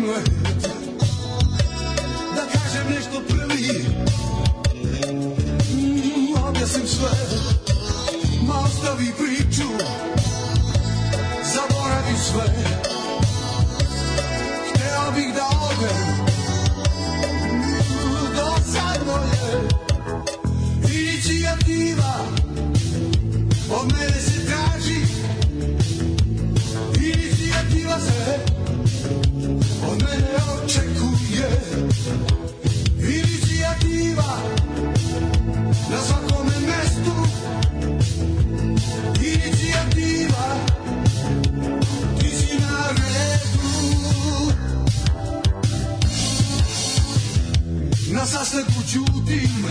let, da kažem nešto prvi, objasnim sve, ma ostavi priču, zaboravi sve. Hteo bih da odem, dosadno je, inicijativa od mene se traži, inicijativa se od mene očekuje, inicijativa na svakome mestu, inicijativa, ti si na redu. Na sastanku ćutim,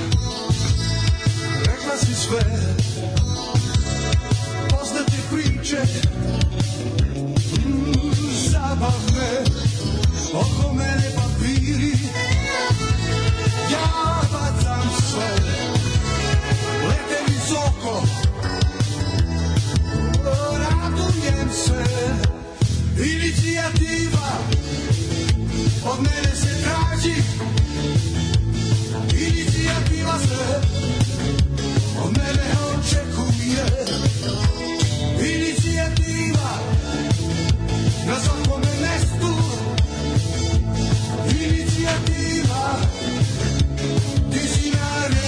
rekla si sve, poznate priče, zabavne, oko mene papiri, ja bacam sve, lete visoko, radujem se, inicijativa od mene se traži, inicijativa se od mene očekuje, inicijativa na svakome mestu, inicijativa, ti si na redu.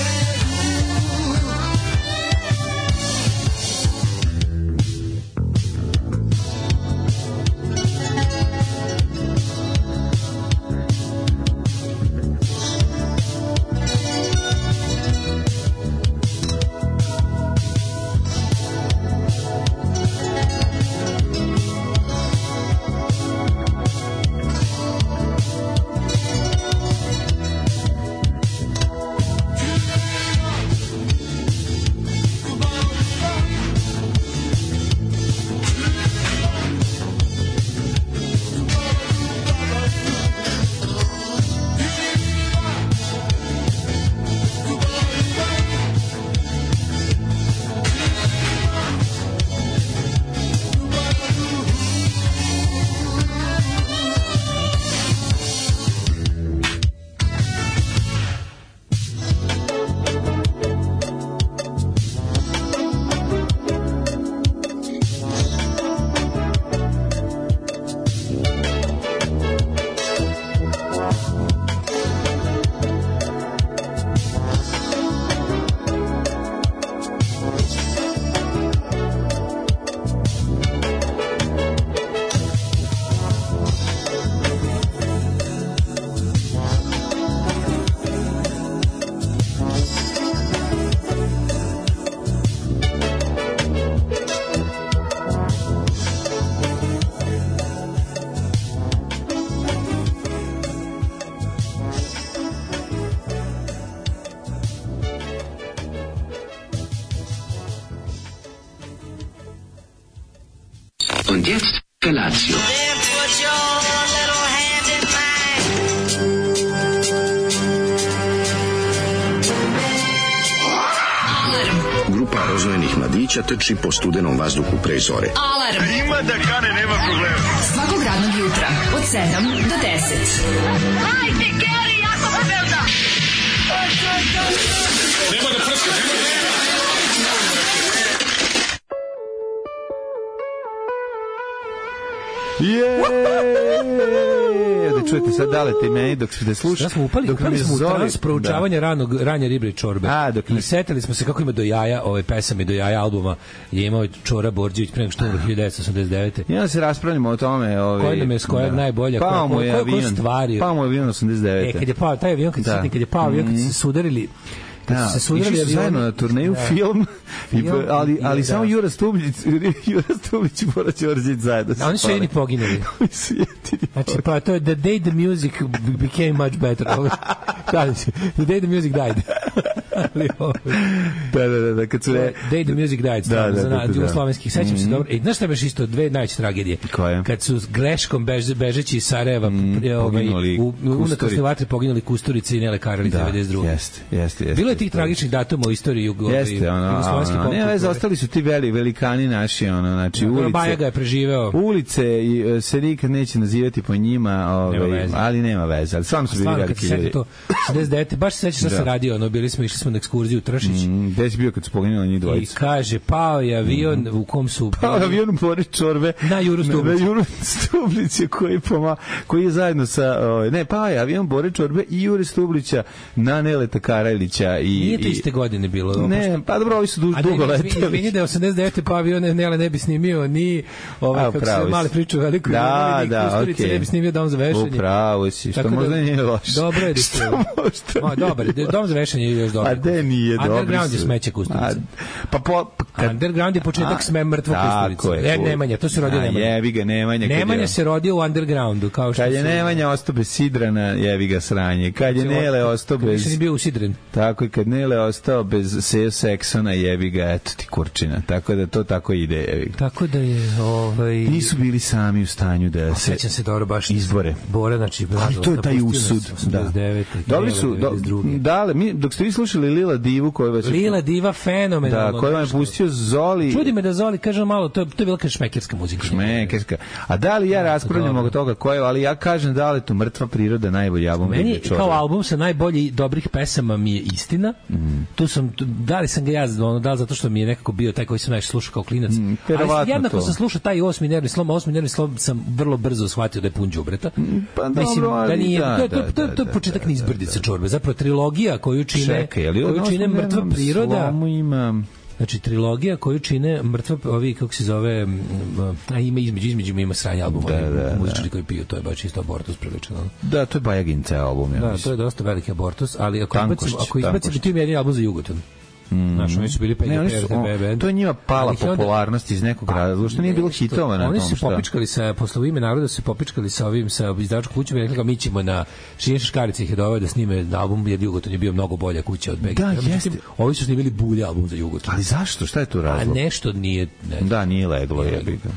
Und jetzt Felatio. Grupa rozvojenih mladića trči po studenom vazduhu pre zore. Alarm! Ima da kane, nema problema. Svakog radnog jutra, od 7 do 10. Hajde, Geri, jako se velda! Nema da prska, nema da... Da čujete sad Daleta i meni dok ste slušali. Ja smo upali smo u trans proučavanja ranje riblje čorbe. I setili smo se kako ima do jaja ove pesame, do jaja albuma je imao Čora Borđević pre nego što umro 1989. I onda se raspravljamo o tome. Koji nam je s kojeg najbolja, koje stvari. Pao mu je avion 89. Kad je pao taj avion, kad je pao avion, kad se sudarili išli su zajedno na turneju film, ali samo Jura Stublić i Bora Đorđević zajedno. Oni su jedini poginuli. Znači, pa to je The Day the Music Became Much Better. The Day the Music Died. Da, kad su Day the Music Died, za jugoslovenskih, sećam se dobro. Znaš šta beš isto, dve najveće tragedije? Koje? Kad su greškom bežeći iz Sarajeva u unutrašnje vatre poginuli Kusturica i Nele Karalić 92. Jeste. Bilo je tih tragičnih datuma u istoriji jugoslovenskih pop. Ne, ostali su ti velikani naši, znači ulice. Bajaga je preživeo. Ulice se nikad neće nazivati po njima, ali nema veze. Ali stvarno su bili veliki ljudi. 69. Baš se sećaš šta se radio, išli smo na ekskurziju u Tršić. Gde si bio kad su poginuli njih dvojica? I kaže, pao je avion u kom su... Pao je avion u Bore Čorbe. Na Juru Stublić. Na Juru Stublić koji je zajedno sa... pao je avion Bore Čorbe i Jure Stublića na Neleta Karajlića. Nije to iste godine bilo. Ne, pa dobro, ovi su dugo leteli. Izvini da je 89. pa avion Nele ne bi snimio ni kako se mali priču veliko. Da, okej. Ne bi snimio Dom za vešanje. Upravo si, što možda nije loše. Dobro je da se... Dobar, Dom za vešanje je još dobro. A de nije dobro. Underground je smeće Kusturica. Underground je početak mrtvog Kusturica. Nemanja, to se rodio Nemanja. Jebi ga Nemanja. Nemanja se rodio u Undergroundu. Kad je Nemanja ostao bez Sidrana, jebi ga sranje. Kad je Nele ostao bez... Kad je bio usidren. Tako i kad Nele ostao bez Sejo Seksona, jebi ga, eto ti kurčina. Tako da to tako ide, jebi ga. Tako da je... Nisu bili sami u stanju da se... Sećam se dobro baš izbore. Bora, znači... Ali to je taj usud. Dobri su... Dok ste vi slušali Lila Divu koju vas... Lila Diva fenomenalno. Da, koju vam je pustio Zoli. Čudi me da Zoli, kažem malo, to je bila kao šmekerska muzika. Šmekerska. A da li ja raspravljam oko toga koje, ali ja kažem da li tu Mrtva priroda najbolji album. Meni kao album sa najboljih dobrih pesama mi je Istina. Tu sam, da li sam ga ja, da li zato što mi je nekako bio taj koji sam najviše slušao kao klinac. Ali jednako sam slušao taj osmi nervni slom sam vrlo brzo shvatio da je pun đubreta. Pa dobro, ali to je početak Nizbrdice čorbe. Zapravo trilogija koju čine Mrtva priroda. Znači trilogija koju čine Mrtva, ovi kako se zove, ima između ima sranje album, muzičari koji piju, to je baš isto abortus prilično. Da, to je Bajagin ceo album. Da, to je dosta veliki abortus, ali ako izbacimo ti jedini album za Jugoton. Znaš, oni su bili to je njima pala popularnost iz nekog razloga, što nije bilo hitova na tom. Oni su popičkali posle U ime naroda, se popičkali sa izdavačkom kućom i rekli kao mi ćemo na Šinješa Škarica ih je doveo da snime album, jer Jugoton je bio mnogo bolja kuća od BG. Da, jeste. Ovi su snimili bulje album za Jugoton. Ali zašto? Šta je tu razlog? A nešto nije... Da, nije leglo.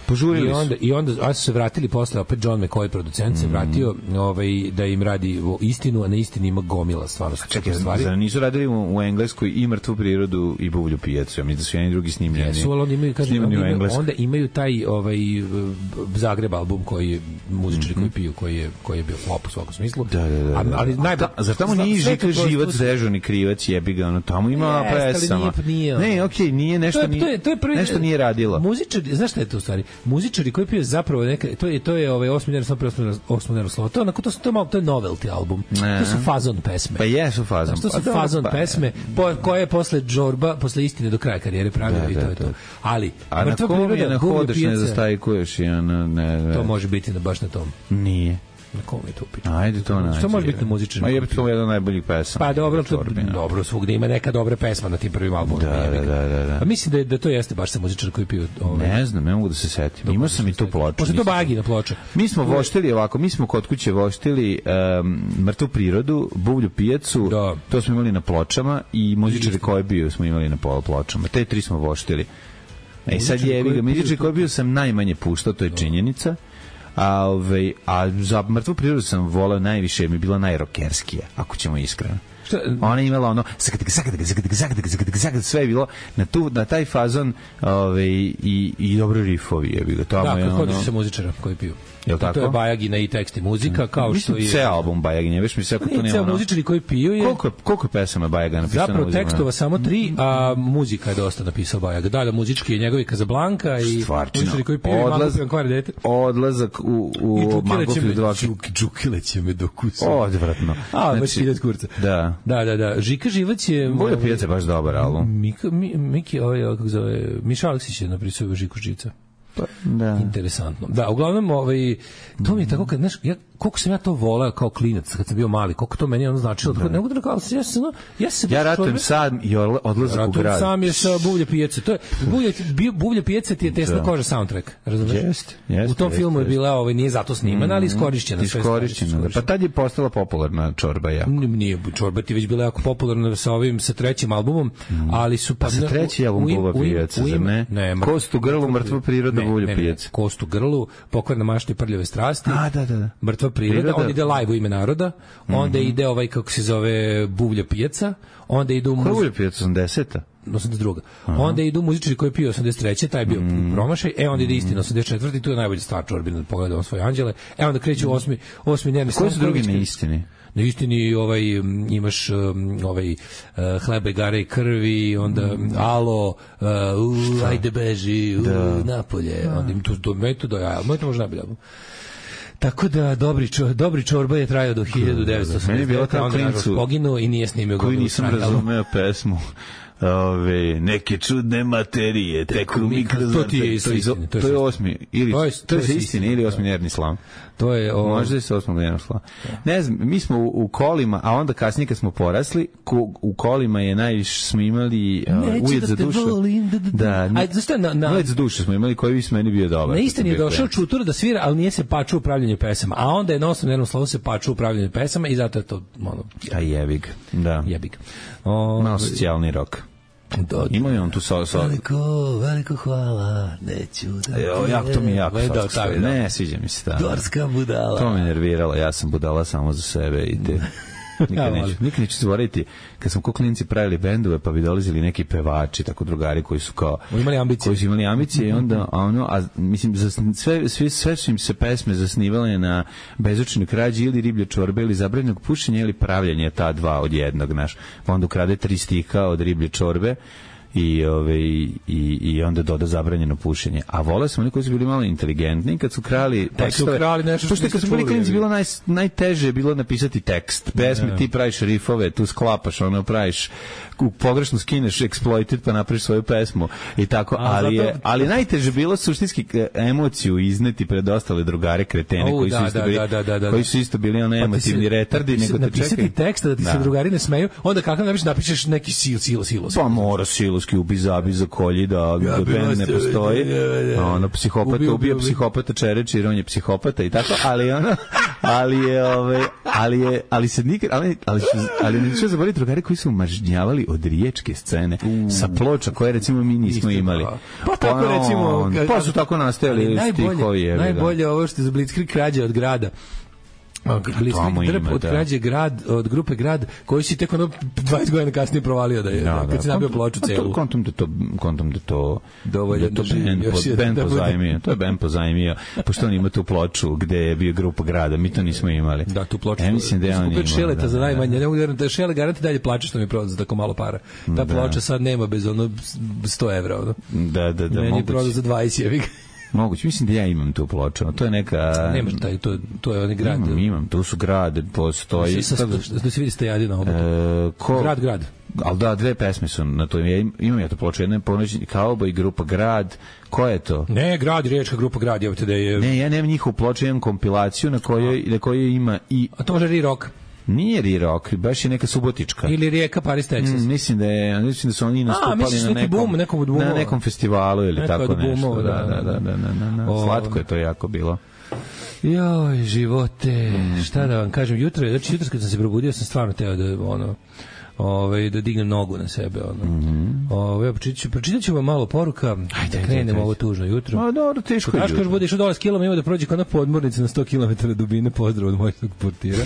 Požurili su. I onda su se vratili posle, opet John McCoy, producent, se vratio da im radi Istinu, a na Istini ima gomila stvarno. Čekaj, nisu radili u Engleskoj i Mrtvu prirodu i Buvlju pijacu, ja mislim da su jedni drugi snimljeni. Onda imaju taj Zagreb album koji je muzičari koji piju, koji je bio flop u svakom smislu. Ali zar tamo nije Žika Živac, dežurni krivac, jebi ga, tamo ima pesama. Ne, okej, nije nešto nešto nije radilo. Muzičari, znaš šta je to u stvari? Muzičari koji piju zapravo to je osmi nervni slom. To je novelty album. To su fazon pesme. Pa jesu fazon. To su fazon pesme koje je posle Žorba, posle Istine do kraja karijere pravio i to je to. Ali Mrtva priroda, na hodeš ne zastajkuješ i to može biti baš na tom. Nije. Na kom je to upiti? Ajde to nađe. Što može biti na muzičarima? Ma je to jedan od najboljih pesama. Pa dobro, svugde ima neka dobra pesma na tim prvim albumima. Da. A mislim da to jeste baš sa muzičar koji piju. Ne znam, ne mogu da se setim. Imao sam i tu ploču. Posle to Bajagina ploča. Mi smo voštili ovako, mi smo kod kuće voštili Mrtvu prirodu, Buvlju pijacu, to smo imali na pločama i muzičari koji bio smo imali na pločama. Te tri smo voštili. Sad je muzičari koji bio sam najmanje puštao, to je činjenica. A za Mrtvu prirodu sam volao najviše, mi je bila najrokerskija, ako ćemo iskreno. Ona je imala ono sve je bilo na taj fazon i dobro rifovi je bilo. Da, kad hodiš sa muzičara koji piju. To je Bajagina i tekst i muzika, kao što je... Ceo album Bajagina, već mi se ako to nema... Ceo muzičari koji piju je... Koliko je pesama Bajagina napisao? Zapravo tekstova samo 3, a muzika je dosta napisao Bajaga. Da, muzički je njegovi Kazablanka i muzičari koji piju i Magofiljan kvardete. Odlazak u Magofilju 2. Džukile će me dokusu. Odvratno. A, baš ideš kurca. Da. Žika Živac je... Buvlja pijaca je baš dobar album. Miki, kako zove, Miša Aleksić je napisao Žiku Živca. Da. Interesantno. Da, uglavnom, to mi je tako, znaš, koliko sam ja to voleo kao klinac kad sam bio mali, koliko to meni ono značilo. Ne mogu da rekao, ja ratujem sam i odlazak u grad. Ratujem sam je sa Buvlje pijace. To je, Buvlje pijace ti je Tesna koža soundtrack, razumiješ? Jeste. U tom filmu je bila, nije zato snimana, ali iskorišćena. Pa tad je postala popularna čorba jako. Nije, čorba ti već bila jako popularna sa trećim albumom, ali su... Pa sa treći album Buvlja pijaca, zar ne? Kost u grlu, mrtva priroda, Buvlja pijaca. Kost u grlu, Pokvarna mašta i prljave strasti. Da. Mrtva priroda, onda ide live u ime naroda, onda ide kako se zove Buvlja pijaca, onda ide u... Koja Buvlja pijaca, 80-a? 82. Onda idu muzičari koji piju 83. taj bio promašaj, onda ide Istina 84. i tu je najbolji stvar čorbina, pogledamo svoje anđele, onda kreću osmi dnevni Koji su drugi na Istini? Na Istini imaš Hleba i gare i krvi, onda Alo, ajde beži, napolje, onda im tu metodo, moj to možda najbolje. Tako da dobri čorba je trajao do 1980. Meni je bila kao klincu poginuo i nije snimio koji nisam razumeo pesmu. Neke čudne materije teku mi kroz... To ti je istine. To je osmi, ili to je istine ili osmi nervni slam. To je možda je se osmog nervni slam. Ne znam, mi smo u kolima, a onda kasnije kad smo porasli, u kolima je najviše smo imali ujed za dušu. Da, ujed za dušu smo imali, koji bi s meni bio dobar. Na Istini je došao Čutura da svira, ali nije se pačuo upravljanje pesama, a onda je na osmom nervnom slavu se pačuo upravljanje pesama i zato je to a jebig. Da. Jebig. Malo socijalni rok. Ima je on tu veliko hvala, neću da... to mi je jako slatko. Ne, sviđa mi se ta. Dorska budala. To me nerviralo, ja sam budala samo za sebe i te... Nikad neću zaboraviti kad smo ko klinci pravili bendove pa bi dolazili neki pevači, tako drugari koji su kao koji su imali ambicije i onda mislim sve su im se pesme zasnivale na bezočnoj krađi ili riblje čorbe ili zabranjenog pušenja ili pravljenja ta dva od jednog, znaš, pa onda ukrade 3 stiha od riblje čorbe i onda doda zabranjeno pušenje. A vole smo oni koji su bili malo inteligentni kad su krali tekstove. Pošto kad su bili klinci bilo najteže je bilo napisati tekst. Pesme ti praviš rifove, tu sklapaš, praviš pogrešno skineš exploited pa napraviš svoju pesmu i tako, ali najteže bilo suštinski emociju izneti pred ostale drugare kretene koji su isto bili emotivni retardi, nego te čekaju. Napisati tekst da ti se drugari ne smeju, onda kako napišeš neki silos. Pa mora siloski ubi zabi za kolji da bend ne postoji. Psihopata ubija psihopata čereči jer on je psihopata i tako, ali se nikad, ali neću zaboraviti drugari koji su mažnjavali od riječke scene sa ploča koje recimo mi nismo imali. Pa tako recimo... Pa su tako nastajali stihovi. Najbolje ovo što je za Blitzkrieg krađa od grada. Od krađe grad, od grupe Grad, koji si tek 20 godina kasnije provalio da je, kad si nabio ploču celu. Kontom da to band pozajmio. To je band pozajmio, pošto on ima tu ploču gde je bio grupa Grada, mi to nismo imali. Da, tu ploču. Mislim da je on imao. Šeleta za najmanje, ne mogu da da Šele garanti dalje plače što mi proda za tako malo para. Ta ploča sad nema bez $100 evra. Da. Meni je proda za 20 evra. Moguće, mislim da ja imam tu ploču. To je neka... Nemaš taj, to je onaj grad. Imam, tu su grad, postoji... Da se vidi stajadi na obotu. Grad. Ali da, 2 pesme su na to. Imam ja to ploču. Jedna je Ponoćni kauboj i grupa Grad. Ko je to? Ne, Grad, riječka grupa Grad. Ne, ja nemam njihovu ploču, imam kompilaciju na kojoj ima i... A to može Rirok? Nije Rirok, baš je neka subotička. Ili Rijeka, Paris, Texas. Mislim da su oni nastupali na nekom festivalu ili tako nešto. Da. Slatko je to jako bilo. Joj, živote, šta da vam kažem, jutro kad sam se probudio sam stvarno teo da dignem nogu na sebe. Pročitat ću vam malo poruka, da krenemo ovo tužno jutro. Dobro, teško je jutro. Daško još bude išao dole s kilom, ima da prođe kao na podmornici na 100 km dubine, pozdrav od mojeg portira.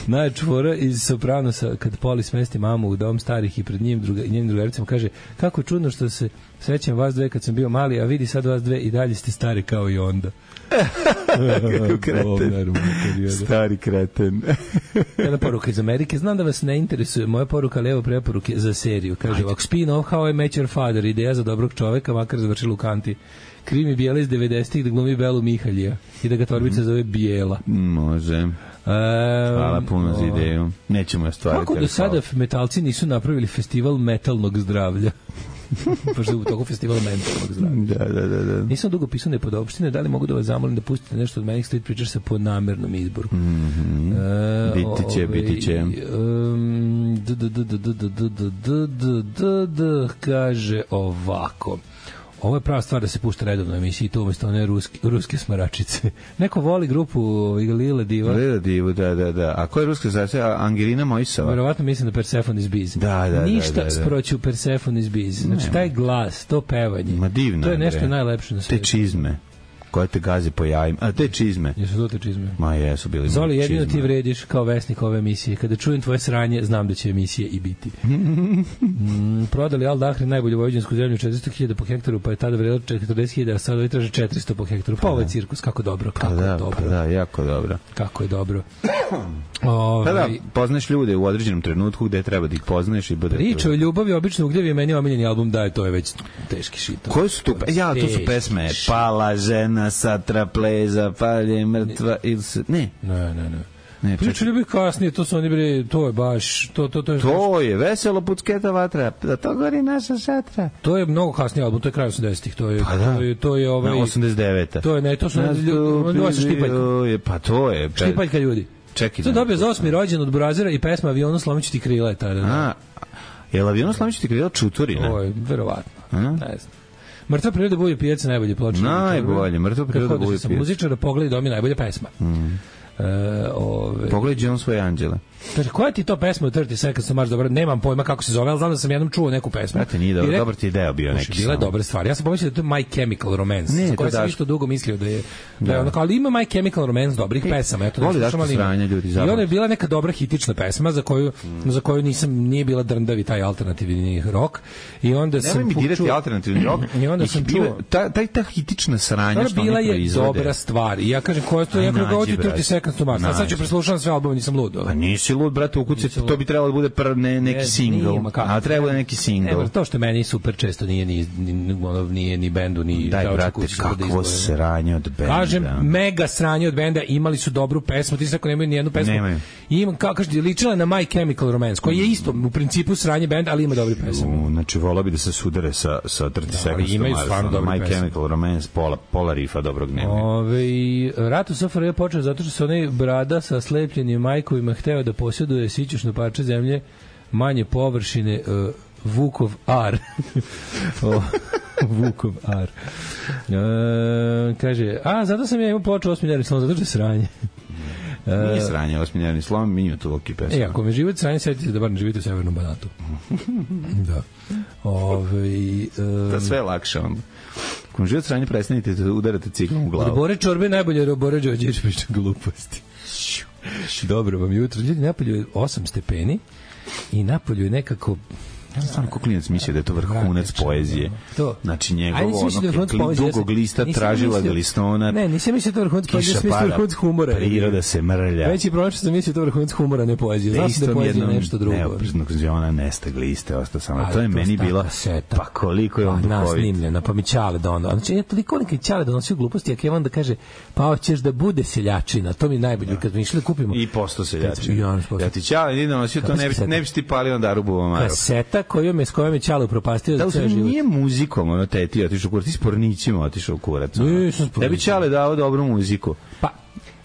Najčvora iz Sopranosa, kad Poli smesti mamu u dom starih i pred njenim drugaricama kaže, kako čudno što se srećem vas dve kad sam bio mali, a vidi sad vas dve i dalje ste stari kao i onda. Kako kreten. Stari kreten. Jedna poruka iz Amerike. Znam da vas ne interesuje moja poruka, ali evo preporuke za seriju. Kaže ovak, spin-off How I Met Your Father, ideja za dobrog čoveka, makar završila u kanti. Krimi Bijela iz 90-ih da glumi Belu Mihaljija i da ga torbica zove Bijela. Može. Hvala puno za ideju. Nećemo je stvariti. Kako do sada metalci nisu napravili festival metalnog zdravlja? Pošto u toku festivala mentalnog zdravlja. Da. Nisam dugo pisao nepodopštine, da li mogu da vas zamolim da pustite nešto od Manic Street Preachersa po namernom izboru? Biti će. Kaže ovako. Ovo je prava stvar da se pušta redovno emisiji, to umjesto one ruske smaračice. Neko voli grupu Lila Diva. Lila Divu, da. A ko je ruska zračaja? Angelina Mojsova. Verovatno mislim da Persephone's Biz. Da. Ništa sproću Persephone's Biz. Znači, taj glas, to pevanje. Ma divno. To je nešto najlepše na svijetu. Te čizme koje te gazi po jajima. A te čizme. Jesu to te čizme? Ma jesu bili. Zoli, jedino ti vrediš kao vesnik ove emisije. Kada čujem tvoje sranje, znam da će emisije i biti. Prodali Al Dahri najbolju vojvođansku zemlju 400.000 po hektaru, pa je tada vredilo 40.000, a sada ovi traže 400 po hektaru. Pa ovaj cirkus, kako dobro, kako je dobro. Da, jako dobro. Kako je dobro. Da, poznaš ljude u određenom trenutku gde treba da ih poznaš i bude... Priča o ljubavi, obično ugljev je meni omiljeni album, da je to je već teški šit. Koje su tu? Ja, to su pesme. Pala žena sa trapleza, palje mrtva ili se... Ne. Priča ljubavi kasnije, to su oni bili, to je baš... To je veselo pucketa vatra, da to gori naša šatra. To je mnogo kasniji album, to je kraj 80-ih, to je ovaj... 89-a. To je, ne, to su ljudi, Štipaljka. Pa to je... Štipaljka ljudi. Čekaj. To je dobio za 8. rođen od Brazera i pesma Avionu slomiću ti krila je tada. Je li Avionu slomiću ti krila Čuturina? Ovo je, verovatno. Ne znam. Mrtva priroda Bujo pijac najbolje ploče. Najbolje, Mrtva priroda Bujo pijac. Muzičara Pogledaj dom je najbolja pesma. Pogledaj on svoje anđele. Kaže, koja ti to pesma u 30 Seconds to Mars dobro? Nemam pojma kako se zove, ali znam da sam jednom čuo neku pesmu. Znate, nije dobro, dobar ti ideo bio neki. Bila je dobra stvar. Ja sam pomislio da to je My Chemical Romance, za koje sam isto dugo mislio da je onako, ali ima My Chemical Romance dobrih pesama. Voli Daško sranja, ljudi, i ona je bila neka dobra hitična pesma za koju nije bila drndavi taj alternativni rock. I onda sam nemoj mi dirati alternativni rock. I onda sam čuo ta hitična sranja što oni bila proizvode. Je dobra stvar. I ja kažem, koja to je, ja kažem, 30 Seconds to Mars. Sad ću preslušam sve albume, nisam lud. Pa nisi lud, brate, ukuci, to bi trebalo da bude neki single. A treba da neki single. To što meni super često nije ni bendu, ni daj, brate, kakvo sranje od benda. Kažem, mega sranje od benda, imali su dobru pesmu, ti se ako nemaju ni jednu pesmu. Ima, kaže, ličila na My Chemical Romance, koji je isto u principu sranje benda, ali ima dobri pesmu. Znači, volao bi da se sudare sa 30 Seconds to Mars. My Chemical Romance, pola rifa dobrog nema. Rat u SFRJ je počeo zato što se onaj brada sa slepljenim majkovima hteo da posjeduje sićušno parče zemlje manje površine Vukov Ar. Vukov Ar. Kaže, zato sam ja imao ploču 8 slom, zato što je sranje. Nije sranje, 8 slom, mi ima tu loki pesma. Ako me živite sranje, sjetite da bar ne živite u Severnom Banatu. Da. Da sve je lakše onda. Ako me živite sranje, prestanite da udarate ciklom u glavu. Od Bore Čorbe najbolje jer Bore Đorđević priča gluposti. Dobro vam jutro. Ljudi, napolju je 8 stepeni i napolju je nekako... Ja sam stvarno kuklinac mislio da je to vrhunac poezije. Znači njegovo dugog lista tražila ga listona. Ne, nisam mislio da je to vrhunac poezije, nisam mislio da je vrhunac humora. Priroda se mrlja. Veći problem što sam mislio da je vrhunac humora, ne poezije. Znam da je poezija nešto drugo. Neopreznog ona nestag liste, ostao samo. To je meni bilo, pa koliko je on duhovit. Nasnimljena, pa mi Ćale dono. Znači, ja toliko nekaj Ćale donosio gluposti, a Kevan da kaže, pa hoćeš da bude seljačina, to mi najbolje, kad mi išli da kupimo. I posto seljačina. Ja ti Ćale nije donosio, to ne bi ti palio onda Rubu Maru. Kaseta s kojom je Ćale upropastio za ceo život. Nije muzikom, ono teti otišao u kurac, ti s pornićima otišao u kurac. Da bi Ćale dao dobru muziku. Pa,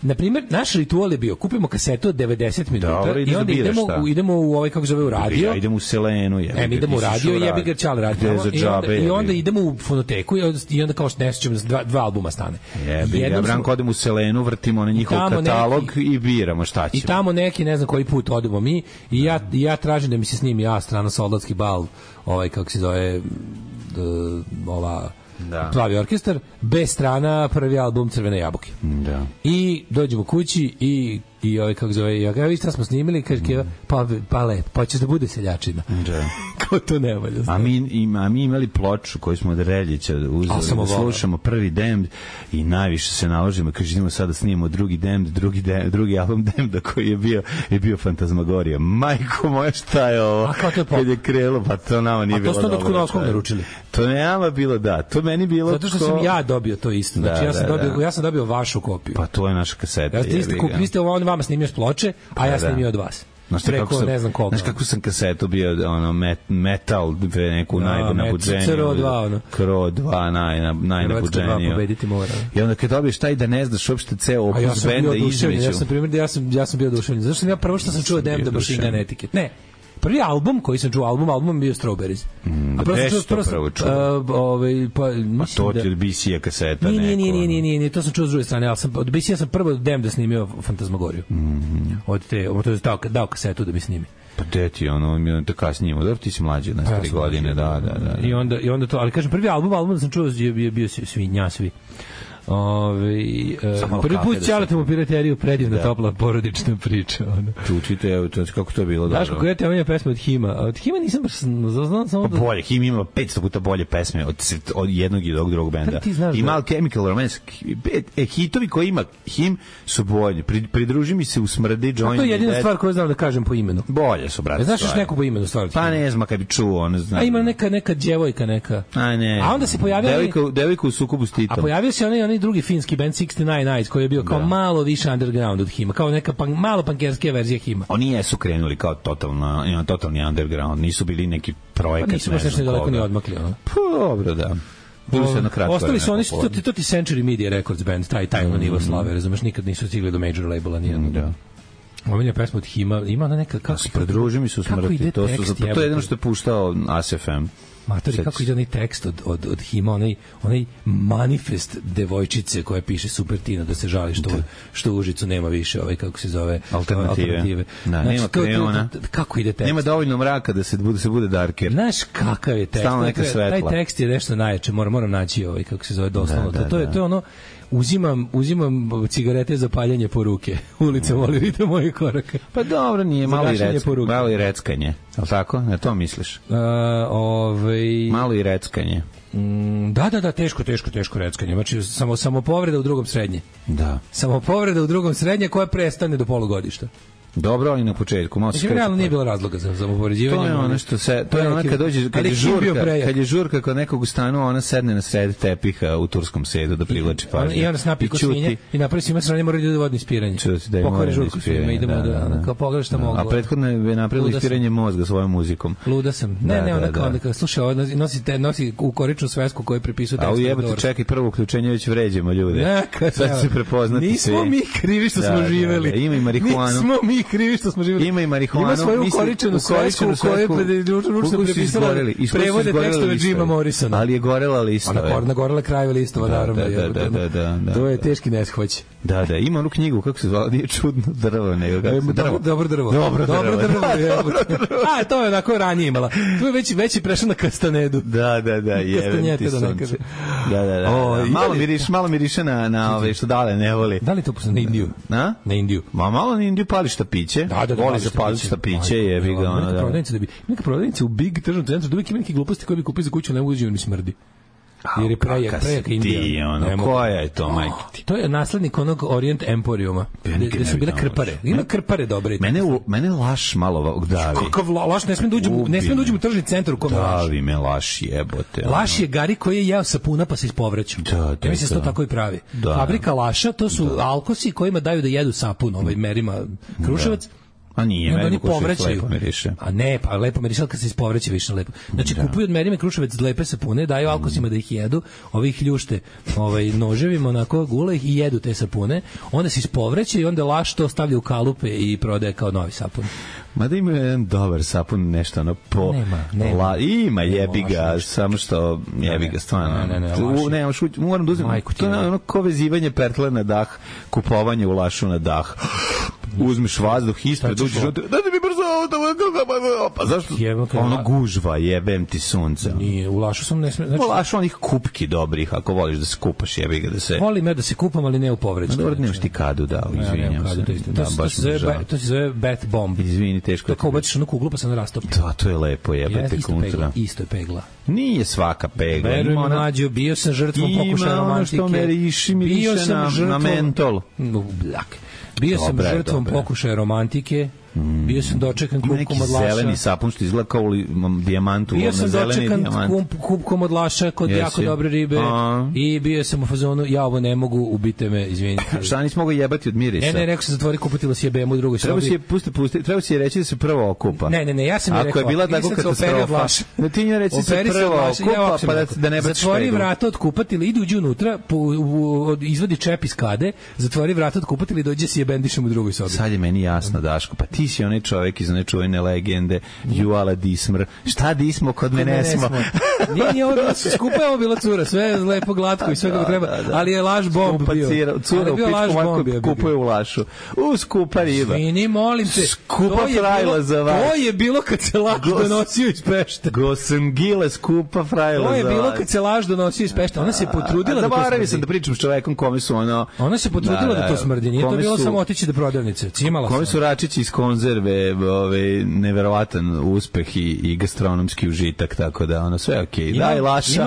na primjer, naš ritual je bio, kupimo kasetu od 90 minuta i onda idemo u ovaj, kako zove, u radio. Ja idem u Selenu. Mi idemo u radio i jebi ga Ćale radio. I onda idemo u fonoteku i onda kao što nećemo dva albuma stane. Ja Branko odem u Selenu, vrtimo na njihov katalog i biramo šta ćemo. I tamo neki, ne znam koji put odemo mi i ja tražim da mi se snimi strana Soldatski bal, ovaj, kako se zove, ova... Plavi orkestar, B strana, prvi album Crvene jabuke. Da. I dođemo kući i ovaj, kako zove, ja vi šta smo snimili, kaže pa lepo, pa ćeš da bude seljačina. Da. Kao to ne valja. A mi imali ploču koju smo od Reljića uzeli da slušamo prvi Damned i najviše se naložimo, kaže idemo sada snimamo drugi Damned, drugi album Damned koji je bio Fantasmagorija. Majko moja, šta je ovo? A kao to je kad je krelo, pa to nama nije bilo dobro. A to ste od Kunovskog naručili? To ne nama bilo, da. To meni bilo zato što sam ja dobio to isto. Znači ja sam dobio vašu kopiju. Pa to je naša kaseta. Vi ste vama snimio s ploče, a ja snimio od vas. preko ne znam koliko. Znaš kako sam kasetu bio, metal, neku najnabuđeniju. CRO2, CRO2, najnabuđeniju. Pobediti mora. I onda kad dobiješ taj da ne znaš uopšte ceo opus benda između. Ja sam bio oduševljen. Zašto sam ja prvo što sam čuo Damn the Machine Gun Etiquette? Ne. Prvi album koji sam čuo, album bio Strawberries. A prvo čuo? To ti od BC-a kaseta neko. Nije, to sam čuo s druge strane, ali od BC-a sam prvo Damn da snimio Fantasmagoriju. To je dao kasetu da mi snimi. Pa deti, to kasnije, dobro ti si mlađi, na 3 godine, da. I onda to, ali kažem, prvi album da sam čuo je bio svi. Prvi put ćaletamo pirateriju, predivna topla porodična priča. Čučite, kako to je bilo dobro. Znaš kako je te pesme od Hima? Od Hima nisam baš znao samo da... Bolje, Him ima 500 puta bolje pesme od jednog i drugog benda. Ima Chemical Romance. Hitovi koji ima Him su bolji. Pridruži mi se u Smrdi, Join. To je jedina stvar koju znam da kažem po imenu. Bolje su, brate. Znaš još neku po imenu stvar? Pa ne znam, kad bi čuo, ne znam. A ima neka djevojka, neka. A ne. A onda se pojavio... Devojka u sukobu s Titom. A pojavio se onaj drugi finski band 69 Nights koji je bio kao malo više underground od Hima, kao neka malo pankerskija verzija Hima. Oni jesu krenuli kao totalni underground, nisu bili neki projekat. Pa nisu baš nešto daleko ni odmakli. Pa dobro, da. Ostali su oni, to ti Century Media Records band, taj nivo slave, razumeš, nikad nisu stigli do major labela nijedno. Da. Omenja pesma od Hima, ima ona neka... Pridruži mi se u Smrti, to je jedno što je puštao ASFM. Matori, kako ide onaj tekst od Hima, onaj manifest devojčice koja piše Super Tina da se žali što u Užicu nema više kako se zove alternative. Da, znači, nema kreona. Kako ide tekst? Nema dovoljno mraka da se bude darker. Znaš kakav je tekst? Taj tekst je nešto najjače, moram naći kako se zove doslovno. To je ono, uzimam cigarete za paljenje po ruke. Ulica voli ritam mojih koraka. Pa dobro, nije malo i reckanje. Al tako? Na to misliš? Malo i reckanje. Da, teško reckanje. Znači samo povreda u drugom srednje. Da. Samo povreda u drugom srednje koja prestane do polugodišta. Dobro, ali na početku malo se skreće. Realno nije bilo razloga za upoređivanje. To je ono što se, to je ono kad dođe, kad je žurka kod nekog u stanu, ona sedne na sred tepiha u turskom sedu da privlači pažnju. I onda snapi kosminje i napravi svima strane mora da vodno ispiranje. Pokvari žurku svima, idemo da kao pogledaš šta mogu. A prethodno je napravilo ispiranje mozga svojom muzikom. Luda sam. Ne, onda kao slušaj, nosi u koričnu svesku koju prepisuje tekst. A ujebate, čekaj, prvo uključenje već vređamo ljude. Sad se prepoznati. Nismo mi krivi što smo živeli. Ima i marihuanu. Krivi što smo živjeli. Ima i marihuanu. Ima svoju ukoričenu svesku u kojoj je ručno prepisala prevode tekstove Jima Morrisona. Ali je gorela listove. Ona gorela krajeve listova, naravno. To je teški neshvać. Da, ima onu knjigu, kako se zvala, nije čudno drvo, nego kako se drvo. Dobro drvo. A, to je onako ranije imala. Tu je već prešla na Kastanedu. Da, Kastanjete da ne kaže. Da. Malo miriše na ove što dale ne voli. Da li to posle na Indiju? Na Indiju. Malo na Indiju pali štapiće. Da, voli za pali štapiće, jebi ga ona. Neka prodavnica u Big tržnom centru, da uvijek ima neke gluposti koje bi kupili za kuću, ne mogu uđi, mi smrdi. Jer je prejak Indija. Koja je to, majke ti? To je naslednik onog Orient Emporiuma, gde su bile krpare. Ima krpare dobre. Mene laš malo davi. Kakav laš, ne smem da uđem u tržni centar u kome laš. Davi me laš, jebote. Laš je Gari koji je jeo sapuna pa se ispovraćao. Ja mislim da to tako i pravi. Fabrika laša, to su alkosi kojima daju da jedu sapun, merima Kruševac. A nije, oni povraćaju. Lepo miriše. A ne, pa lepo miriše, kad se ispovraća više lepo. Znači, kupuju od Merime Kruševac lepe sapune, daju alkosima da ih jedu, ovi ih ljušte noževima, onako, gule ih i jedu te sapune, onda se ispovraća i onda laš to stavlja u kalupe i prodaje kao novi sapun. Mada ima jedan dobar sapun, nešto ono po... Nema. Ima jebiga, samo što jebiga, stvarno. Ne, moram da uzem. To je ono ko vezivanje pertle na dah, kupovanje u lašu na dah. Uzmeš vazduh ispred, uđeš unutra, dajte mi brzo ovo, pa zašto? Ono gužva, jebem ti sunca. Nije, u lašu sam ne smije. U lašu onih kupki dobrih, ako voliš da se kupaš, jebi ga da se... Volim ja da se kupam, ali ne u povreću. Dobro, nemaš ti kadu, izvinjam se. To se zove bat bomb. Izvini, teško. To kao ubaciš onu kuglu pa se ona rastopi. Da, to je lepo, jebate kontra. Isto je pegla. Nije svaka pegla. Verujem, mlađo, bio sam žrtvom pokušaja romantike. Ima ono što me riši na mentol. Bio sam žrtvom pokušaja romantike. Bio sam dočekan kupkom od laša. Neki zeleni sapun što izgleda kao dijamantu. Bio sam dočekan kupkom od laša kod jako dobre ribe i bio sam u fazonu, ja ovo ne mogu, ubite me, izvinite. Šta nisi mogao jebati od mirisa? Ne, rekao sam zatvori kupatilo si jebemo u drugoj sobi. Treba si je reći da se prvo okupa. Ne, ja sam je rekao. Ako je bila tako katastrofa, ne ti nje reći se prvo okupa, pa da ne baš zatvori vrata od kupatila, ide uđi unutra, izvadi čep iz kade, zatvori vrata od kupatila i dođe si jebendišem u drugoj sobi. Sad je meni jasno, Daško, pa ti si onaj čovjek iz one čuvene legende Juala Dismr. Šta dismo kod mene smo? Nije ovo bilo skupa, je ovo bila cura, sve je lepo glatko i sve kako treba, ali je laž bomb bio. Cura u pičku manku kupuje u lašu. Skupa riba. Svini, molim te. Skupa frajla za vas. To je bilo kad se laž donosio iz Pešta. Gosengile, skupa frajla za vas. To je bilo kad se laž donosio iz Pešta. Ona se potrudila da to smrdi. Sam da pričam s čovekom kome su ono... Ona se potrudila da to smrdi. Nije to bilo samo otići do prodavnice. Cimala sam. Kome su račići iz konzerve, neverovatan uspeh i gastronomski užitak, tako da ono sve okej. Daj laša,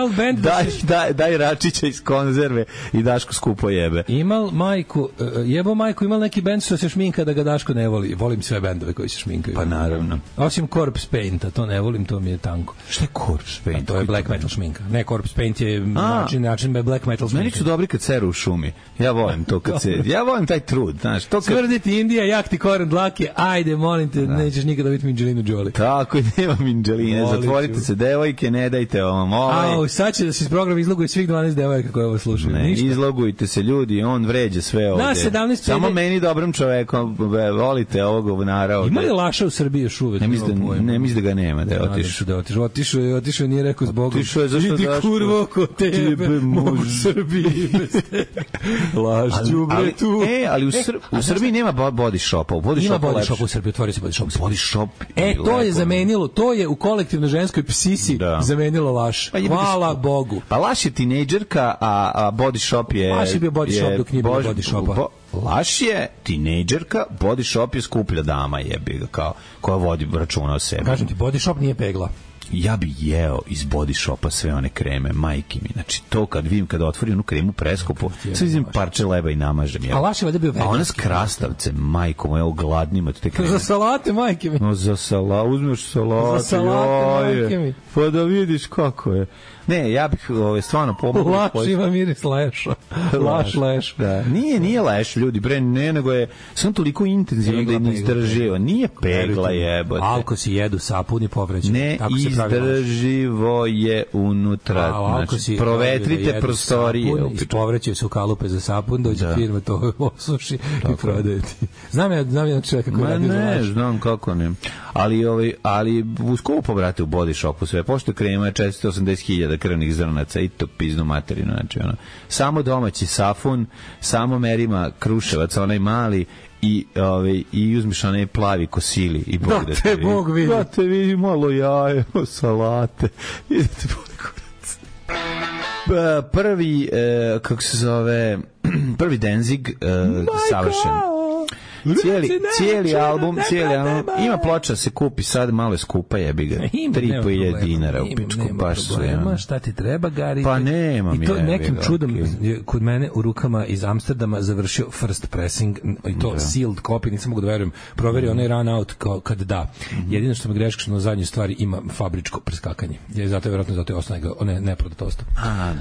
daj račića iz konzerve i Daško skupo jebe. Imal majku, imal neki bend što se šminka da ga Daško ne voli. Volim sve bendove koji se šminkaju. Pa naravno. Osim Corpse Painta, to ne volim, to mi je tanko. Šta je Corpse Paint? To je black metal šminka. Ne, Corpse Paint je način black metal šminka. Meni su dobri kad seru u šumi. Ja volim to kad se... Ja volim taj trud, znaš. Smrditi Indija, jak ti koren dlake, ajde, molim te, nećeš nikada biti Angelinu Jolie. Tako je, nema Angeline. Zatvorite se, devojke, ne dajte ovom. Sad će da se iz programa izloguje svih 12 devojaka koje ovo slušaju. Ne, izlogujte se ljudi, on vređe sve ovde. Samo meni dobrom čovekom, volite ovog govnara ovde. Ima li laša u Srbiji još uvek? Ne mislim da ga nema, da je otišao. Otišao, nije rekao zbog. Otišao je zašto Idi kurvo ko tebe, mogu u Srbiji bez tebe. Lašću bre tu. Ali u Srbiji nema body shopa. Ima body shop u Srbiji, otvori se body shop. Body shop. To je zamenilo, to je u kolektivnoj ženskoj psisi zamenilo laš. Hvala Bogu. Pa laš je tinejdžerka, a body shop je... Laš je bio body shop dok nije bilo body shopa. Laš je tinejdžerka, body shop je skuplja dama, jebi ga, kao koja vodi računa o sebi. Kažem ti, body shop nije pegla. Ja bi jeo iz body shopa sve one kreme, majke mi. Znači, to kad vidim, kada otvori onu kremu preskupu, sve vidim parče leba i namažem. A laš je valjda bio veganski. A ona s krastavce, majko moja, ogladnima te kreme. Za salate, majke mi. No, uzmeš salate. Za salate, majke mi. Pa da vidiš kako je. Ne, ja bih stvarno pomogao. Laš ima miris leša. Laš leš. Da. Nije leš, ljudi, bre, ne, nego je samo toliko intenzivno da ne izdrživo. Nije pegla jebote. Alko si jedu, sapun i povreću. Ne, izdrživo je unutra. Znači, provetrite prostorije. I povrećaju se u kalupe za sapun, dođe firma, to osuši i prodaje ti. Znam jedan čovjek kako radi za laš. Ne, znam kako ne. Ali u skupo, brate, u body shopu sve. Pošto krema je 480.000 krvnih zrnaca i to piznu materinu. Znači, samo domaći safun, samo merima Kruševac, onaj mali, i uzmiš onaj plavi kosili i Bog da te vidi. Da te vidi malo jaje, salate. I da te bude kurac. Prvi, kako se zove, prvi Danzig savršen. Cijeli album ima ploča se kupi sad, malo je skupa, jebi ga 3.500 dinara u pičku, baš sve. Šta ti treba, Gari? Pa nema mi. I to nekim čudom kod mene u rukama iz Amsterdama završio first pressing i to sealed copy, nisam mogu da verujem, proverio onaj run out kad da. Jedino što me greška što na zadnjoj stvari ima fabričko preskakanje. Zato je ostane neprodato ostao.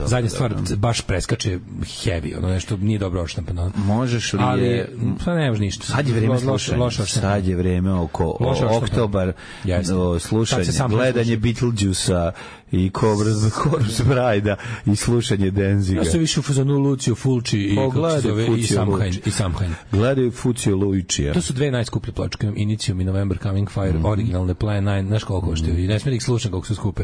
Zadnja stvar baš preskače heavy, ono nešto nije dobro odštampano. Možeš li je... Pa ne može ništa. Sad je vreme slušanja. Sad je vreme oko oktobar, slušanje, gledanje Beetlejuice-a i Corpse Bride-a i slušanje Danziga. Ja se više u fazonu Lucio Fulci i Samhain. Gledaju Fucio Luicija. To su dve najskuplje pločke, Initium i November Coming Fire, originalne Plan 9, znaš koliko koštaju i ne smije da ih slušam koliko su skupe.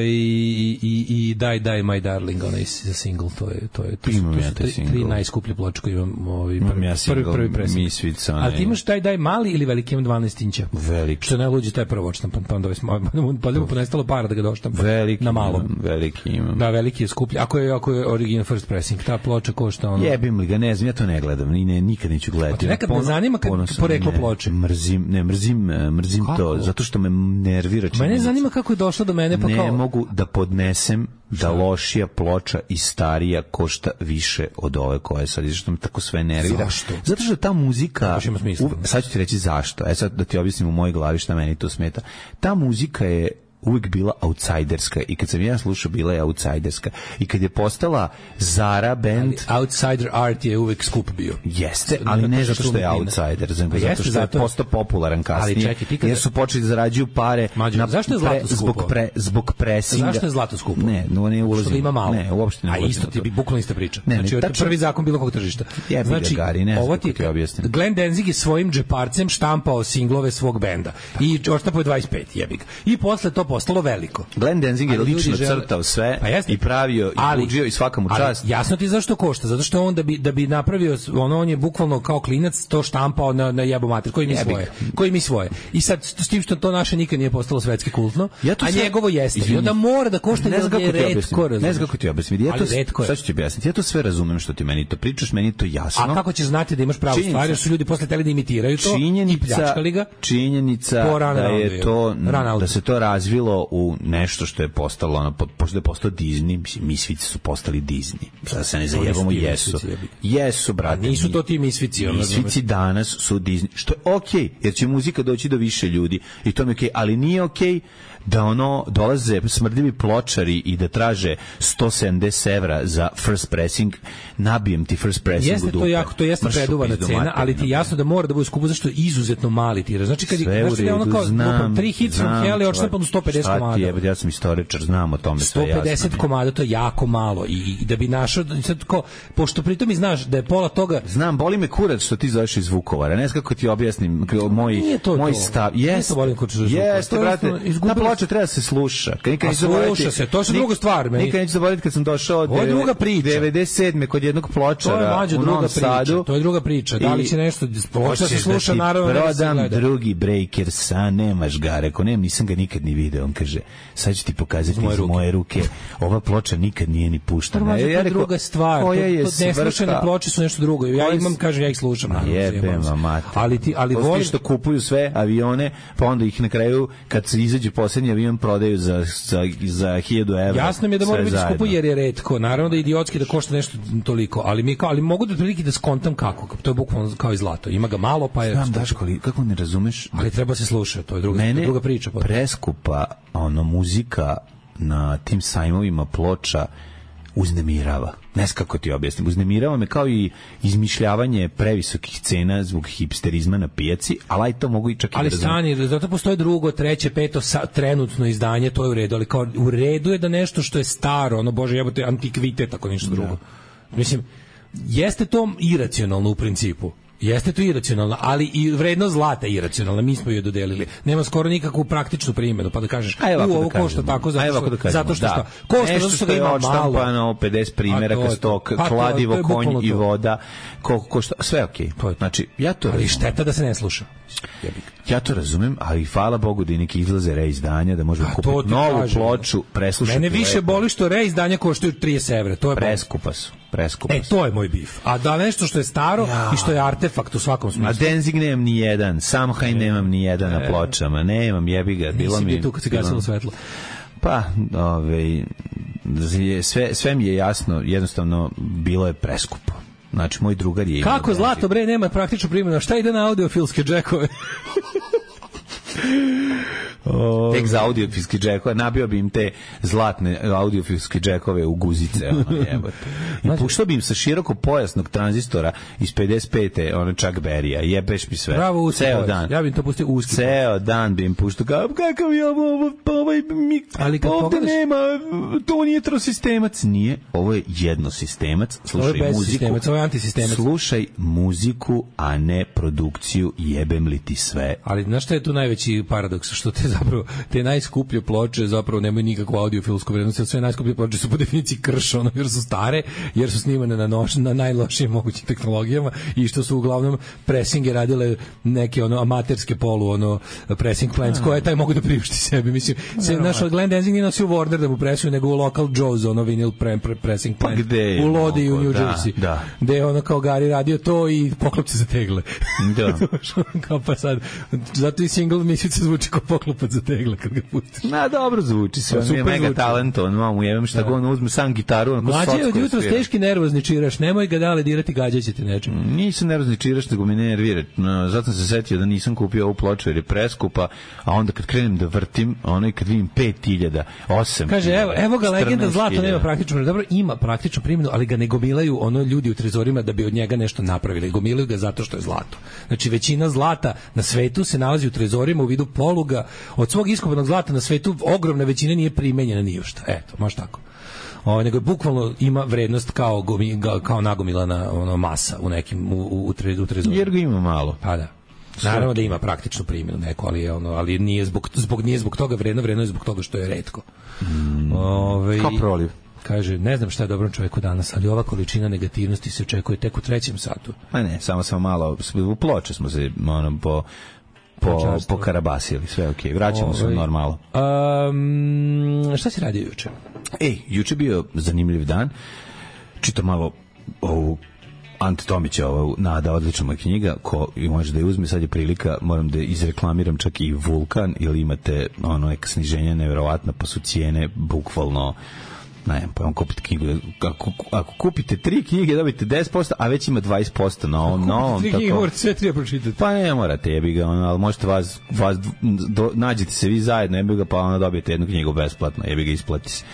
I Die Die My Darling, onaj single, to je tri najskuplje ploče koje imam, prvi presing. Ali ti imaš Die Die mali ili veliki? Imam 12 inća. Veliki. Što najluđe, taj prvo odštampan, pa onda pa ponestalo para da ga doštampan. Veliki na malom. Veliki imam. Da, veliki je skuplji. Ako je original first pressing, ta ploča košta ono. Jebim li ga, ne znam, ja to ne gledam, nikad neću gledati. Nekad me zanima poreklo ploče. Mrzim to, zato što me nervira. Mene zanima kako je došlo do mene, pa kao ne mogu da podnesem da lošija ploča i starija košta više od ove koje sad, zašto me tako sve nervira. Zašto? Zato što ta muzika, sad ću ti reći zašto, sad da ti objasnim u mojoj glavi šta meni to smeta. Ta muzika je uvijek bila outsiderska i kad sam ja slušao bila je outsiderska i kad je postala Zara band, outsider art je uvijek skup bio. Jeste, ali ne zato što je outsider, zato što je postao popularan kasnije, jer su počeli da zarađuju pare. Zašto je zlato skupo? Zbog presinga. Zašto je zlato skupo? Ne ulazim. Što ima malo. Ne, uopšte ne. A isto ti bi bukvalno ista priča. Znači, prvi zakon bilo kog tržišta. Znači, ovo ti objasnim. Glenn Danzig je svojim džeparcem štampao singlove svog benda i odštampao 25, jebi ga. I posle to postalo veliko. Glenn Danzig je lično crtao sve i pravio i buđio i svaka mu čast. Jasno ti zašto košta, zato što on da bi napravio on je bukvalno kao klinac to štampao na jebo mater, koji mi svoje. I sad s tim što to naše nikad nije postalo svetski kultno, a njegovo jeste. I onda mora da košta je retko. Ne znam kako ti objasniti. Sad ću ti objasniti. Ja to sve razumem što ti meni to pričaš, meni je to jasno. A kako ćeš znati da imaš pravu stvar, jer su ljudi posle teli da imitiraju to i pljačkali ga? Činjenica da je to, da se to razvilo u nešto što je postalo, pošto je postao Disney, Misfici su postali Disney. Sada se ne zajebamo, jesu, brate. Nisu to ti Misfici. Misfici danas su Disney, što je okej, jer će muzika doći do više ljudi i to mi je okej, ali nije okej da dolaze smrdljivi pločari i da traže 170 evra za first pressing, nabijem ti first pressing u dupe. To jeste preduvana cena, ali ti jasno da mora da bude skupo, zašto je izuzetno mali tiraž. Znači kad je ono kao 3 hits from hell je odštampano 150 komada. Ja sam istoričar, znam o tome sve jasno. 150 komada, to je jako malo i da bi našao, sad kao, pošto pritom i znaš da je pola toga... Znam, boli me kurac što ti zoveš iz Vukovara, ne znam kako ti objasnim moj stav. Jeste, brate, ta ploča treba se sluša. Sluša se, to je druga stvar. Nikad neću zaboraviti kad sam došao od 97. kod jednog pločara u Novom Sadu. To je druga priča. Da li će nešto, ploča se sluša, naravno. Prodam drugi Breakers, a nemaš ga. Rekao, nisam ga nikad ni video. On kaže, sad ću ti pokazati iz moje ruke. Ova ploča nikad nije ni puštena. To je druga stvar. Neslušane ploče su nešto drugo. Ja imam, kažem, ja ih slušam. Jebema mate. Ali volim što kupuju sve avione, pa onda ih na kraju, kad se izađe posljednji avion, prodaju za 1000 evra. Jasno mi je da mora biti skupo jer je retko. Naravno da je idiotski da košta nešto toliko, ali mogu da prilike da skontam kako. To je bukvalno kao i zlato. Ima ga malo, pa je... Znam, Daško, kako ne razumeš? Ali treba se slušati, to je druga priča. Preskupa muzika na tim sajmovima ploča uznemirava. Ne znam kako ti objasnim. Uznemirava me kao i izmišljavanje previsokih cena zbog hipsterizma na pijaci, ali to mogu i čak i da razumem. Ali stani, zato postoje drugo, treće, peto, trenutno izdanje, to je u redu, ali kao u redu je da nešto što je staro, bože jebote, antikvitet, ako ništa drugo. Mislim, jeste to iracionalno u principu. Jeste to iracionalno, ali i vrednost zlata je iracionalna, mi smo joj dodelili. Nema skoro nikakvu praktičnu primjenu, pa da kažeš, ovo košta tako, zato što šta? Košta, zato što ga ima malo. Odštampano, 50 primjeraka stok, kladivo, konj i voda, koliko košta, sve okej. Znači, ja to razumem. Ali šteta da se ne sluša. Ja to razumem, ali hvala Bogu da i neki izlaze reizdanja, da možemo kupiti novu ploču, preslušati. Mene više boli što reizdanja koštaju 30 evra. Preskupa su. To je moj bif. A da nešto što je staro i što je artefakt u svakom smislu. A Danzig nemam ni jedan, Samhain nemam ni jedan na pločama, nemam, jebi ga. Nisi bio tu kad se gasilo svetlo. Pa, sve mi je jasno, jednostavno bilo je preskupo. Znači, moj drugar je... Kako zlato, bre, nema praktičnu primjenu. Šta ide na audiofilske džekove? Tek za audiofilski džekove, nabio bi im te zlatne audiofilske džekove u guzice, i puštao bi im sa široko pojasnog tranzistora iz 55. Chuck Berry-a, jebeš mi sve. Bravo, ceo dan. Ja bih to pustio uski. Ceo dan bi im puštao, kakav je ovdje nema, to nije trosistemac. Nije, ovo je jednosistemac. Slušaj muziku. Ovo je antisistemac. Slušaj muziku, a ne produkciju, jebem li ti sve. Ali znaš šta je tu najveći paradoks? Što te zapravo te najskuplje ploče zapravo nemaju nikakvu audiofilsku vrednost, sve najskuplje ploče su po definiciji krš, jer su stare, jer su snimane na najlošijim mogućim tehnologijama i što su uglavnom presinge radile neke amaterske pressing plants koje taj mogu da priušti sebi. Mislim, naš Glenn Danzig nije nosio Warner da mu presuju, nego u Local Joe's vinyl pressing plant u Lodi u New Jersey. Gde je kao Gari radio to i poklopci za tegle. Da. Kao pa sad, zato i single misica zvuči kao poklopac za tegle kad ga pustiš. Dobro zvuči se, on je mega talent, on mamu jevem šta god, uzme sam gitaru. Mlađe od jutros teški nervozni čiraš, nemoj ga dale dirati, gađaćete nečim. Nisam nervozni čiraš, nego me nervira. Zato sam se setio da nisam kupio ovu ploču jer je preskupa, a onda kad krenem da vrtim, kad vidim 5.000, 8.000. Kaže, evo ga legenda zlata nema praktičnu primjenu. Dobro, ima praktičnu primjenu, ali ga ne gomilaju ljudi u trezorima da bi od njega nešto napravili. Gomilaju ga zato što je zlato. Znači, većina zlata na svetu se nalazi u trezorima u vidu poluga. Od svog iskopanog zlata na svetu ogromna većina nije primenjena ni u šta. Eto, može tako. Nego je bukvalno ima vrednost kao nagomilana masa u nekim u trezorima. Jer ga ima malo. Pa da. Naravno da ima praktičnu primjenu neko, ali nije zbog toga vredno je zbog toga što je retko. Kao proliv. Kaže, ne znam šta je dobrom čoveku danas, ali ova količina negativnosti se očekuje tek u 3. satu. Pa ne, samo malo, u ploče smo se pokarabasili, sve okej. Vraćamo se u normalu. Šta si radio juče? Juče bio zanimljiv dan. Čito malo ovu Ante Tomića, Nada, odlična moja knjiga, ko može da je uzme, sad je prilika, moram da izreklamiram čak i Vulkan, ili imate neka sniženja neverovatna, pa su cijene bukvalno, pa vam kupite knjigu, ako kupite 3 knjige dobite 10%, a već ima 20% na ovom novom. 3 knjige morate sve 3 pročitati. Pa ne morate, jebi ga, ali možete nađete se vi zajedno, jebi ga, pa onda dobijete jednu knjigu besplatno, jebi ga, isplati se.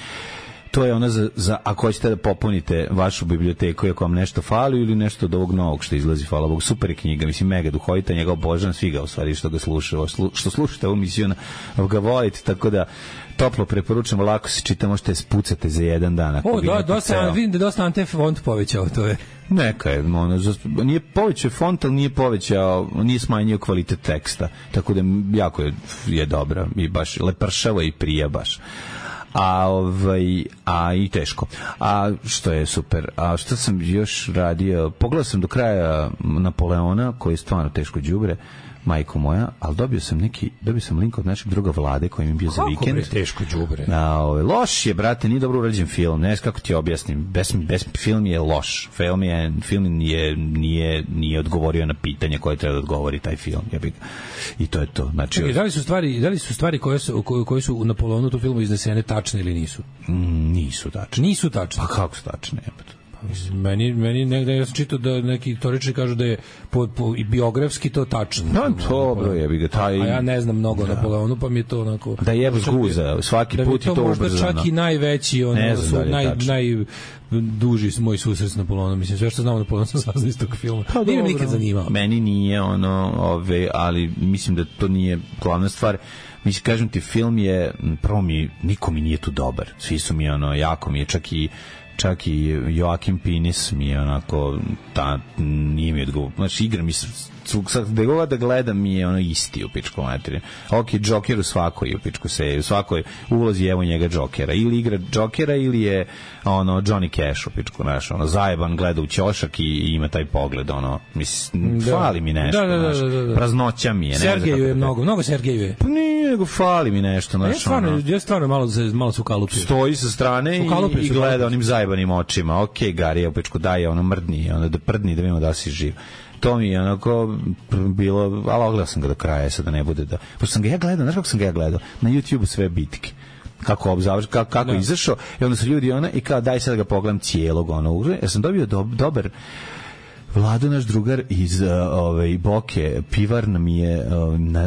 To je ono za ako hoćete da popunite vašu biblioteku, ako vam nešto fali ili nešto od ovog novog što izlazi, hvala Bogu, super je knjiga, mislim, mega duhovita, njega obožavam, svi ga u stvari što ga slušaju, što slušate ovu misiju, ga volite, tako da toplo preporučujem, lako se čita, možete spucate za jedan dan. Vidim da je dosta Ante font povećao, to je. Neka je, nije povećao font, ali nije smanjio kvalitet teksta, tako da jako je dobra i baš lepršava i prija baš. A i teško. A što je super. A što sam još radio? Pogledao sam do kraja Napoleona, koji je stvarno teško đubre, majko moja, ali dobio sam link od našeg druga Vlade koji mi je bio za vikend. Kako bre teško đubre? Loš je, brate, nije dobro urađen film. Ne znam kako ti objasnim. Film je loš. Film nije odgovorio na pitanje koje treba da odgovori taj film. I to je to. Znači, da li su stvari koje su u Napoleonu tu filmu iznesene tačne ili nisu? Nisu tačne. Nisu tačne. Pa kako su tačne? Meni negde, ja sam čitao da neki istoričari kažu da je biografski to tačno. Dobro, jebi ga taj. A ja ne znam mnogo o Napoleonu, pa mi je to onako. Da jebe zguza, svaki put je to ubrzano. Možda čak i najveći, najduži moj susret s Napoleonom. Mislim, sve što znam o Napoleonu sam saznao iz tog filma. Nije me nikad zanimao. Meni nije ali mislim da to nije glavna stvar. Mislim, kažem ti, film je, prvo niko mi nije tu dobar. Svi su mi jako mi je, čak i Joakim Pinis mi je onako, nije mi odgovor. Znači, igra mi gde god da gledam mi je isti u pičku materiju. Joker u svakoj u pičku se, u svakoj ulozi evo njega Jokera. Ili igra Jokera ili je Johnny Cash u pičku naš, zajeban, gleda u ćošak i ima taj pogled, mislim, fali mi nešto, praznoća mi je. Sergeju je mnogo Sergeju je. Pa nije, nego fali mi nešto, ja stvarno malo su kalupio. Stoji sa strane i gleda onim zajebanim očima. Gari, u pičku daj, mrdni, da prdni, da vidimo da si živ. To mi je onako bilo, ali ogledao sam ga do kraja, sad da ne bude da. Pošto sam ga ja gledao, znaš kako sam ga ja gledao? Na YouTube sve bitke. Kako je izašao, i onda su ljudi i kao daj sad da ga pogledam cijelog ja sam dobio dobar. Vlado, naš drugar iz Boke, pivar nam je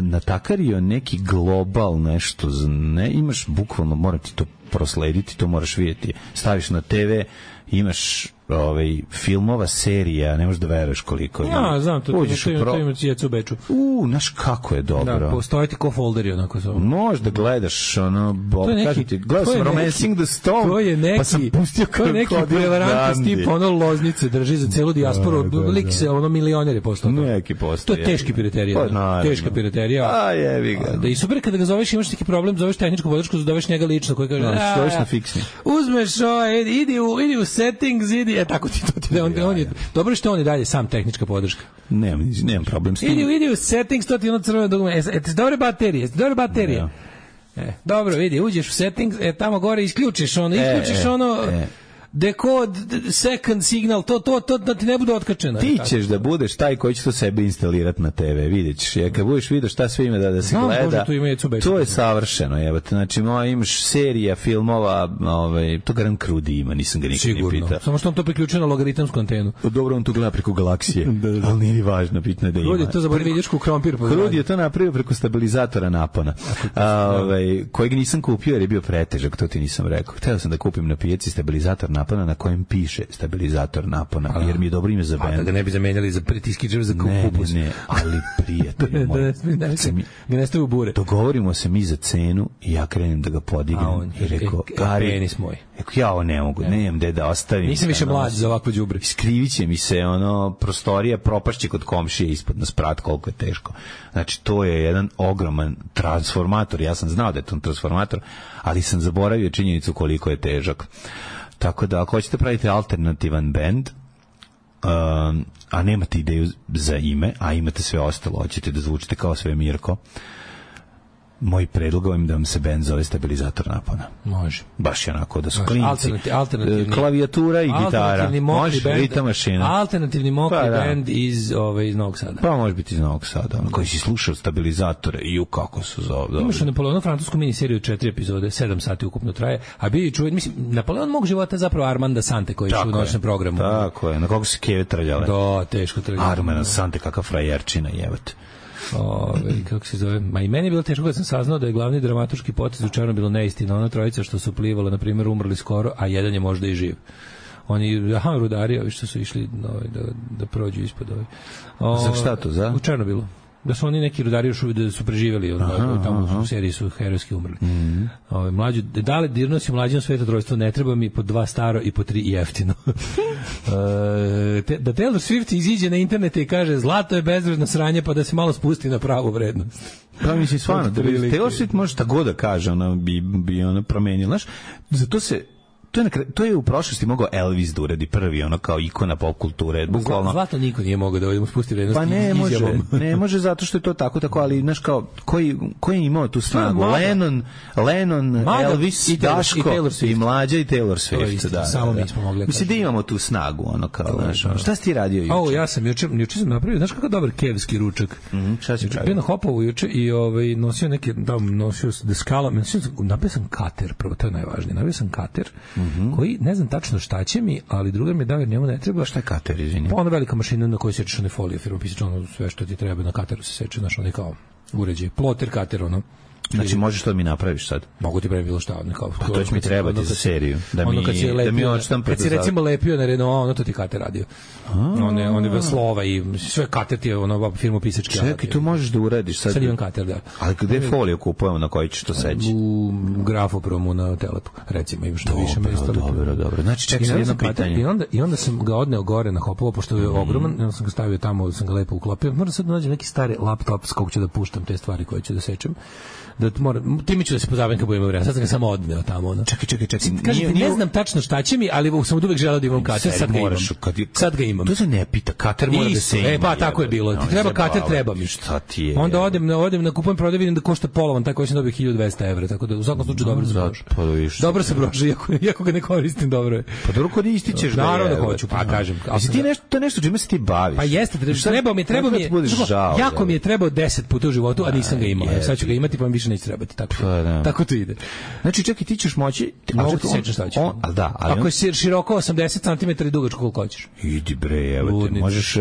natakario neki global nešto, ne, imaš bukvalno, moram ti to proslediti, to moraš vidjeti. Staviš na TV, imaš filmova, serija, ne možeš da veruješ koliko je. Ja, znam, to ima Jecu u Beču. Znaš kako je dobro. Da, postoje ti ko folderi, onako zove. Možda gledaš, gledao sam Romancing the Stone, to je neki, pa sam pustio to je neki prevarant tip, loznice drži za celu dijasporu, lik se, milioner je postao. Neki postao. To je teški piraterija. Teška piraterija. A jebi ga. Da i super kada ga zoveš, imaš neki problem, zoveš tehničku podršku, zoveš njega lično, koji kaže, zoveš na fiksni. Uzmeš, idi u settings, tako ti to on je dobro što on je dalje sam tehnička podrška. Nemam problem s tim. Idi u settings, to ti ono crveno dugme. Dobre baterije. Dobro, vidi, uđeš u settings, tamo gore isključiš ono, decode, second signal, to da ti ne bude otkačeno. Ti ćeš da budeš taj koji će to sebe instalirati na TV, vidjet ćeš. Kad budeš vidio šta sve ima da se gleda, to je savršeno. Znači, imaš serija, filmova, to garant Krudi ima, nisam ga nikad ni pitao. Samo što on to priključuje na logaritamsku antenu. Dobro, on to gleda preko galaksije, ali nije ni važno, bitno je da ima. Krudi je to zaboravio vidičku krompir. Krudi je to napravio preko stabilizatora napona, kojeg nisam kupio jer je bio pretežak, to ti nisam rekao. Hteo sam da kupim na pijaci stabilizator napona na kojem piše stabilizator napona, jer mi je dobro ime za bend. Da ga ne bi zamenjali za pritiskičev za kupus. Ne, ali prijatelj moj. Ga ne stavi u bure. Dogovorimo se mi za cenu i ja krenem da ga podignem i rekao, Gari, penis moj. Ja ovo ne mogu, nemam gde da ostavim. Nisam više mlađi za ovakvo đubre. Skrivit će mi se prostorija, propašće kod komšije ispod na sprat, koliko je teško. Znači, to je jedan ogroman transformator. Ja sam znao da je to transformator, ali sam zaboravio činjenicu koliko je težak. Tako da, ako hoćete praviti alternativan bend, a nemate ideju za ime, a imate sve ostalo, hoćete da zvučite kao sve Mirko, moj predlog vam da vam se bend zove stabilizator napona. Može. Baš je onako da su klinci. Alternativni, klavijatura i gitara. Može, ritam mašina. Alternativni mokri bend iz Novog Sada. Pa može biti iz Novog Sada. Koji si slušao stabilizatore i kako su zove. Imaš Napoleonu francusku miniseriju od 4 epizode, 7 sati ukupno traje, a bili čuven, mislim, Napoleon mog života je zapravo Armanda Sante koji je u noćnom programu. Tako je, na koliko se keve trljale. Da, teško trljale. Armanda Sante, kakav frajerčina, jebate. Kako se zove, ma i meni je bilo teško kad sam saznao da je glavni dramaturški potez u Černobilu neistina, ona trojica što su plivala, na primjer, umrli skoro, a jedan je možda i živ. Oni, rudari, ovi što su išli da prođu ispod Za šta to, za? U Černobilu. Da su oni neki rudari još da su preživjeli, tamo u seriji su herojski umrli. Mlađu, dale dirnos i mlađom svetodrojstvo, ne treba mi po 2 staro i po 3 jeftino. Da Taylor Swift iziđe na internete i kaže zlato je bezvredno sranje, pa da se malo spusti na pravu vrednost. Pa mislim, stvarno, Taylor Swift može šta god da kaže, ona bi ona promenila. Znaš, zato se to je u prošlosti mogao Elvis da uradi prvi, kao ikona pop kulture, bukvalno. Zlato niko nije mogao da spusti vrednost. Pa ne može zato što je to tako, ali znaš kao koji je imao tu snagu? Lennon, Elvis, Daško i Mlađa i Taylor Swift. Da, samo mi smo mogli. Mislim da imamo tu snagu, šta si ti radio juče? Ja sam juče sam napravio, znaš kakav dobar kevski ručak. Šta si pravio? Bio na Hopovu juče i nosio neke, nosio deskala, napravio sam kater, prvo to je najvažnije, napravio sam kater koji, ne znam tačno šta će mi, ali drugar mi je dao jer njemu ne treba. Šta je kater, izvini? Pa ona velika mašina na kojoj sečeš one folije, firma pisač, sve što ti treba na kateru se seče, znaš, oni kao uređaj, ploter kater, Znači, možeš to da mi napraviš sad? Mogu ti praviti bilo šta. Pa to će mi trebati za seriju. Da mi odštampati. Kad si recimo lepio na Renault, to ti kater radio. One slova i sve kater ti je firmu pisački. Čekaj, to možeš da uradiš sad. Sad imam kater, da. Ali gde foliju kupujemo na koji ćeš to seći? U grafopromu na Telepu, recimo, imaš na više mesta. Dobro. Znači, čekaj sad jedno pitanje. I onda sam ga odneo gore na Hopovo, pošto je ogroman, onda sam ga stavio tamo, sam ga lepo uklopio. Moram sad da nađem neki stari laptop s kog ću da puštam te stvari koje ću da sečem. Time ću da se pozabavim kad budem vremena. Sad sam ga samo odneo tamo. Čekaj. Kažete, ne znam tačno šta će mi, ali sam uvek želeo da imam kater. Sad ga imam. To se ne pita, kater mora da se ima. Pa tako je bilo. Ti treba kater, treba mi. Šta ti je? Onda odem na kupujem prodaj, vidim da košta polovan, taj koji sam dobio 1200 evra, tako da u svakom slučaju dobro se broži. Dobro se broži, iako ga ne koristim, dobro je. Pa dobro koristi ćeš ga. Naravno da hoću, pa kažem. Jesi ti nešto čime se ti baviš? Pa jeste, treba mi. Jako mi je trebao 10 puta u životu, a nisam ga imao. Sad ću ga imati, pa mi više više neće trebati. Tako, da. Tako to ide. Znači, čekaj, ti ćeš moći... Mogu ti sečeš šta ćeš. Ako je široko 80 cm i dugačko koliko hoćeš. Idi bre, evo te, možeš...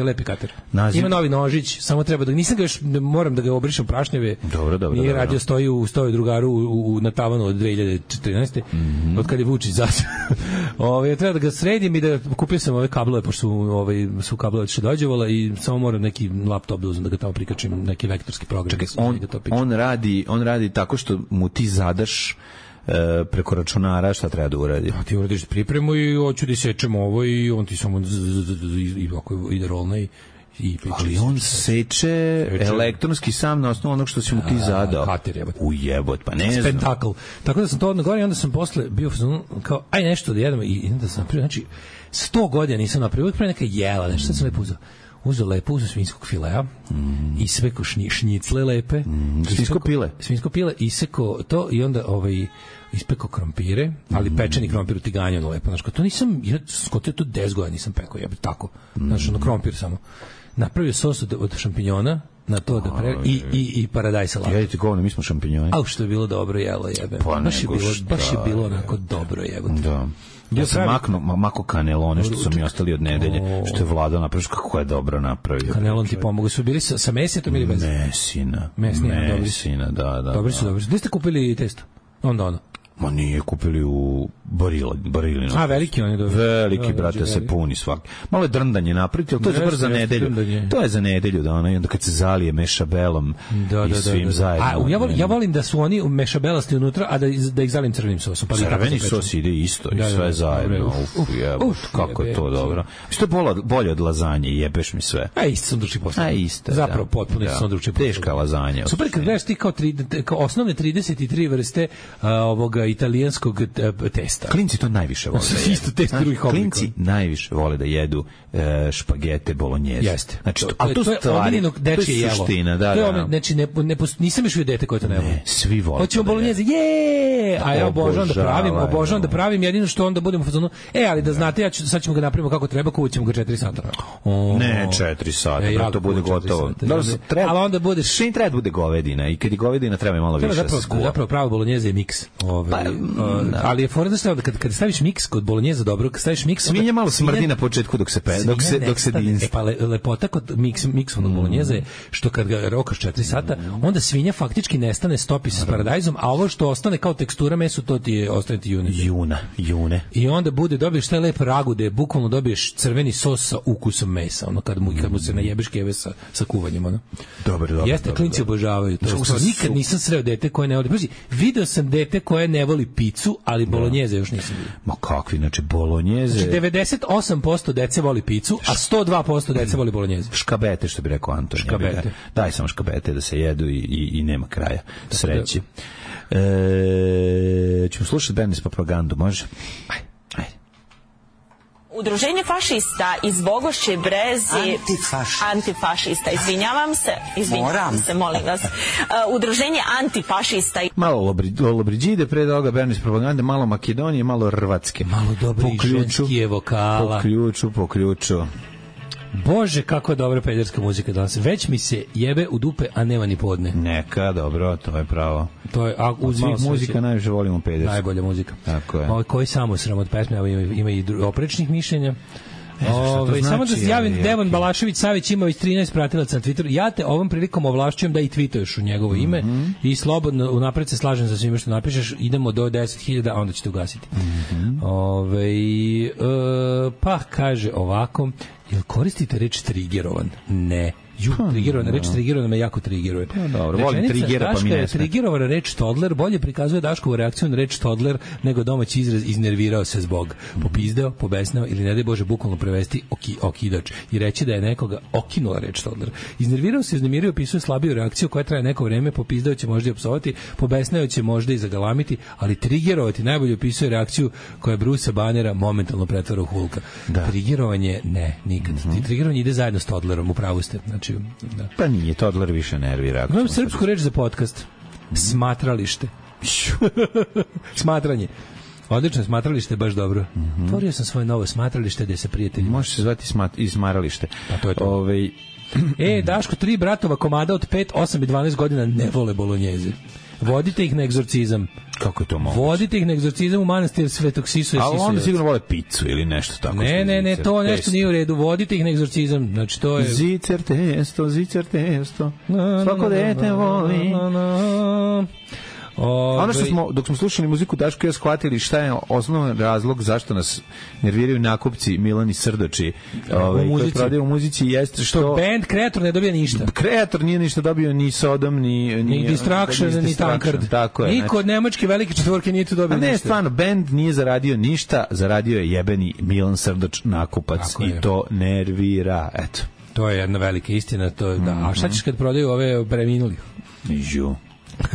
Lepi kater. Ima novi nožić, samo treba da... Nisam ga još, moram da ga obrišem prašnjeve. Dobro. Nije radio, stoji u drugaru na tavanu od 2014. Od kad je Vučić zato. Treba da ga sredim i da kupio sam ove kablove, pošto su kablove što dođevala i samo moram neki laptop da uzem da ga tamo prikačim, neki vektorski program. Čekaj, on radi tako što mu ti zadaš preko računara šta treba da uradi. Ti uradiš pripremu i hoću da sečemo ovo i on ti samo ide rolna ali on seče elektronski sam na osnovu onog što si mu ti zadao. Kater jebot. Ujebot, pa ne znam. Spektakl. Tako da sam to odno govorio i onda sam posle bio kao, aj nešto da jedemo i onda sam napravio, znači 100 godina nisam napravio, uvijek pre neka jela, nešto sam lepo uzeo svinjskog filea, ispekao šnicle lepe, svinjsko pile, isekao to i onda ispekao krompire, ali pečeni krompir u tiganju lepo, znači to nisam, skotio to 10 godina nisam pekao, jebe, tako, znači krompir samo. Napravio sos od šampinjona, na to da i paradajz salat. Jedite govno, mi smo šampinjoni. Au, što je bilo dobro jelo, jebe. Baš je bilo onako dobro jebo. Da. Ja sam mako kanelone što su mi ostali od nedelje, što je Vlado napravio, kako je dobro napravio. Kanelon ti pomogu, su bili sa mesetom ili bez? Mesina, da. Dobri su. Gde ste kupili testo? Onda. Ma nije, kupili u Barilinu. A, veliki on je dobro. Veliki, brate, se puni svaki. Malo je drndanje napraviti, ali to je za nedelju. To je za nedelju, da ono, i onda kad se zalije mešabelom i svim zajedno. Ja volim da su oni mešabelasti unutra, a da ih zalim crvenim sosom. Crveni sos ide isto i sve zajedno. Kako je to dobro. Što je bolje od lazanje, jebeš mi sve. A isto sam drugi posao. Zapravo, potpuno sam drugi posao. Teška lazanja. Super, kad gledaš ti kao osnovne 33 vrste ovoga italijanskog testa. Klinci to najviše vole da jedu. Isto test drugih oblika. Klinci najviše vole da jedu špagete bolognjeze. Jeste. Znači, a to je suština, da. Znači, nisam još vidio dete koje to ne vole. Svi vole. Hoćemo bolognjeze, a ja obožavam da pravim, jedino što onda budemo u fazonu, ali da znate, sad ćemo ga napravimo kako treba, kuvaćemo ga 4 sata. Ne, 4 sata, da to bude gotovo. Ali onda bude... Šin treba da bude govedina i kad je govedina treba malo više da se skuva. Zapravo pravo bolognjeze je miks. Ali je fora da kad staviš miks kod bolognjeza dobro, kad staviš miks... Svinja malo smrdi na početku dok se dinsti. Pa lepota kod miksovanog bolognjeza je što kad ga rokaš 4 sata, onda svinja faktički nestane, stopi se s paradajzom, a ovo što ostane kao tekstura mesu, to ti je ostane ti june. I onda dobiješ taj lep ragu gde bukvalno dobiješ crveni sos sa ukusom mesa, ono kad mu se najebeš keve sa kuvanjem, ono. Dobro. Jeste, klinci obožavaju to. Nikad nisam sreo dete koje ne voli. Pazi, video sam dete koje ne voli picu, ali bolognjeze još nisam vidio. Ma kakvi, znači bolognjeze... Znači 98% dece voli picu, a 102% dece voli bolognjeze. Škabete, što bi rekao Anton. Škabete. Daj samo škabete da se jedu i nema kraja. Sreći. Ćemo slušati Bernis propagandu, može? Ajde. Udruženje fašista iz Bogošće Brezi... Antifašista, izvinjavam se, molim vas. Udruženje antifašista... Malo Lobriđide, pre toga Bernis propagande, malo Makedonije, malo Hrvatske. Malo dobrih ženskije vokala. Po ključu. Bože, kako je dobra pederska muzika danas. Već mi se jebe u dupe, a nema ni podne. Neka, dobro, to je pravo. To je, od svih muzika najviše volimo pedersku. Najbolja muzika. Tako je. Koji samo sram od pesme, ima i oprečnih mišljenja. Znači, samo da se javim, Devan Balašević Savić ima već 13 pratilaca na Twitteru. Ja te ovom prilikom ovlašćujem da i tweetuješ u njegovo ime i slobodno unapred se slažem sa svime što napišeš. Idemo do 10.000, a onda ćete ugasiti. Pa kaže ovako, jel koristite reč trigerovan? Ne. Reč trigerovan me jako trigeruje. Dobro, volim trigera, pa mi ne sme. Trigerovana reč Todler bolje prikazuje Daškovu reakciju na reč Todler nego domaći izraz iznervirao se zbog. Popizdeo, pobesnao ili ne daj Bože bukvalno prevesti okidač i reći da je nekoga okinula reč Todler. Iznervirao se, iznemirio, opisuje slabiju reakciju koja traje neko vreme, popizdeo će možda i opsovati, pobesnao će možda i zagalamiti, ali trigerovati najbolje opisuje reakciju koja Brusa Bannera momentalno pretvara u Hulka. Trigerovanje ne, nikad. Trigerovanje ide zajedno s Todlerom, upravo ste. Znači, da. Pa nije, Todler više nervira. Imam srpsku reč za podcast. Smatralište. Smatranje. Odlično, smatralište, baš dobro. Otvorio sam svoje novo smatralište gde se prijatelji. Može se zvati izmaralište. Pa to je to. Daško, 3 bratova komada od 5, 8 i 12 godina ne vole bolonjeze. Vodite ih na egzorcizam. Kako je to moguće? Vodite ih na egzorcizam u manastir Svetog Sisuje. Ali onda sigurno vole picu ili nešto tako. Ne, to nešto nije u redu. Vodite ih na egzorcizam. Znači, to je... Zicer testo. Svako dete voli. Ono što smo, dok smo slušali muziku, Daško i ja shvatili šta je osnovan razlog zašto nas nerviraju nakupci Milani Srdoči koji prodaju u muzici, jeste što band kreator ne dobija ništa. Kreator nije ništa dobio, ni Sodom, ni Distraction, ni Tankard. Niko od nemačke velike četvorke nije tu dobio ništa. Ne, stvarno, band nije zaradio ništa, zaradio je jebeni Milan Srdoč nakupac i to nervira, eto. To je jedna velika istina, to je, da. A šta ćeš kad prodaju ove preminuli?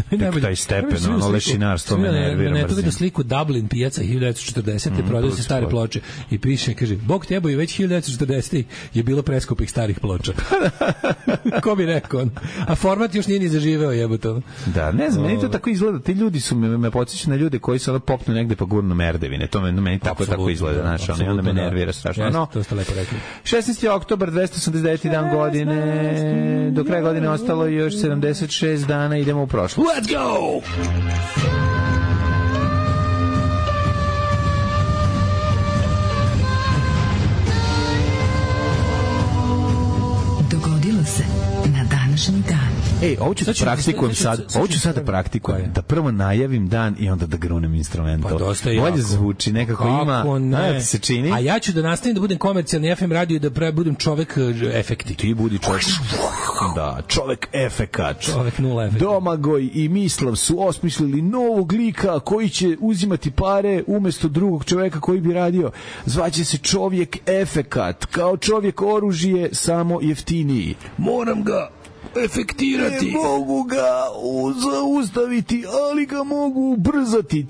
Tek taj stepen, ono lešinarstvo me nervira. Ne, tu vidim sliku Dublin pijaca 1940. Prodaju se stare ploče i piše, kaže, Bog tebo i već 1940. je bilo preskupih starih ploča. Ko bi rekao? A format još nije ni zaživeo, jebote. Da, ne znam, meni to tako izgleda. Ti ljudi su me podsjećaju na ljude koji se popnu negde pa gurnu merdevine. To meni tako izgleda, znaš, ono, i onda me nervira strašno. No, to ste lepo rekli. 16. oktobar, 289. dan godine. Do kraja godine ostalo još 76 dana, idemo u prošlost. Let's go! Dogodilo se na današnji dan. Ovo ću sad da praktikujem. Da prvo najavim dan i onda da grunem instrumento. Pa dosta je bolje zvuči, nekako ima. Ne, se čini. A ja ću da nastavim da budem komercijalni FM radio i da budem čovek efekti. Ti budi čovek. Da, čovek efekat. Čovek nula efekta. Domagoj i Mislav su osmislili novog lika koji će uzimati pare umesto drugog čoveka koji bi radio. Zvaće se čovjek efekat. Kao čovjek oružje, samo jeftiniji. Moram ga efektirati. Ne mogu ga zaustaviti, ali ga mogu ubrzati.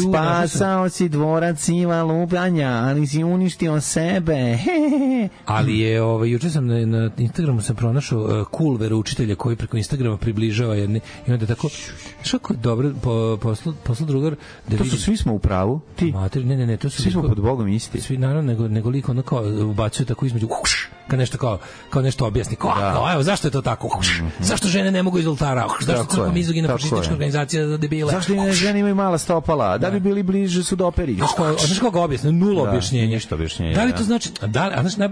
Spasao si dvorac Iva Lupanja, ali si uništio sebe. Ali je, juče sam na Instagramu sam pronašao cool veroučitelja koji preko Instagrama približava jedni i onda tako, što dobro poslu drugar. To su svi smo u pravu, ti? Ne, to su svi smo pod Bogom isti. Svi naravno, nego liko ono kao ubacuje tako između kad nešto kao nešto objasni. Evo, zašto je to tako? Zašto žene ne mogu iz oltara? Zašto crkva mizogina fašistička organizacija za debile? Zašto žene imaju mala stopala? Da bi bili bliže sudoperi? Znaš kako ga objasni? Nula objašnjenja. Ništa objašnjenja. Da li to znači,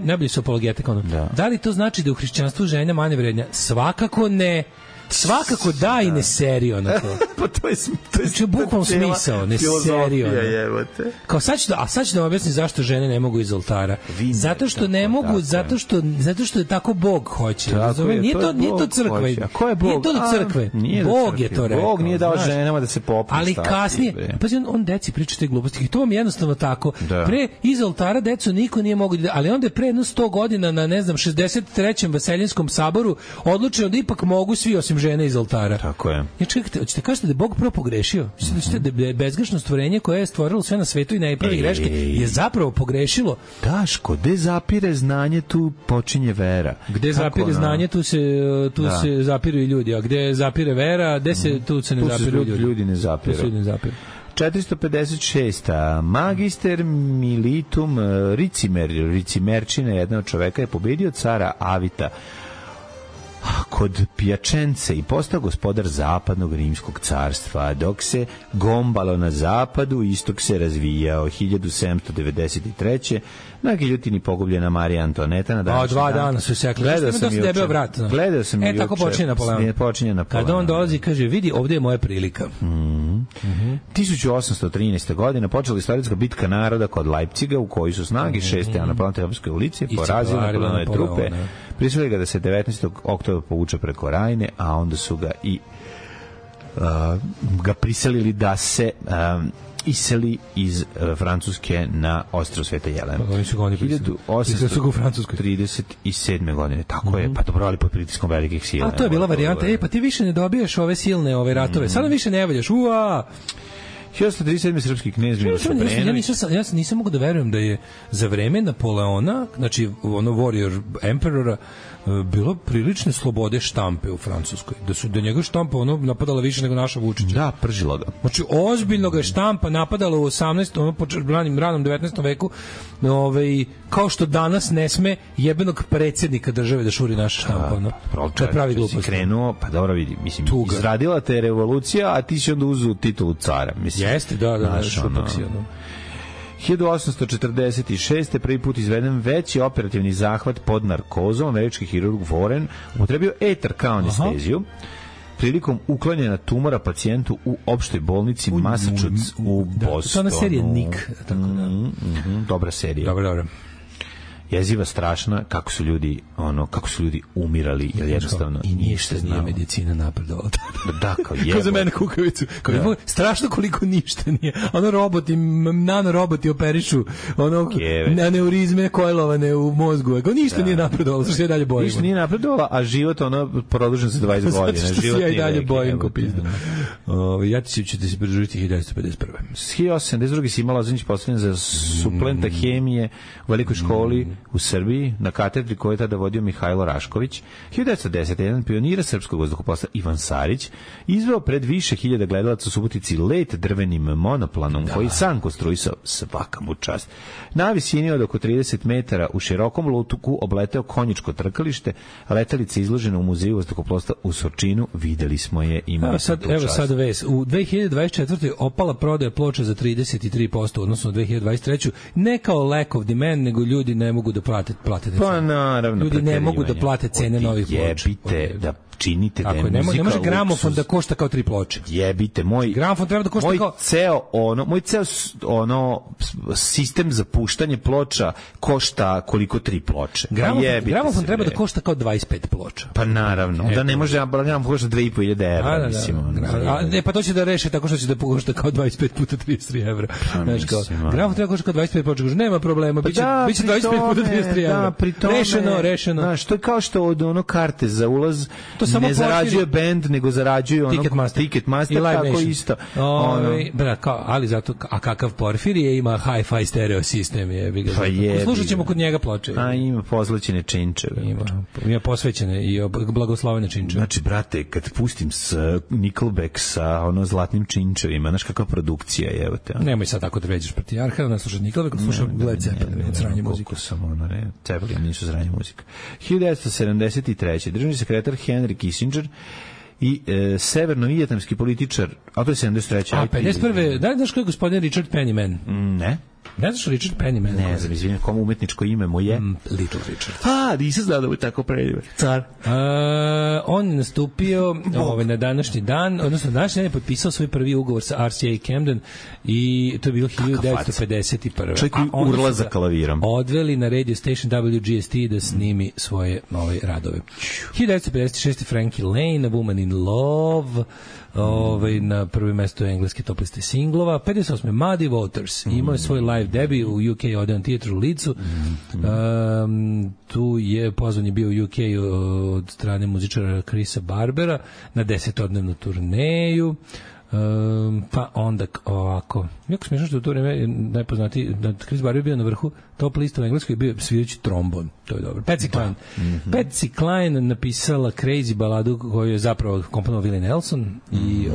najbolji su apologetika, da li to znači da u hrišćanstvu žena manje vrednja? Svakako ne. Svakako da i ne serio na to. Pa to je bukvalno smisao, ne serio. Kao sad ću da objasnim zašto žene ne mogu iz oltara. Zato što ne mogu, zato što je tako Bog hoće. Nije to crkva. Ko je Bog? Nije to do crkve. Bog je to rekao. Bog nije dao ženama da se popnu. Ali kasnije, pa on deci priča te gluposti. I to vam je jednostavno tako. Pre iz oltara decu niko nije mogao, ali onda je pre jedno 100 godina na, ne znam, 63. Vaseljinskom saboru odlučeno da ipak mogu svi osim žene iz oltara. Tako je. Ja čekajte, hoćete kažete da je Bog prvo pogrešio? Da je bezgrešno stvorenje koje je stvorilo sve na svetu i ne pravi greške je zapravo pogrešilo? Daško, gde zapire znanje, tu počinje vera. Gde zapire znanje, tu se zapiru i ljudi. A gde zapire vera, tu se ne zapiru ljudi. Ljudi ne zapiru. 456. Magister militum Ricimerčina, jedna od čoveka, je pobedio cara Avita kod Pijačence i postao gospodar zapadnog rimskog carstva, dok se gombalo na zapadu, istok se razvijao. 1793. na giljotini pogubljena Marija Antoneta na današnji dan. 2 dana su sekli. Gledao sam juče. Tako počinje Napoleon. Kad on dolazi i kaže, vidi, ovdje je moja prilika. 1813. godine počela istorijska bitka naroda kod Leipciga, u kojoj su snage 6. Napoleonske ulici porazili Napoleonove trupe. Prisilili ga da se 19. oktobra povuče preko Rajne, a onda su ga i ga prisilili da se iseli iz Francuske na ostrvo Sveta Jelena. 1837. godine. Tako je, pa dobro, ali pod pritiskom velikih sila. A to je bila varijanta, pa ti više ne dobijaš ove silne ratove. Sada više ne valjaš. 1837. srpski knez Miloš Obrenović. Ja nisam mogu da verujem da je za vreme Napoleona, znači ono warrior emperora, bilo prilične slobode štampe u Francuskoj. Da njega štampa napadala više nego naša Vučića. Da, pržila ga. Znači, ozbiljno ga je štampa napadala u 18. ranom 19. veku, kao što danas ne sme jebenog predsjednika države da šuri naša štampa. To je pravi glupost. Krenuo, pa dobro vidi, mislim, izradila te revolucija, a ti si onda uzu titulu cara. Mislim, jeste, da, šupak si ono. 1846. prvi put izveden veći operativni zahvat pod narkozom. Američki hirurg Warren upotrebio etar kao anesteziju prilikom uklanjanja tumora pacijentu u opštoj bolnici Massachusetts u Bostonu. To je ona serija Nick. Dobra serija. Dobro. Jeziva, strašna, kako su ljudi umirali, jer jednostavno i ništa nije medicina napredovala. Da, kao jebo. Kao za mene kukavicu. Strašno koliko ništa nije. Roboti, nanoroboti operišu aneurizme kojlovane u mozgu. Kao ništa nije napredovalo, što se dalje bojimo. Ništa nije napredovalo, a život produžen za 20 godina. Zato što se ja i dalje bojim ko pizda. Ja ću se pridružiti 1951. 1872. Sima Lozanić postavljen za suplenta hemije u velikoj školi u Srbiji, na katedri koju je tada vodio Mihajlo Rašković. 1910. jedan pionira srpskog vazduhoplovstva Ivan Sarić izveo pred više hiljada gledalaca u Subotici let drvenim monoplanom koji sam konstruisao, svaka mu čast. Na visini od oko 30 metara u širokom lutuku obleteo konjičko trkalište, letelica izložena u muzeju vazduhoplovstva u Surčinu, videli smo je, imali smo tu čast. Evo sad ves, u 2024. opala prodaja ploča za 33%, odnosno 2023. Ne kao lack of demand, nego ljudi ne mogu da plate pa naravno, ljudi ne mogu da plate cene novih ploča. Jebite da činite da je muzika luksuz. Ne može gramofon da košta kao 3 ploče. Jebite, gramofon treba da košta kao moj ceo sistem za puštanje ploča košta koliko 3 ploče. Gramofon treba da košta kao 25 ploča. Pa naravno, da ne može gramofon košta 2.500 evra, mislim. Ne, pa to će da reše tako što će da košta kao 25 puta 33 evra. Znači kao gramofon treba košta kao 25 ploča, nema problema, biće 25 puta 33 evra. Rešeno. Znaš, to je kao što od karte za ulaz ne zarađuje bend, nego zarađuje Ticketmaster, tako isto. Ali zato, a kakav Porfirije ima hi-fi stereo sistem je. Slušat ćemo kod njega ploče. A ima pozlaćene činčeve. Ima posvećene i blagoslovene činčeve. Znači, brate, kad pustim s Nickelback sa zlatnim činčevima, znaš kakva produkcija je, evo te. Nemoj sad tako da veđeš Partijarha, da ne slušaš Nickelback, slušaš Led Zeppelin, sranje muzika. Zeppelin nisu sranje muzika. 1973. Državni sekretar Henry Kissinger i severno-vijetnamski političar, a to je 73. A 51. Da li znaš ko je gospodin Richard Pennyman? Ne. Ne znaš Richard Pennyman? Ne znam, izvinim, komu umetničko ime mu je? Little Richard. Nisam znao da mu je tako predivan. Car. On je nastupio na današnji dan, odnosno današnji dan je potpisao svoj prvi ugovor sa RCA Camden i to je bilo 1951. Čovjek koji urla za klavirom. Odveli na radio station WGST da snimi svoje radove. 1956. Frankie Lane, A Woman in Love, na prvo mesto engleske top liste singlova. 58. Muddy Waters imao je svoj live debut u UK Odeon Theatre u Leedsu. Tu je pozvan je bio u UK od strane muzičara Chrisa Barbera na 10-odnevnu turneju. Pa onda ovako, jako smiješno što u to vreme najpoznatiji, Chris Barber je bio na vrhu top lista u Engleskoj, bio svirajući trombon, to je dobro. Patsy Cline. Patsy Cline napisala Crazy baladu koju je zapravo komponovao Willie Nelson i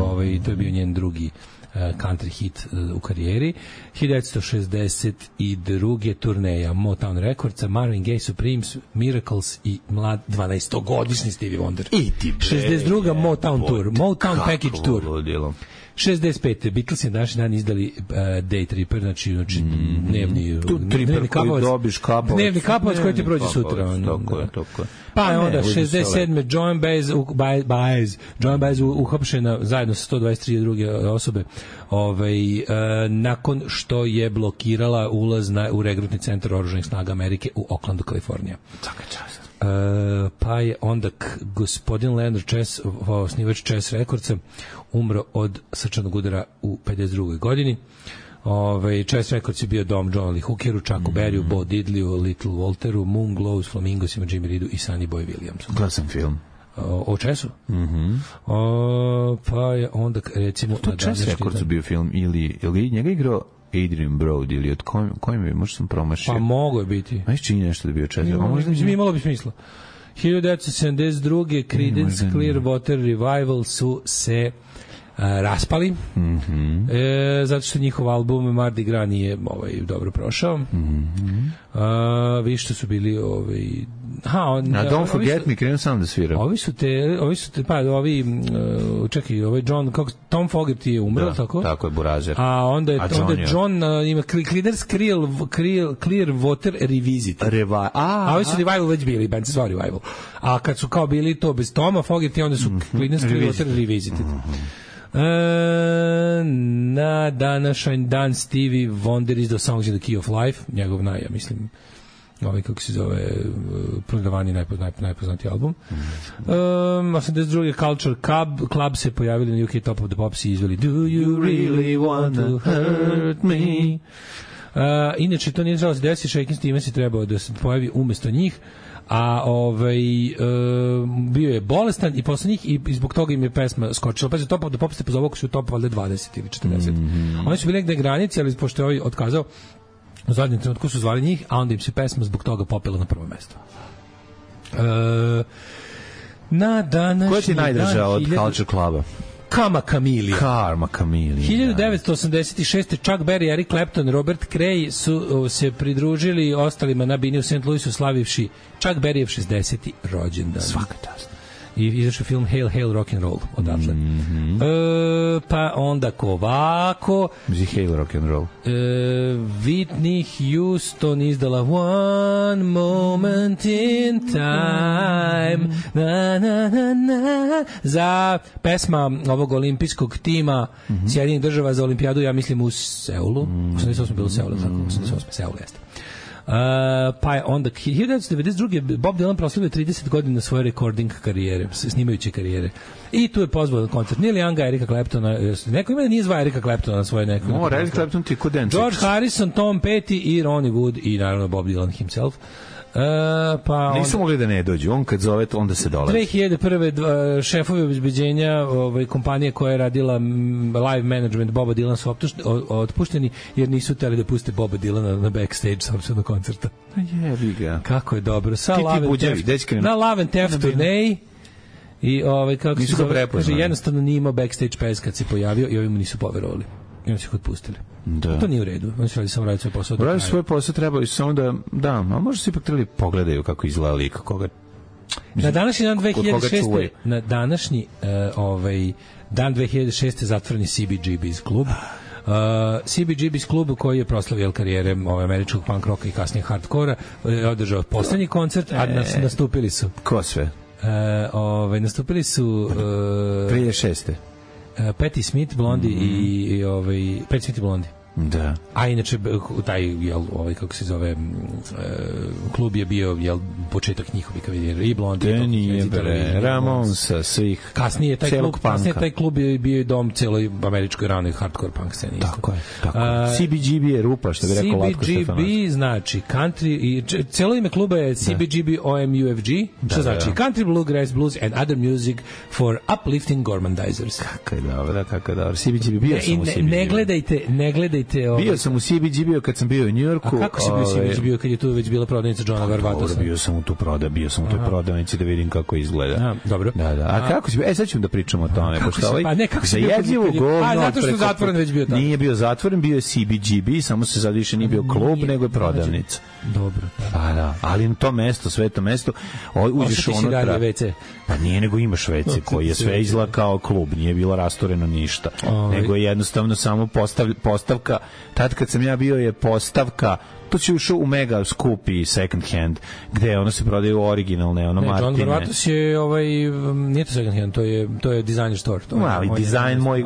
to je bio njen drugi country hit u karijeri. 1962. turneja Motown Recordsa, Marvin Gaye, Supremes, Miracles i mlad 12-godišnji Stevie Wonder. 62. Motown Tour, Motown Package Tour. 65. Beatles je današnji dan izdali Day Tripper, znači dnevni kapavac koji ti prođe sutra. Pa je onda 67. Joan Baez uhapšena zajedno sa 123 druge osobe nakon što je blokirala ulaz u regrutni centar oružanih snaga Amerike u Oaklandu, Kalifornija. Svaka čast. Pa je onda gospodin Leonard Chess, osnivač Chess Recordsa, umro od srčanog udara u 52. godini. Chess Records je bio dom John Lee Hookeru, Chucku Berryu, Bo Diddleyu, Little Walteru, Moon Glows, Flamingosima, Jimmy Reedu i Sonny Boy Williamsu. Gledao sam film. O Česu? Pa je onda, recimo... To Čes Records bio film, ili njega igrao Adrian Brody, ili od kojim je, možda sam promašio. Pa mogo je biti. Ajde čini nešto da bio Čes Records. Možda imalo bi smisla. 1972. Creedence Clearwater Revival su se raspali, zato što njihov album Mardi Gras nije dobro prošao. Vi što su bili Don't Forget Me, krenuo sam da svira. Ovi su John, Tom Fogerty je umreo, tako? Tako je, Burazer. A onda je John ima Creedence Clearwater Revisited. A ovi su Revival već bili, band se zvao Revival. A kad su kao bili to bez Toma Fogerty, onda su Creedence Clearwater Revisited. Na današnji dan Stevie Wonder izdao Songs in the Key of Life, njegov kako se zove prodavanje najpoznatiji album. 82. Culture Club se pojavili na UK Top of the Pops i izveli Do You Really Want to Hurt Me. Inače to nije trebalo se desiti, Shakin' Stevens je trebao da se pojavi umesto njih, a bio je bolestan i posle njih i zbog toga im je pesma skočila. Pa Top of the Pops se pozove ako su top valjda 20 ili 40. Oni su bili negde granici, ali pošto je ovaj otkazao, u zadnjem trenutku su zvali njih, a onda im se pesma zbog toga popela na prvo mesto. Na današnji... Koja ti je najdraža od Culture Cluba? Karma Chameleon. 1986. Chuck Berry, Eric Clapton, Robert Cray su se pridružili ostalima na bini u St. Louisu slavivši Chuck Berryjev 60. rođendan. Svaka čast. I izašao film Hail, Hail, Rock'n'Roll odatle. Pa onda kovako Hail, Rock'n'Roll. Whitney Houston izdala One Moment in Time za pesma ovog olimpijskog tima Sjedinjenih država za olimpijadu, ja mislim u Seulu. 88 bilo u Seulu, tako, 88 Seul jeste. Pa je onda 1992. Bob Dylan proslavio 30 godina svoje recording karijere, snimajuće karijere. I tu je pozvao na koncert Neil Younga, Erika Claptona, neko ima da nije zvao Erika Claptona na svoje neko. Eric Clapton ti kod Denčić. George Harrison, Tom Petty i Ronnie Wood i naravno Bob Dylan himself. Nisu mogli da ne dođu, on kad zove onda se dolazi. 2001. Šefovi obezbeđenja kompanije koja je radila live management Boba Dylana su otpušteni jer nisu hteli da puste Boba Dylana na backstage sopstveno koncerta. Jebi ga. Kako je dobro. Na Love and Theft turneji i kako se zove, kaže, jednostavno nije imao backstage pes kad se pojavio i ovi mu nisu poverovali. I oni su ih otpustili. Da. To nije u redu. Oni su radili samo raditi svoj posao. Radili svoj posao, trebali su samo da, a možda se ipak trebali pogledaju kako izgleda lik, koga... Na današnji dan 2006. Na današnji dan 2006. zatvoren je CBGB's klub. CBGB's klub koji je proslavio karijere američkog punk rocka i kasnije hardkora, održao poslednji koncert, a nastupili su... Ko sve? Nastupili su... 2006. Patti Smith, Blondie i Patti Smith i Blondie. Da. A inače taj kako se zove klub je bio početak njihovih karijere i Blondie i Ramonsa svih kasnije taj klub je bio i dom celoj američkoj ranoj hardcore punk sceni. Tako je. CBGB je rupa, što bi rekao Latko Stefanović. CBGB znači country i celo ime kluba je CBGB OMUFG, što znači Country Bluegrass Blues and Other Music for Uplifting Gormandizers. Kako je dobro. CBGB bio sam u CBGB. Ne gledajte. Bio sam u CBGB kad sam bio u Njujorku. A kako si bio u CBGB kad je tu već bila prodavnica Johna Varvatosa? Bio sam u toj prodavnici da vidim kako izgleda. Dobro. Da. A kako si bio? Sad ćemo da pričamo o tome. Pa ne, kako si bio? Zato što je zatvoren već bio tamo. Nije bio zatvoren, bio je CBGB, samo se sad više nije bio klub, nego je prodavnica. Dobro. Pa da, ali na to mesto, sveto mesto, uđeš unutra. Pa nije, nego imaš WC koji je sve izgleda kao klub, nije bilo rastoreno ništa. Nego je jednostavno samo postavka. Tad kad sam ja bio je postavka, to će ušao u mega skupi second hand, gde ono se prodaju originalne, Martine. John Varvatos je nije to second hand, to je designer store. Ali dizajn moj,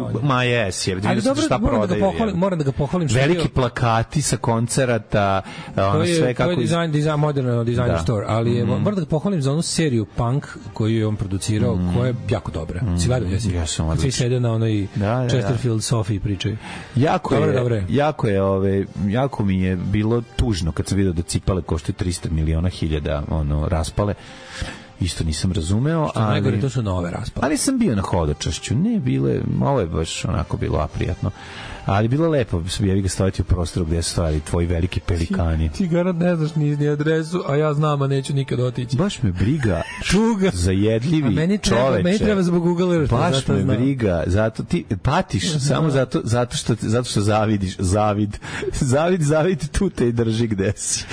jes je, vidim šta prodaju. Moram da ga pohvalim. Veliki plakati sa koncerata, sve kako... To je dizajn, moderno designer store, ali moram da ga pohvalim za onu seriju punk koju je on producirao, koja je jako dobra. Si gledao, jesi? Ja sam odlično. Svi sede na onoj Chesterfield Sophie pričaju. Jako mi je bilo tužno kad sam vidio da cipale koštaju 300 miliona hiljada raspale isto nisam razumeo, ali najgore, to su nove raspale. Ali sam bio na hodočašću, ne bile, ovo je baš onako bilo aprijatno. Ali bilo lepo, jebi ga staviti u prostoru gde su stvari tvoji veliki pelikani. Ti garant ne znaš ni adresu, a ja znam, a neću nikad otići. Baš me briga zajedljivi čoveče. Meni treba zbog Google Earth. Baš me briga, zato ti patiš samo zato što zavid tu te drži gde si.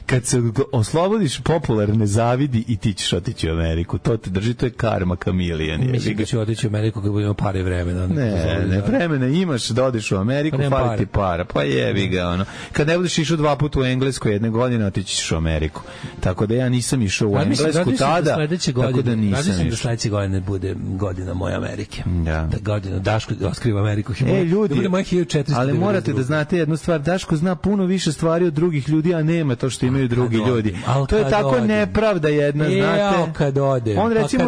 Kad se oslobodiš popularne zavidi i ti ćeš otići u Ameriku. To te drži, to je karma kamilijan. Mislim da ću otići u Ameriku kad budemo pare vremena. Ne, vremena imaš da odeš u Ameriku, fali ti para. Pa jebi ga, ono. Kad ne budeš išao 2 puta u Englesku jedne godine, otići ćeš u Ameriku. Tako da ja nisam išao u Englesku tada, tako da nisam išao. Da sledeće godine bude godina moje Amerike. Da godina Daško otkriva Ameriku. Ljudi, da bude moje 1400. Ali morate da znate jednu stvar, Daško zna puno više stvari od drugih ljudi, a nema to što imaju drugi ljudi. To je tako nepravda jedna, znate. Kad odem, on recimo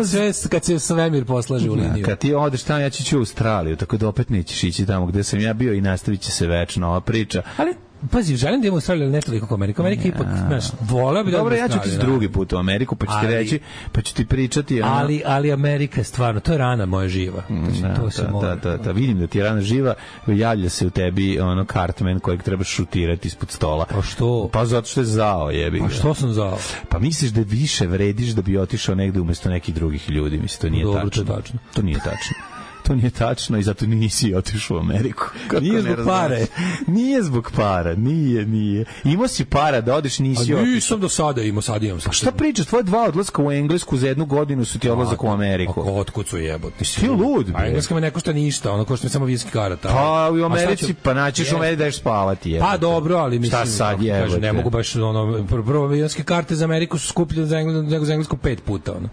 kad se svemir poslaže u liniju. Kad ti odeš tamo, ja ću u Australiju, tako da opet nećeš ići tamo gde sam ja bio i nastavit će se večno ova priča. Ali pazi, želim da imam Australiju, ali ne toliko kao Amerika. Amerika ipak, znaš, voleo bi da... Dobro, ja ću ti drugi put u Ameriku, pa ću ti reći, pa ću ti pričati... Ali Amerika je stvarno, to je rana moja živa. Da, vidim da ti je rana živa, javlja se u tebi ono Cartman kojeg trebaš šutirati ispod stola. Pa što? Pa zato što je zao, jebi ga. Pa što sam zao? Pa misliš da više vrediš da bi otišao negde umesto nekih drugih ljudi, mislim, to nije tačno. To nije tačno. To nije tačno i zato nisi otišao u Ameriku. Nije zbog pare. Nije zbog para, nije. Imao si para da odeš, nisi otišao. Nisam do sada imao, sad imam. Pa šta pričaš, tvoje 2 odlaska u Englesku za 1 godinu su ti odlazak u Ameriku. Otkud su jebote? Ti lud, bre. A Engleska me ne košta ništa, ono košta samo viski karata. Pa u Americi, pa naćeš u Americi da ješ spavati. Pa dobro, ali mislim, šta sad jebote? Ne mogu baš, ono, prvo viski karte za Ameriku su skuplje nego za Englesku 5 puta, ono.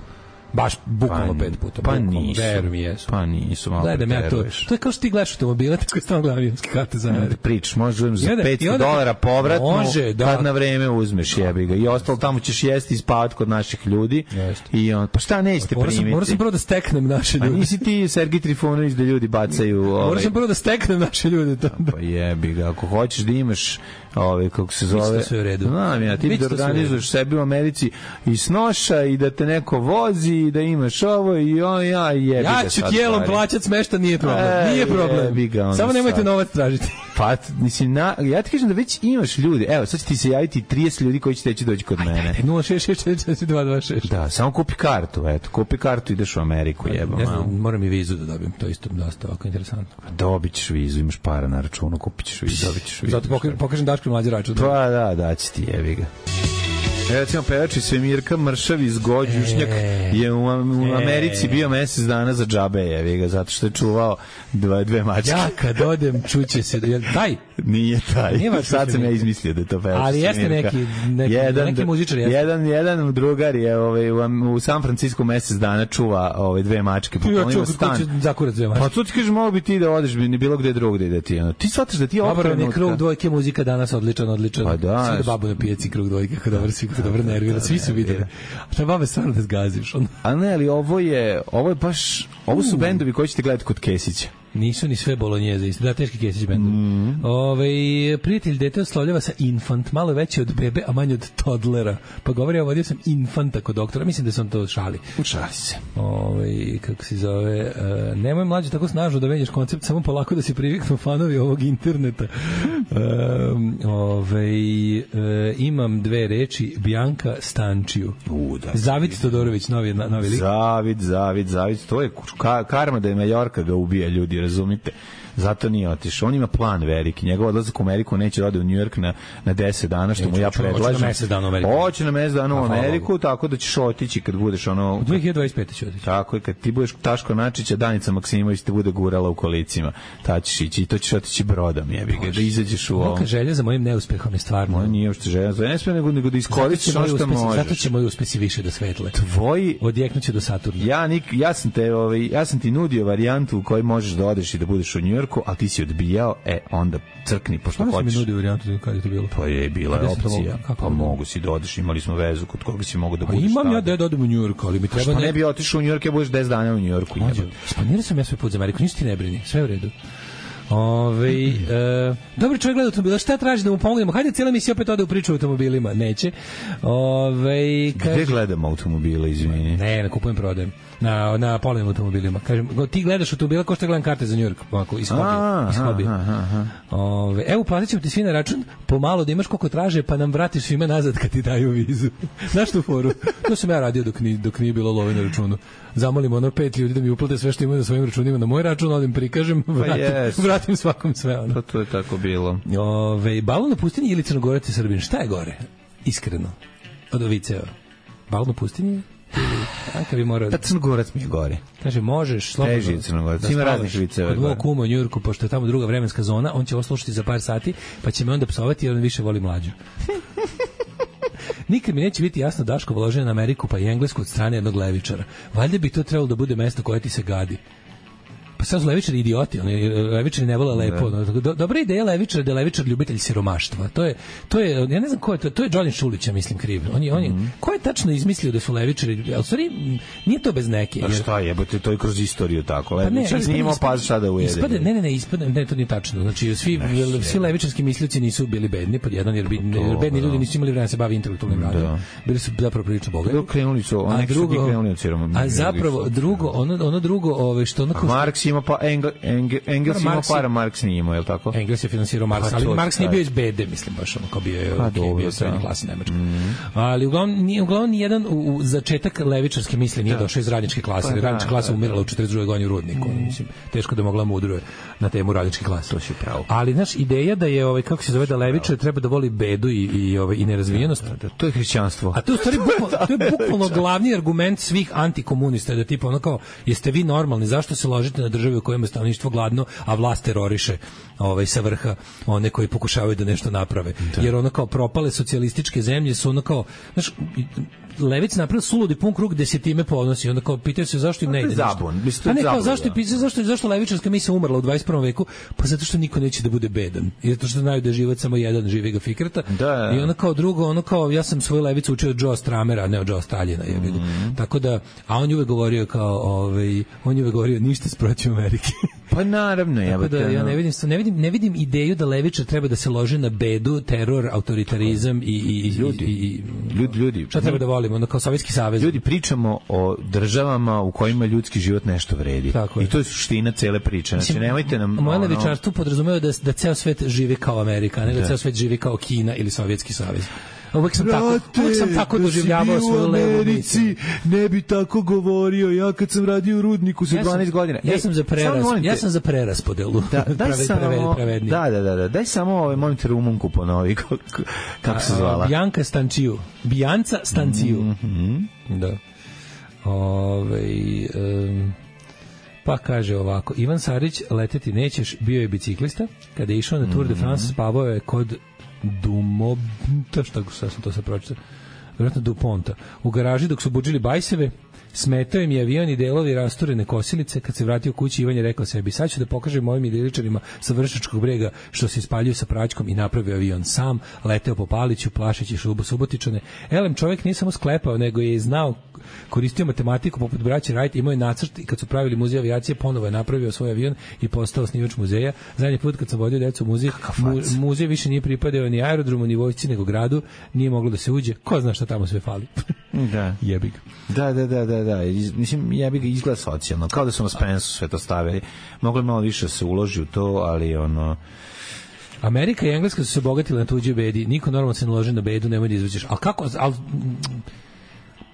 Baš bukvalno 5 puta. Pa nisu. Verujem mi jesu. Pa nisu, malo gledam ja to. To je kao što ti gledaš automobile, tako stalno gledam avionske karte za Ameriku. Pričaš, možeš za $500 povratno, može, kad na vreme uzmeš, jebi ga. I ostalo tamo ćeš jesti i spavati kod naših ljudi. I on, pa šta nećete primiti? Moram sam prvo da steknem naše ljude. A nisi ti Sergij Trifunović da ljudi bacaju... Moram sam prvo da steknem naše ljude. Pa jebi ga, ako hoćeš da imaš kako se zove... Sve u redu. Znam ja, ti da organizuješ sebi u Americi i snoša i da te neko vozi i da imaš ovo i on, ja jebi ga. Ja ću tijelom plaćat smešta, nije problem. Nije problem. Samo nemojte novac tražiti. Pa, mislim, ja ti kažem da već imaš ljudi. Evo, sad će ti se javiti 30 ljudi koji će teći doći kod mene. 066442226. Da, samo kupi kartu, eto. Kupi kartu, ideš u Ameriku, jebam. Ne znam, moram i vizu da dobijem. To je isto dosta ovako interesantno. Dobit ćeš vizu, imaš para na računu, kupit ćeš vizu, dobit ćeš vizu. Zato pokažem Daško mlađi račun. Pa da će ti, jebi ga. Recimo, pevač iz Svemirka Mršav iz Gođušnjak je u Americi bio mesec dana za džabe, jevi ga, zato što je čuvao 2 mačke. Ja kad odem čuće se, taj? Nije taj. Sad sam ja izmislio da je to pevač. Ali jeste neki muzičar. Jedan drugar je u San Francisco mesec dana čuva 2 mačke. Ja čuvam kako će zakurat 2 mačke. Pa tu ti kažeš, mogu bi ti da odeš ni bilo gde drugde da ti. Ti shvataš da ti okrenutka. Dobro, krug dvojke muzika danas odličan. Pa da. Sve da babu na pijaci krug dvojke, kako dobro nervira. Svi su videli. A šta babe stvarno da zgaziš? A ne, ali ovo je baš, ovo su bendovi koji ćete gledati kod Kesića. Nisu ni sve bolonjeze, isto da teški Kesić bendovi. Prijatelj dete oslovljava sa infant, malo veći od bebe, a manje od toddlera. Pa govori, vodio sam infanta kod doktora, mislim da sam to šali. Šali se. Kako se zove, nemoj mlađe tako snažno da menjaš koncept, samo polako da se priviknu fanovi ovog interneta. Imam 2 reči, Bianca Stančiju. Zavid Todorović, novi lik. Zavid, to je karma da je Majorka ga ubija, ljudi, razumite. Zato nije otišao. On ima plan veliki. Njegov odlazak u Ameriku neće da ode u New York na 10 dana, što mu ja predlažem. Hoće na mesec dana u Ameriku. Hoće na mesec dana u Ameriku, tako da ćeš otići kad budeš ono... U 2025. će otići. Tako je, kad ti budeš Taško Načića, Danica Maksimović te bude gurala u kolicima. Ta ćeš ići i to ćeš otići brodom, jebi ga, da izađeš u ovo. Moja želja za mojim neuspehom je stvarno. Moja nije uopšte želja za neuspeh, nego da iskoristiš ono što možeš. Zato će moji uspesi više da svetle. Tvoji... Odjeknuće do Saturna. Ja sam ti nudio varijantu u kojoj možeš da odeš i da budeš u Njujorku, ali ti si odbijao, onda crkni, pošto hoćeš. Kako si mi nudio varijantu, kada je to bilo? Pa je bila opcija. Pa mogu si da odeš, imali smo vezu kod koga si mogu da budeš. Imam ja da odem u Njujorku, ali mi treba... Što ne bi otišao u Njujork, ja budeš 10 dana u Njujorku. Splanirao sam ja svoj put za Ameriku, ništa ti ne brini, sve u redu. Dobro, čovjek gleda automobila, šta traži da mu pomognemo? Hajde, cijela emisija opet ode u priču o automobilima. Neće. Gde gledamo automobile, izvini? Ne, kupujem, prodajem. Na polovnim automobilima. Kažem, ti gledaš automobila kao što gledam karte za New York, ovako, iz hobija. Evo, platit ćemo ti svi na račun, pomalo da imaš koliko traže, pa nam vratiš svima nazad kad ti daju vizu. Znaš tu foru? To sam ja radio dok nije bilo love na računu. Zamolim 5 ljudi da mi uplate sve što imaju na svojim računima na moj račun, ali im prikažem, vratim svakom sve. Pa to je tako bilo. Balon na pustinji ili Crnogorac i Srbin? Šta je gore? Iskreno. Od viceva. Balon na pustinji? Pa Crnogorac mi je gore. Kaže, možeš slobodno teži Crnogorac, ima raznih viceva. Kod mog kuma u Njujorku, pošto je tamo druga vremenska zona, on će ovo slušati za par sati, pa će me onda psovati jer on više voli mlađu. Nikad mi neće biti jasno Daško voloženje na Ameriku pa i Englesku od strane jednog levičara. Valjda bi to trebalo da bude mesto koje ti se gadi. Pa sad su levičari idioti, levičari ne vole lepo. Dobra ideja levičara da je levičar ljubitelj siromaštva. To je, ja ne znam ko je to je Đolin Šulić, ja mislim, kriv. Ko je tačno izmislio da su levičari, ali stvari nije to bez neke. A šta jebote, to je kroz istoriju tako. Levičar nije imao pas sada ujede. Ne, to nije tačno. Znači, svi levičarski mislioci nisu bili bedni, pod jedan, jer bedni ljudi nisu imali vremena da se bavi intelektualnim radom. Bili su zapravo prilično bogati. A zapravo ono drugo, što onako ima pa Engels ima para, Marks nije imao, je li tako? Engels je finansirao Marks, ali Marks nije bio iz bede, mislim, baš ono, kao bio je srednje klase Nemačka. Ali uglavnom nijedan u začetak levičarske misli nije došao iz radničke klase. Radnička klasa umirala u 42. godini u Rudniku. Mislim, teško da mogla mudruje na temu radničke klase. To si pravo. Ali, znaš, ideja da je, kako se zove, da levičar treba da voli bedu i nerazvijenost. To je hrišćanstvo. A to je u stvari bukvalno glavni argument svih antikomunista, da tipa ono kao, jeste vi normalni, zašto se ložite na državi u kojima je stanovništvo gladno, a vlast teroriše sa vrha one koji pokušavaju da nešto naprave. Jer ono kao propale socijalističke zemlje su ono kao, znaš, levic napravio suludi pun krug gde se time ponosi. Onda kao pitaju se zašto im ne ide ništa. Zašto levičarska misija umrla u 21. veku? Pa zato što niko neće da bude bedan. I zato što znaju da je život samo jedan, živi ga fikrata. I onda kao drugo, ja sam svoju levicu učio od Joe Stramera, ne od Joe Staljina. Tako da, a on je uvek govorio kao, ništa protiv Amerike. Pa naravno, ja ne vidim ideju da levičar treba da se loži na bedu, teror, autoritarizam i ljudi. Šta treba da volimo, onda kao Sovjetski savez. Ljudi, pričamo o državama u kojima ljudski život nešto vredi. I to je suština cele priče. Znači, nemojte nam... Moje levičarstvo podrazumeva da ceo svet živi kao Amerika, ne da ceo svet živi kao Kina ili Sovjetski savez. Uvijek sam tako doživljavao svoju levu misiju. Ne bi tako govorio, ja kad sam radio u Rudniku sa 12 godina. Ja sam za preraspodelu. Pravednije. Daj samo molim te Rumunku ponovi, kako se zvala? Bijanca Stanciju. Da. Pa kaže ovako, Ivan Sarić, leteti nećeš, bio je biciklista, kada je išao na Tour de France, spavao je kod Dumonta, šta sam to sad pročitao, vjerojatno Duponta, u garaži dok su budžili bajseve, smetao im je avion i delovi rasturene kosilice. Kad se vratio kući, Ivan je rekao sebi, sad ću da pokažem mojim idiličarima sa Vršačkog brega što se ispaljuju sa praćkom, i napravio avion sam, leteo po Paliću, plašeći Subotičane. Elem, čovjek nije samo sklepao, nego je znao, koristio matematiku poput braće Wright, imao je nacrt i kad su pravili muzej avijacije, ponovo je napravio svoj avion i postao osnivač muzeja. Zadnji put kad sam vodio decu u muzej, muzej više nije pripadao ni aerodromu, ni vojsci, nego gradu, nije moglo da se uđe. Ko zna šta tamo sve fali? Da. Jebi ga. Da. Mislim, jebi ga, izgleda socijalno. Kao da su na Spensu sve to stavili. Moglo malo više se uloži u to, ali Amerika i Engleska su se bogatili na tuđoj bedi. Niko normalno se ne loži na bedu, nemoj da izvećeš. Ali kako...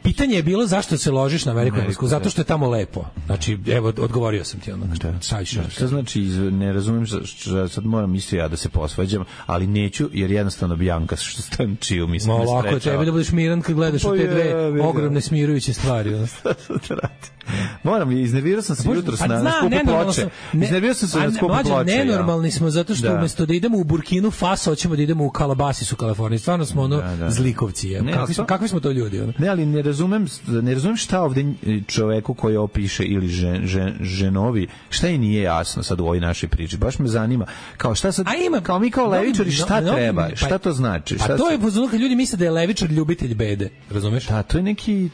Pitanje je bilo zašto se ložiš na Ameriku i Englesku, zato što je tamo lepo. Znači, evo, odgovorio sam ti ono. Šta znači, ne razumijem, sad moram isto ja da se posvađam, ali neću, jer jednostavno Bianca što Stančiju mislim ne sprečava. Lako, tebi da budeš miran kad gledaš u te dve ogromne smirujuće stvari. Moram, iznervirao sam se jutros na skupu ploče. Iznervirao sam se na skupu ploče. Nenormalni smo, zato što umjesto da idemo u Burkinu Faso, hoćemo da idemo u Calabasas u Kaliforniji. Stvarno smo zlikovci. Kakvi smo to ljudi? Ne, ali ne ne razumem šta ovde čoveku koji ovo piše ili ženovi, šta i nije jasno sad u ovoj našoj priči. Baš me zanima. Kao šta sad, kao mi kao levičari, šta treba? Šta to znači? Pa to je pozvano kad ljudi misle da je levičar ljubitelj bede, razumeš? Da, to je neki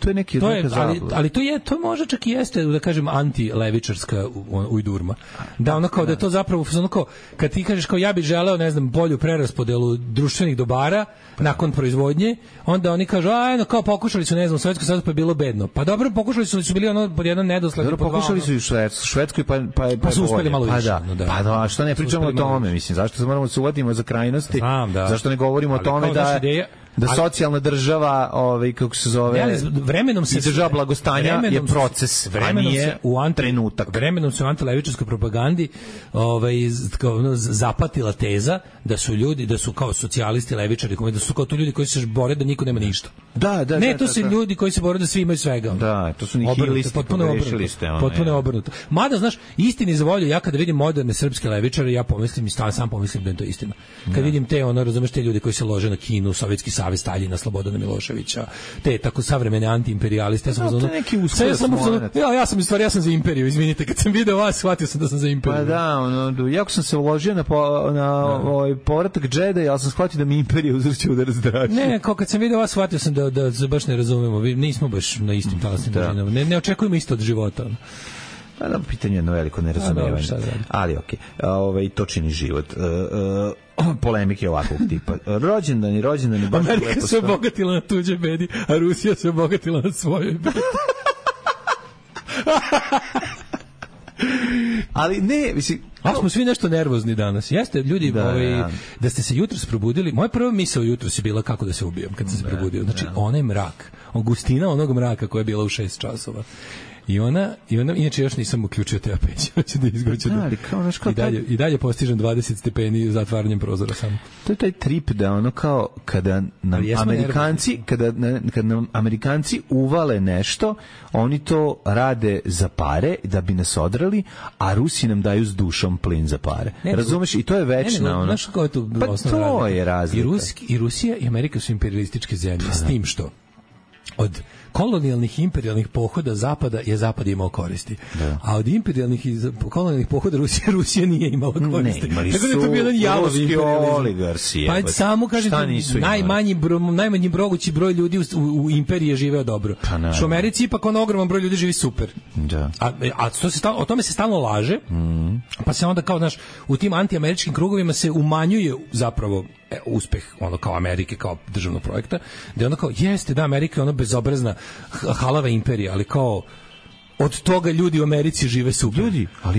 ali to može čak i jeste, da kažem, anti-levičarska ujdurma. Da ono kao da je to zapravo ono kao kad ti kažeš kao ja bih želeo, ne znam, bolju preraspodelu društvenih dobara nakon proizvodnje, onda oni kažu kao pokušali su, ne znam, u Sovjetskom savezu pa je bilo bedno. Pa dobro, pokušali su bili ono pod jedan nedosled. Pokušali su i u Švedskoj pa su uspeli malo više. Pa da, što ne pričamo o tome, mislim, zašto se moramo se uvatimo za krajnosti? Zašto ne govorimo o tome da socijalna država, kako se zove, vremenom se država blagostanja je proces, a nije trenutak. Vremenom se u antilevičarskoj propagandi zapatila teza da su ljudi, da su kao socijalisti, levičari, da su kao to ljudi koji se bore da niko nema ništa. Ne, to su ljudi koji se bore da svi imaju svega. Da, to su nihilisti, potpuno obrnuto. Mada, znaš, istini za volju, ja kada vidim moderne srpske levičare, ja pomislim i sam pomislim da je to istina. Kad vidim te, razumeš, te ljudi koji se lože na Kinu, Sovjetski savez, Staljina, Slobodana Miloševića, te tako savremene antiimperijaliste. Ja sam za imperiju, izvinite, kad sam video vas, shvatio sam da sam za imperiju. Pa da, jako sam se uložio na povratak Džeda, ja sam shvatio da mi imperija uzvrće udar zdrače. Ne, kao kad sam video vas, shvatio sam da se baš ne razumemo, nismo baš na istim talasnim dužinama, ne očekujemo isto od života. Da, pitanje je jedno veliko nerazumevanje. Ali okej, to čini život. Polemike ovakvog tipa. Rođendani baš lepo. Amerika se obogatila na tuđe bedi, a Rusija se obogatila na svojoj bedi. Ali ne, mislim, smo svi nešto nervozni danas. Jeste, ljudi, da ste se jutros probudili, moja prva misao jutros je bila kako da se ubijem kad sam se probudio. Znači, onaj mrak, gustina onog mraka koja je bila u 6 časova. I ona, inače još nisam uključio tepeć, hoće da izgoće. I dalje postižem 20 stepeni zatvaranjem prozora samo. To je taj trip da ono kao kada nam Amerikanci uvale nešto, oni to rade za pare da bi nas odrali, a Rusi nam daju s dušom plin za pare. Razumeš? I to je večna ono. Pa to je razlika. I Rusija i Amerika su imperialističke zemlje, s tim što od kolonijalnih i imperijalnih pohoda Zapada je Zapad imao koristi. A od imperijalnih i kolonijalnih pohoda Rusija nije imala koristi. Tako da je to bio jedan javav imperializam. Pa samo kažem, najmanji mogući broj ljudi u imperiji je živeo dobro. Što u Americi ipak ogroman broj ljudi živi super. O tome se stalno laže, pa se onda kao, znaš, u tim antiameričkim krugovima se umanjuje zapravo uspeh kao Amerike kao državnog projekta, da je onda kao, jeste da Amerika je ono bezobrazna halava imperija, ali kao od toga ljudi u Americi žive super.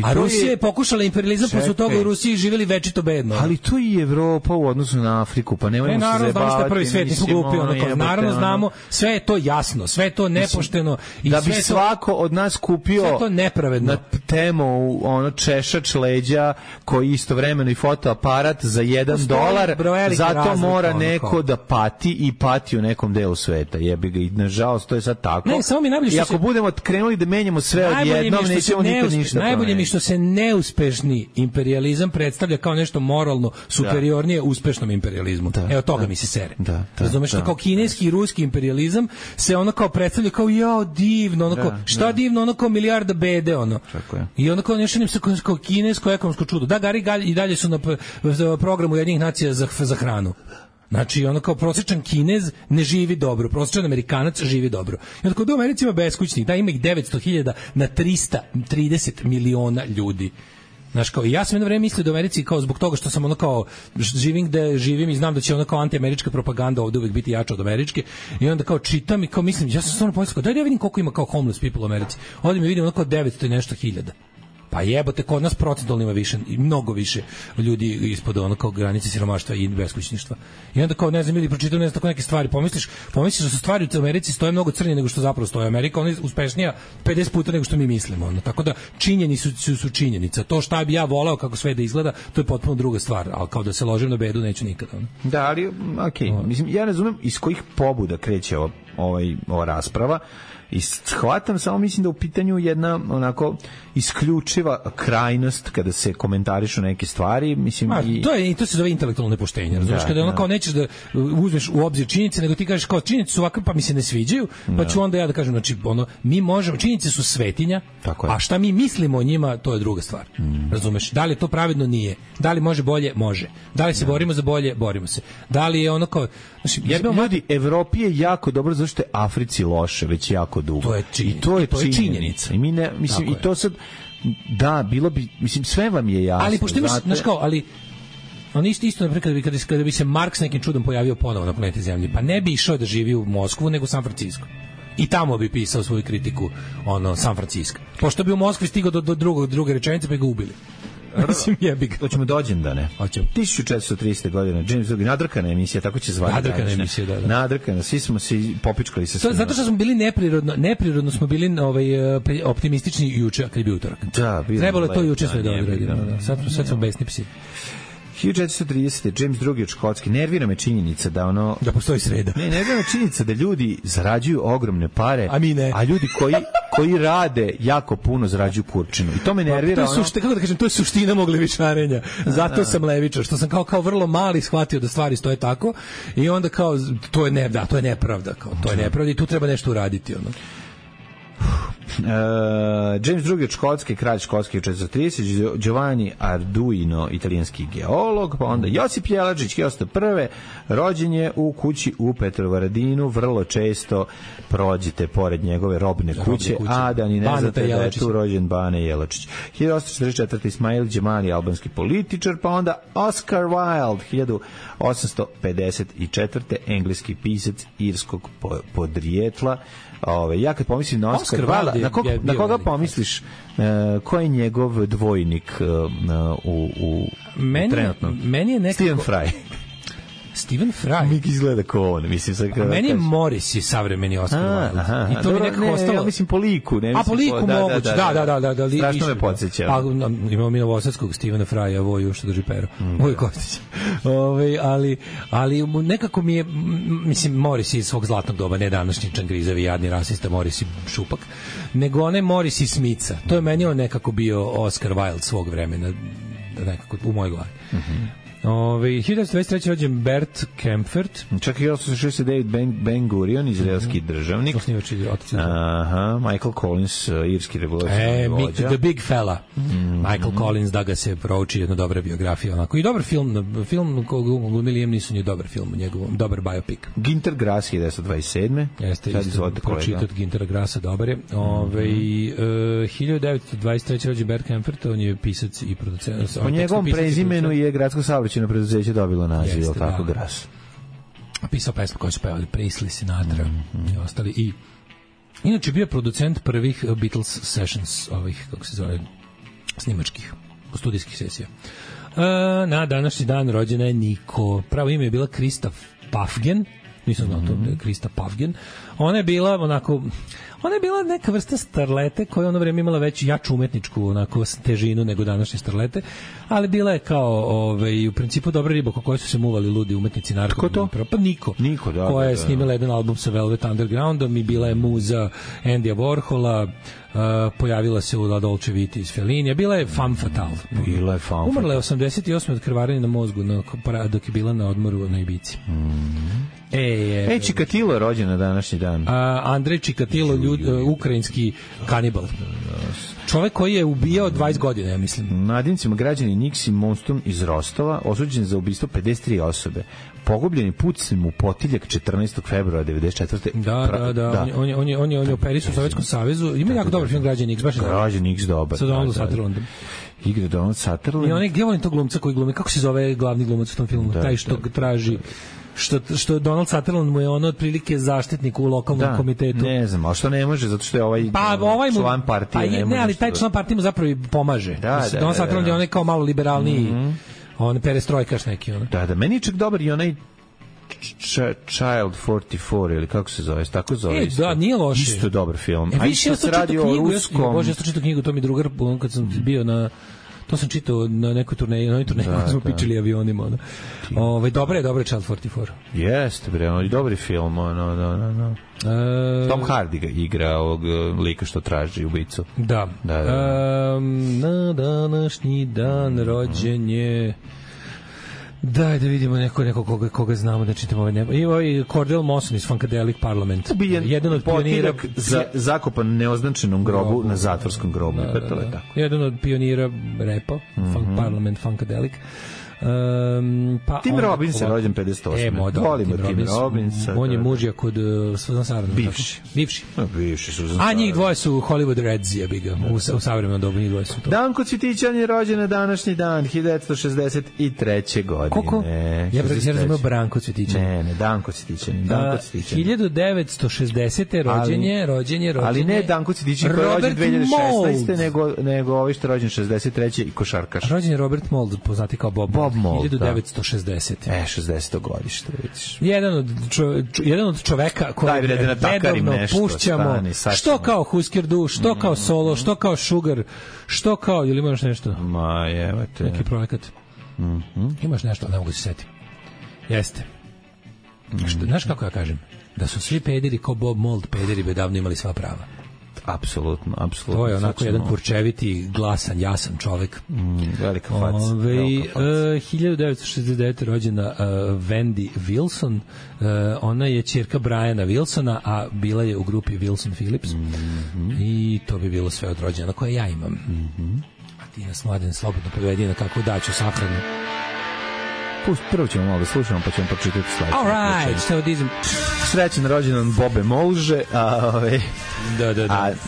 A Rusija je pokušala imperializam, pa su toga u Rusiji živjeli večito bedno. Ali to i Evropa u odnosu na Afriku, pa nemojmo se zajebavati. Naravno, znamo što je prvi svijet, nismo glupi. Naravno znamo, sve je to jasno, sve je to nepošteno. Da bi svako od nas kupio sve to nepravedno. Na temu češač leđa koji istovremeno i fotoaparat za $1, zato mora neko da pati i pati u nekom delu sveta. Jebi ga, i nažalost to je sad tako. I ako budemo krenuli da menjamo sve odjednom, nećemo nikad ništa. Najbolje mi što se neuspešni imperializam predstavlja kao nešto moralno superiornije uspešnom imperializmu. Evo toga mi se sere. Razumeš, kao kineski i ruski imperializam se ono kao predstavlja kao divno, šta divno, ono kao milijarda bede, ono. I ono kao nešto kao kinesko ekonomsko čudo. Da, Gari i dalje su na programu Ujedinjenih nacija za hranu. Znači, ono kao prosječan Kinez ne živi dobro, prosječan Amerikanac živi dobro. I onda kod u Americi ima beskućnik, da ima ih 900.000 na 330 miliona ljudi. Znaš, kao, ja sam jedno vreme mislio da u Americi, kao zbog toga što sam ono kao živim gde živim i znam da će ono kao antiamerička propaganda ovde uvek biti jača od američke, i onda kao čitam i kao mislim, ja sam stvarno pomislio, daj da ja vidim koliko ima kao homeless people u Americi. Ovdje mi vidim ono kao 900 i nešto hiljada. Pa jebote, kod nas procentualno ima više, mnogo više ljudi ispod ono kao granice siromaštva i beskućništva. I onda kao, ne znam, ili pročitao ne znam tako neke stvari, pomisliš da su stvari u Americi stoje mnogo crnije nego što zapravo stoje. Amerika, ona je uspešnija 50 puta nego što mi mislimo. Ono. Tako da činjenice su činjenica. To šta bi ja voleo kako sve da izgleda, to je potpuno druga stvar. Ali kao da se ložim na bedu, neću nikada. Ono. Da, ali, okej. Mislim, ja razumem iz kojih pobuda kreće ova rasprava. I shvatam, samo mislim da u pitanju jedna onako isključiva krajnost kada se komentarišu neke stvari, mislim to se zove intelektualno nepoštenje, razumiješ, kada ono kao nećeš da uzmeš u obzir činjenice, nego ti kažeš kao činjenice su ovakve pa mi se ne sviđaju, pa ću onda ja da kažem, znači ono, mi možemo, činjenice su svetinja, a šta mi mislimo o njima, to je druga stvar. Razumeš, da li je to pravedno, nije. Da li može bolje, može. Da li se borimo za bolje, borimo se. Da li je ono kao, znači, ljudi, Evropi je jako dobro, zašto je Africi loše već jako dugo. To je činjenica. I mi ne, mislim, i to sad, da, bilo bi, mislim, sve vam je jasno. Ali pošto imaš, znaš kao, ali on isto naprijed, kada bi se Marks nekim čudom pojavio ponovo na planeti Zemlji, pa ne bi išao da živi u Moskvu, nego u San Francisco. I tamo bi pisao svoju kritiku San Francisco. Pošto bi u Moskvi stigao do druge rečenice, pa ga ubili. Mislim, jebi ga. Hoćemo dođendane. Hoćemo. 1430. godine, James Duggan, nadrkana emisija, tako će zvati. Nadrkana emisija, da. Nadrkana, svi smo se popičkali sa svima. Zato što smo bili neprirodno smo bili optimistični juče, kad je bio utorak. Da, trebalo je to juče sve da odradimo. Sad smo besni psi. 1430. James II. Od Škotske. Nervira me činjenica da postoji sreda. Ne, nervira me činjenica da ljudi zarađuju ogromne pare, a mi ne. A ljudi koji rade jako puno zarađuju kurčinu. I to me nervira. Kako da kažem, to je suština mog levičarenja. Zato sam levičar, što sam kao vrlo mali shvatio da stvari stoje tako i onda kao to je nepravda, to je nepravda i tu treba nešto uraditi, James II. Od Škotske, kralj Škotske u 1430, Giovanni Arduino, italijanski geolog, pa onda Josip Jelačić, 1901. rođen je u kući u Petrovaradinu, vrlo često prođete pored njegove robne kuće, a da ni ne znate da je tu rođen Bane Jelačić. 1844. Ismail Džemali, albanski političar, pa onda Oscar Wilde, 1854. engleski pisac irskog podrijetla. Ja kad pomislim na Oscar Wilde, na koga pomisliš, ko je njegov dvojnik trenutno? Meni je nekako... Stephen Fry. Mi izgleda kao on, mislim sad kada. Meni je Morris je savremeni Oscar Wilde. I to mi nekako ostalo. Ja mislim po liku, ne mislim. A po liku moguće. Da. Strašno me podsjeća. Pa imamo mi novosadskog Stephena Frya, Voju što drži pero. Voju Kostić. Ali nekako mi je, mislim, Morris iz svog zlatnog doba, ne današnji čangrizavi jadni rasista Morris i šupak, nego onaj Morris iz Smica. To je meni on nekako bio Oscar Wilde svog vremena, nekako u mojoj glavi. 1923. rođen Bert Kaempfert. Čak i 1869 Ben Gurion, izraelski državnik. Michael Collins, irski revolucionarni vođa. The Big Fella. Michael Collins, da ga se prouči, jedna dobra biografija. Onako. I dobar film kog glumi Liam Neeson je dobar film u njegovom, dobar biopic. Ginter Grass, 1927. Jeste, pročitat Gintera Grassa, dobar je. 1923. rođen Bert Kaempfert, on je pisac i producent. Po njegovom prezimenu je gradsko saobraćajno preduzeće dobilo naziv, jel tako, Gras? Pisao pesmu koje su pevali Presley, Sinatra i ostali. I inače bio producent prvih Beatles sessions, kako se zove, snimačkih, studijskih sesija. Na današnji dan rođena je Niko. Pravo ime je bila Krista Pafgen. Nisam znao to, Krista Pafgen. Ona je bila neka vrsta starlete koja ono vreme imala već jaču umetničku onako težinu nego današnje starlete, ali bila je kao u principu dobra riba ko kojoj su se muvali ludi umetnici narko. Ko to? Pa Niko, koja je snimila jedan album sa Velvet Undergroundom i bila je muza Andyja Warhola, pojavila se u La Dolce Vita iz Fellinija, bila je femme fatale. Umrla je 88 od krvarenja na mozgu dok je bila na odmoru na Ibici. Čikatilo je rođen na današnji dan. Andrej Čikatilo, ukrajinski kanibal. Čovek koji je ubijao 20 godina, ja mislim. Nadincima građani Niksi Monstum iz Rostova, osuđen za ubistvo 53 osobe. Pogubljeni pucem u potiljak 14. februara 94. Da. On je operisan u Sovjetskom savezu. Ima jako dobar film Građani X, baš je dobar. Građani X dobar. Sa Donaldom Sutherlandom. Igra Donald Sutherland. I onaj, gdje volim tog glumca koji glumi, kako se zove glavni glumac u tom filmu? Taj što traži... Što Donald Sutherland mu je ono otprilike zaštitnik u lokalnom komitetu. Ne znam, a što ne može, zato što je član partije. Ne, ali taj član partije mu zapravo i pomaže. Donald Sutherland je onaj kao malo liberalniji, on perestrojkaš neki. Da, meni je čak dobar i onaj Child 44 ili kako se zove, tako zove. Da, nije loše. Isto dobar film. A isto se radi o ruskom. Bože, ja sam čitao knjigu, to mi drugar, kad sam bio na To sam čitao na nekoj turneji, na turneji smo pičili avionima. Dobre je Child 44. Jeste, bre, on je dobri film, Tom Hardy ga igra ovog lika što traži ubicu. Da. Na današnji dan rođenje... Daj da vidimo neko koga znamo da čitamo ovaj nebo. I ovaj Cordell Mawson iz Funkadelic Parliament. Jedan od pionira zakopan neoznačenom grobu na zatvorskom grobu. Jedan od pionira repa, Parliament Funkadelic. Tim Robbins je rođen 58. Volimo Tim Robbinsa. On je mužija kod Susan Sarandon. Bivši Susan Sarandon. A njih dvoje su Hollywood Reds, ja biga. U savremenom dobu njih dvoje su to. Danko Cvitićan je rođen na današnji dan 1963. godine. Koliko? Ja razumio Branko Cvitićan. Ne, Danko Cvitićan. 1960. rođenje. Ali ne Danko Cvitićan koji je rođen 2016. nego ovi što je rođen 63. i košarkaš. Rođen je Robert Mould, poznati kao Bob Mould, 1960. 60. godište, vidiš. Jedan od čoveka koji redovno pušćamo, što kao Husker Du, što kao Solo, što kao Sugar, što kao, ili imaš nešto? Ma jevate. Neki projekat. Imaš nešto, ne mogu se setiti. Jeste. Znaš kako ja kažem? Da su svi pederi kao Bob Mould, pederi bi davno imali sva prava. Apsolutno. To je onako jedan kurčeviti, glasan, jasan čovek. Velika faca. 1969. rođena Wendy Wilson. Ona je ćerka Briana Wilsona, a bila je u grupi Wilson Phillips. I to bi bilo sve od rođena koje ja imam. A ti nas, Mladen, slobodno povedi na kakvu daću sahranu. Prvo ćemo malo da slušamo, pa ćemo počitati sledeće. All right, so these... Srećan rođendan Bobe Molže, a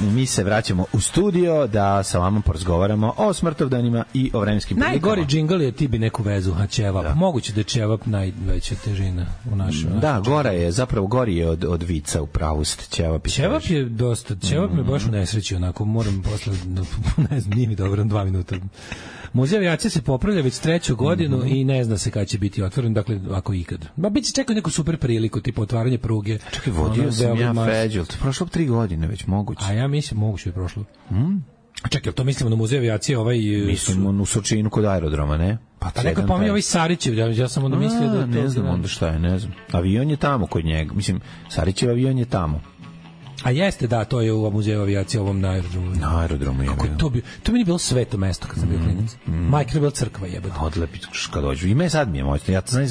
mi se vraćamo u studio da sa vama porazgovaramo o smrtovdanima i o vremenskim prilikama. Najgori džingl je ti bi neku vezu, a ćevap. Da. Moguće da je ćevap najveća težina u našoj. Da, gora je, zapravo gori je od vica u pravost. Ćevap je dosta, ćevap me baš u nesreći, onako moram posle, ne znam, nije mi dobro, 2 minuta. Muzej avijacije se popravlja već 3. godinu i ne zna se kada će biti otvoren, dakle, ako ikad. Ma bit će čekao neku super priliku, tipa otvaranje pruge. Čekaj, vodio sam ja Feđel, to prošlo 3 godine već, moguće. A ja mislim, moguće je prošlo. Čekaj, to mislimo na Muzej avijacije, Mislimo u Surčinu kod aerodroma, ne? Pa neko pominje ovaj Sarićev, ja sam onda mislio da... Ne znam onda šta je, ne znam. Avion je tamo kod njega, mislim, Sarićev avion je tamo. A jeste, da, to je u Muzeju avijacije, ovom na aerodromu. Na aerodromu je. Kako to bi meni bilo sveto mesto kad sam bio klinac. Majka je bila crkva, jebote. Odlepi kad dođu. I me sad mi je moćno. Ja to znam,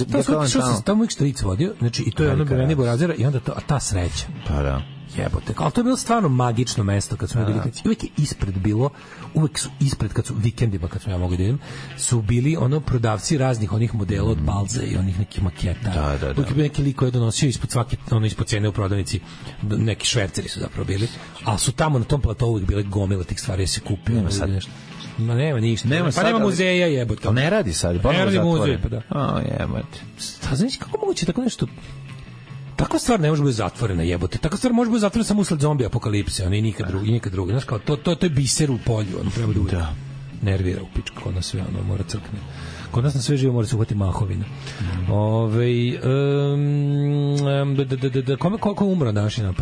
tamo moj stric vodio, znači i to je ono Beveni Borazera i onda ta sreća. Pa da. Jebote. Ali to je bilo stvarno magično mesto kad smo bili klinac. Uvek je ispred bilo, uvek su ispred kad su vikendima kad smo ja mogli da idem, su bili ono prodavci raznih onih modela od Balze i onih nekih maketa. Da. Uvek je bio neki lik koji je donosio ispod svake, ono ispod cene u prodavnici, neki šverceri su zapravo bili, ali su tamo na tom platovu uvek bile gomile tih stvari, se kupio. Nema sad nešto. Ma nema ništa. Nema muzeja, jebote. Ne radi sad. Ne radi muzej, pa da. Jebote. Znaš kako moguće tako nešto? Takva stvar ne može biti zatvorena, jebote. Takva stvar može biti zatvorena samo usled zombi apokalipse, a i nikad drugi. Znaš kao, to je biser u polju, ono treba da uvijek nervira u pičku, kod nas sve, ono mora crkne. Kod nas na sve živo mora se uhvati mahovina. Ko umro današnji dan?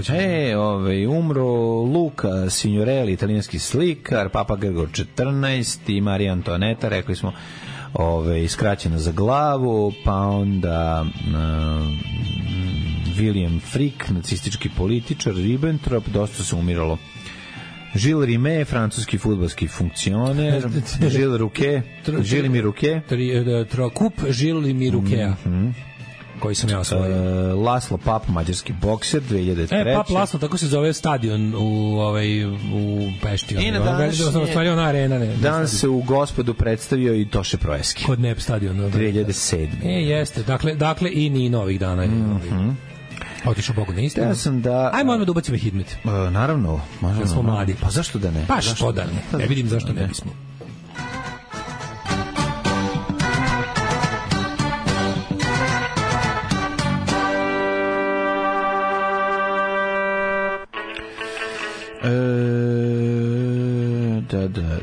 Umro Luca Signorelli, italijanski slikar, Papa Gregor 14 i Marija Antoaneta, rekli smo, skraćena za glavu, pa onda William Frick, nacistički političar, Ribbentrop, dosta se umiralo. Gilles Rimet, francuski fudbalski funkcioner, Gilles Miruke, Kup Gilles Mirukea, koji sam ja osvojio. Laslo Pap, mađarski bokser, 2003. Pap Laslo, tako se zove stadion u Pešti. I danas se u Gospodu predstavio i Toše Proeski. Kod Nep stadion. 2007. Jeste, dakle i ni novih dana. Otišao Bogu na istinu. Ajmo odmah da ubacimo Hidmet. Naravno. Da smo mladi. Pa zašto da ne? Pa što da ne? Ne vidim zašto ne bismo.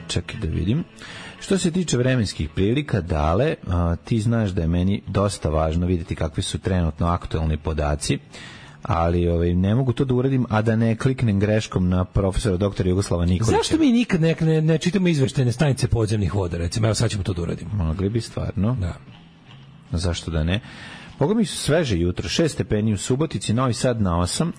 Čekaj da vidim. Što se tiče vremenskih prilika, Dale, ti znaš da je meni dosta važno vidjeti kakvi su trenutno aktualni podaci, ali ne mogu to da uradim, a da ne kliknem greškom na profesora doktora Jugoslava Nikolića. Zašto mi nikad ne čitamo izveštene stanice podzemnih voda, recimo? Evo sad ćemo to da uradimo. Mogli bi stvarno. Da. Zašto da ne? Boga mi su sveže jutro, 6 stepeni u Subotici, Novi Sad na 8,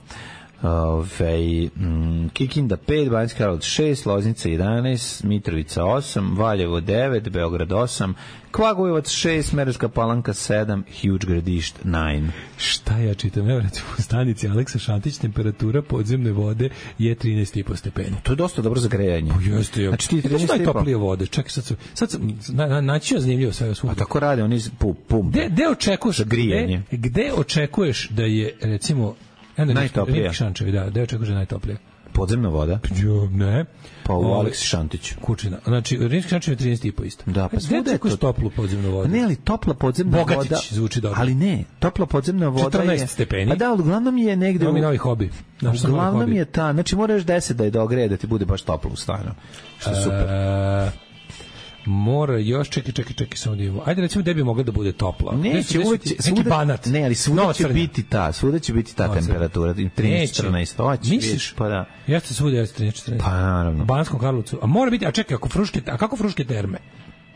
Kikinda 5, Banjska Karlovac 6, Loznica 11, Mitrovica 8, Valjevo 9, Beograd 8, Kragujevac 6, Smederevska Palanka 7, Huge Gradišt 9. Šta ja čitam? Evo recimo u stanici Aleksa Šantić, temperatura podzemne vode je 13,5 stepeni. To je dosta dobro za grejanje. Jeste, jo. Znači ti 13,5. Najtoplije vode. Čekaj, sad naći je zanimljivo sve svugde. A tako rade oni pumpe. Gde očekuješ da je recimo najtoplije? Gde očekuješ da je najtoplije? Podzemna voda? Ne. Pa u Aleksi Šantiću. Kučina. Znači, Rimski Šantić je 13,5 isto. Da, pa svuda je to toplu podzemnu vodu. Ne, ali topla podzemna voda... Bogatić zvuči dobro. Ali ne, topla podzemna voda 14 stepeni. Pa da, uglavnom je negde... Imam i novi hobi. Uglavnom je ta... Znači, moraš 10 da je dogreje, da ti bude baš toplo u stanu. Što je super. Mora još, čekaj, samo da imamo. Ajde, recimo, gde bi mogla da bude topla? Neće, uvek će... Neki Banat. Ne, ali svuda će biti ta temperatura. 13-14. Misliš? Pa da. Jeste svuda, jeste 13-14. Pa naravno. U Banskom Karlovcu. A mora biti, a čekaj, kako Fruške terme?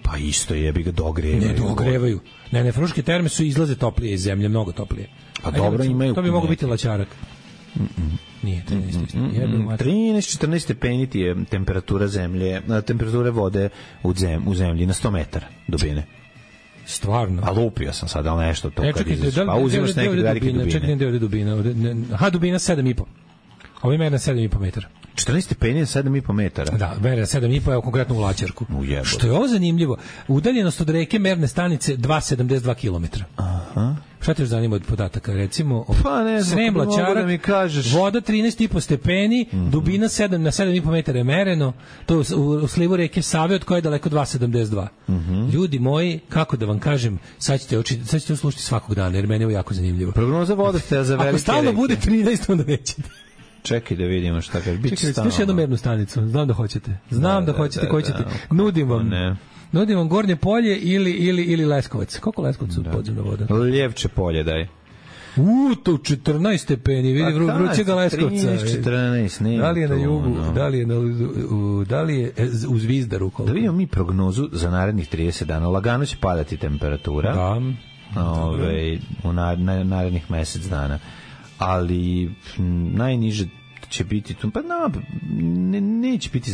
Pa isto jebi ga dogrevaju. Ne dogrevaju. Ne, Fruške terme su izlaze toplije iz zemlje, mnogo toplije. Pa dobro, imaju... To bi moglo biti Laćarak. Nije 13-14 stepeni ti je temperatura zemlje, temperature vode u zemlji na 100 metara dubine. Stvarno? A lupio sam sad, ali nešto to kad izaš. Pa uzimaš neke velike dubine. Čekaj, gde je dubina? Aha, dubina 7,5. Ovo ima 7,5 metara. 14 stepeni je 7,5 metara. Da, mera 7,5, evo konkretno u Laćarku. Što je ovo zanimljivo? Udaljenost od reke merne stanice 2,72 km. Aha. Šta te još zanima od podataka? Recimo, pa ne znam, Srem, Laćarak, da mi kažeš. Voda 13,5 stepeni, dubina 7 na 7,5 metara je mereno, to u slivu reke Save, od koje je daleko 2,72. Ljudi moji, kako da vam kažem, sad ćete uslušati svakog dana, jer meni je jako zanimljivo. Prognoza vodostaja za velike reke. Ako stalno bude 13, onda nećete. Čekaj da vidimo šta kaže. Čekaj, još jednu mernu stanicu. Znam da hoćete. Koji ćete. Nudim vam. Nudim vam Gornje polje ili Leskovac. Koliko Leskovac u podzemna voda? Ljevče polje daj. To 14 stepeni, vidi vrućega Leskovca. 14, ne. Da li je na jugu, da li je u Zvizdaru? Da vidimo mi prognozu za narednih 30 dana. Lagano će padati temperatura. Da. U narednih mesec dana. Ali najniže će biti tu, pa neće biti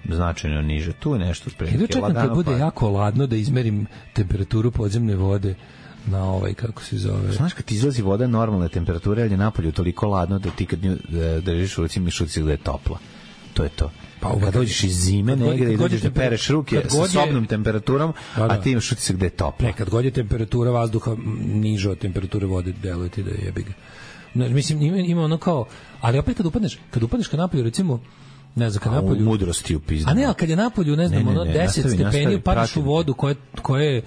značajno niže. Tu je nešto spremno. Idu čekam kad bude jako ladno da izmerim temperaturu podzemne vode na kako se zove. Znaš, kad ti izlazi voda normalne temperature, ali je napolju toliko ladno da ti kad držiš u ruci mišuci da je topla. To je to. Pa kad dođeš iz zime negde i dođeš da pereš ruke sa sobnom temperaturom, a ti imaš utisak da je topla. Kad god je temperatura vazduha niža od temperature vode, deluje ti da je jebiga. Mislim, ima ono kao, ali opet kad upadneš ka napolju, recimo, ne znam, kad napolju... U mudrosti upizdano. A ne, ali kad je napolju, ne znam, 10 stepeni, upadaš u vodu koja je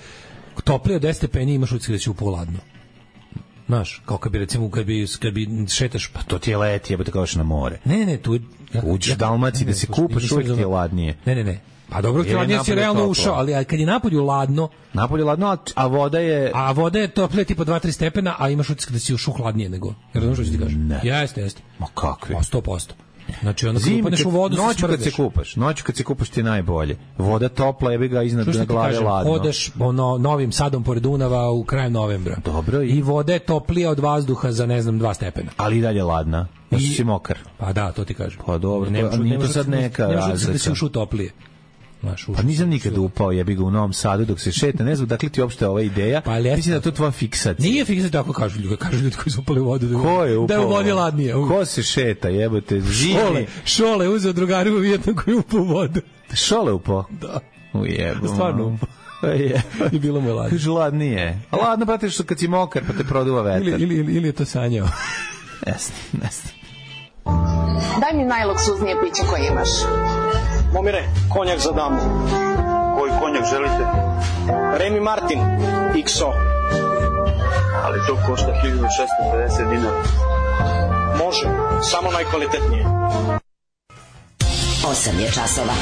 toplije od 10 stepeni, imaš utisak da će upoladno. Znaš, kao kad bi, recimo, kad bi šetaš... Pa to ti je leti, jebote kao na more. Ne, tu... Uđeš u Dalmaciji da se kupaš, uvijek ti je ladnije. Ne. Pa dobro, hladnije si realno ušao, ali kad je napolju ladno, a voda je... A voda je toplije tipa 2-3 stepena, a imaš utisak da si ušao hladnije nego. Jer znaš što ću ti kažem? Jeste. Ma kakvi? 100%. Znači onda kad upadneš u vodu noću kad se kupaš ti najbolje. Voda topla, jebi ga iznad glave ladno. Hodaš Novim Sadom pored Dunava u krajem novembra. Dobro. I voda je toplija od vazduha za 2 stepena. Ali i dalje ladna. Da si mokar. Pa da, to ti kažem. Pa dobro, nije to sad neka razlika. Da si ušao toplije. Pa nisam nikad upao, jebi ga u Novom Sadu dok se šeta, ne znam dakle ti uopšte ova ideja. Mislim da to tvoja fiksacija. Nije fiksacija, tako kažu ljudi koji su upali u vodu. Ko je upao? Da je u vodi ladnije. Ko se šeta, jebote, živi. Šole uzeo drugaru u Vijetnam koji je upao u vodu. Šole upao? Da. Ujebo. Stvarno upao. I bilo mu je ladnije. Kaže ladnije. A ladno, brate, što kad si mokar pa te produva vetar. Ili je to sanjao. Ne. Daj mi najluksuznije piće koje imaš. Momire, konjak za damu. Koji konjak želite? Remy Martin, XO. Ali to košta 1650 dinara. Može, samo najkvalitetnije. 8 je časova.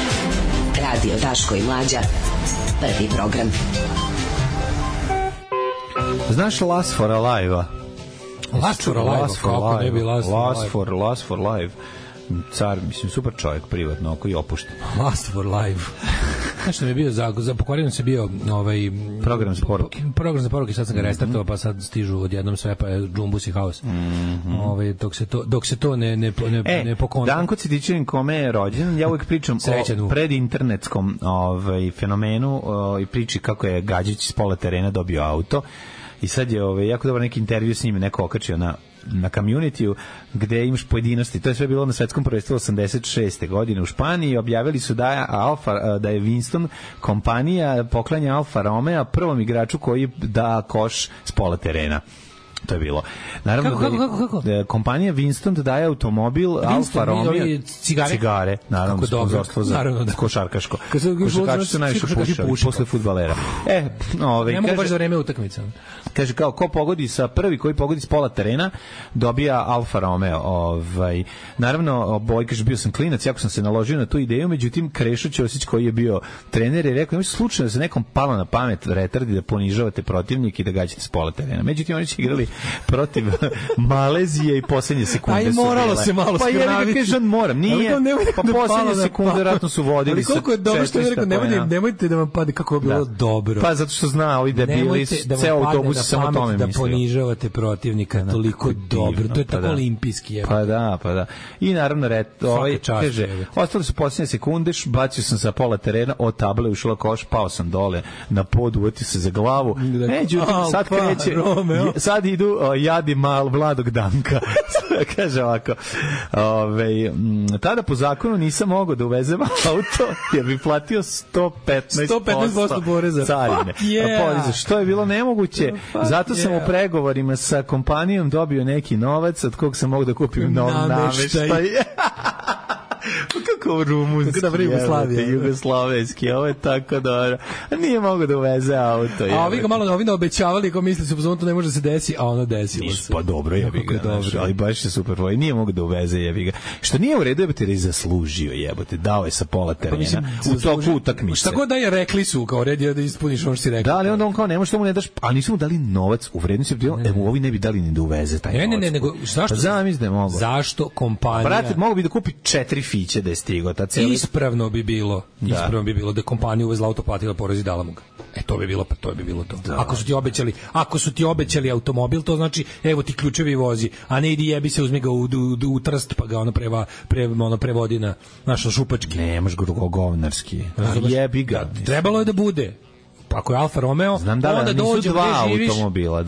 Radio Daško i Mlađa. Prvi program. Znaš Last for Alive-a? Last for Live. Car, mislim, super čovjek, privatno, oko i opušten. Last for Live. Znaš što mi je bio za pokvareno se bio program za poruke. Program za poruke, sad sam ga restartovao, pa sad stižu odjednom sve, pa je džumbus i haos. Dok se to ne pokonta. Danko Citićanin, kome je rođen, ja uvijek pričam o predinternetskom fenomenu i priči kako je Gađić s pola terena dobio auto. I sad je jako dobar neki intervju s njim, neko okačio na community-u, gde imaš pojedinosti. To je sve bilo na svetskom prvenstvu 86. godine u Španiji. Objavili su da je Winston kompanija poklanja Alfa Romeo prvom igraču koji da koš s pola terena. To je bilo. Naravno, kako? Kompanija Winston daje automobil Alfa Romeo, cigare, naravno, sponzorstvo za košarkaško. Košarkaši su najviše pušali posle fudbalera. Ne mogu baš za vreme utakmica. Kaže, kao, prvi koji pogodi s pola terena dobija Alfa Romeo. Naravno, kaže, bio sam klinac, jako sam se naložio na tu ideju, međutim, Krešo Ćosić, koji je bio trener, je rekao, nemojte slučajno da se nekom palo na pamet retardi da ponižavate protivnik i da gađate s pola terena. Međutim, oni će igrali protiv Malezije i poslednje sekunde su bile. Moralo se malo skraviti. Pa ja kažem, moram, nije. Pa poslednje sekunde vjerojatno su vodili sa 400 koliko je dobro što je rekao, nemojte da vam pade kako je bilo dobro. Pa zato što zna, ovi debili, ceo autobus samo tome mislio. Da ponižavate protivnika toliko dobro. To je tako olimpijski. Pa da. I naravno, kaže, ostale su poslednje sekunde, bacio sam sa pola terena, od table ušla koš, pao sam dole na pod, uvatio se za glavu. Međutim, sad kreće, sad idu jadi mal Vladog Danka. Kaže ovako, tada po zakonu nisam mogao da uvezem auto jer bi platio 115% poreza carine. Što je bilo nemoguće, zato sam u pregovorima sa kompanijom dobio neki novac od kog sam mogao da kupim nov nameštaj. Kako rumunski, jugoslovenski, ovo je tako dobro. Nije mogo da uveze auto. A ovi ga malo obećavali, ko misli se to ne može se desi, a ono desilo se. Pa dobro, jebi ga, ali baš je super. Nije mogo da uveze, jebi ga. Što nije u redu, jebote, jer je zaslužio, jebote, dao je sa pola terena u toku utakmice. Šta god da je, rekli su, kao red je da ispuniš ono što si rekao. Da, ali onda on kao, nemo što mu ne daš, a nisu mu dali novac u vrednosti, mu ovi ne bi dali ni da uveze taj novac. Ne, nego zašto kompanija... Brate, mogu bi da kupi 4 fiće da je stigo. Ispravno bi bilo da kompanija uvezla auto, platila porez i dala mu ga. To bi bilo to. Da. Ako su ti obećali automobil, to znači evo ti ključevi vozi, a ne idi jebi se, uzmi ga u Trst pa ga prevodi na našo Šupački. Nemaš govnarski. Jebi ga. Trebalo je da bude. Ako je Alfa Romeo, onda dođe gde živiš.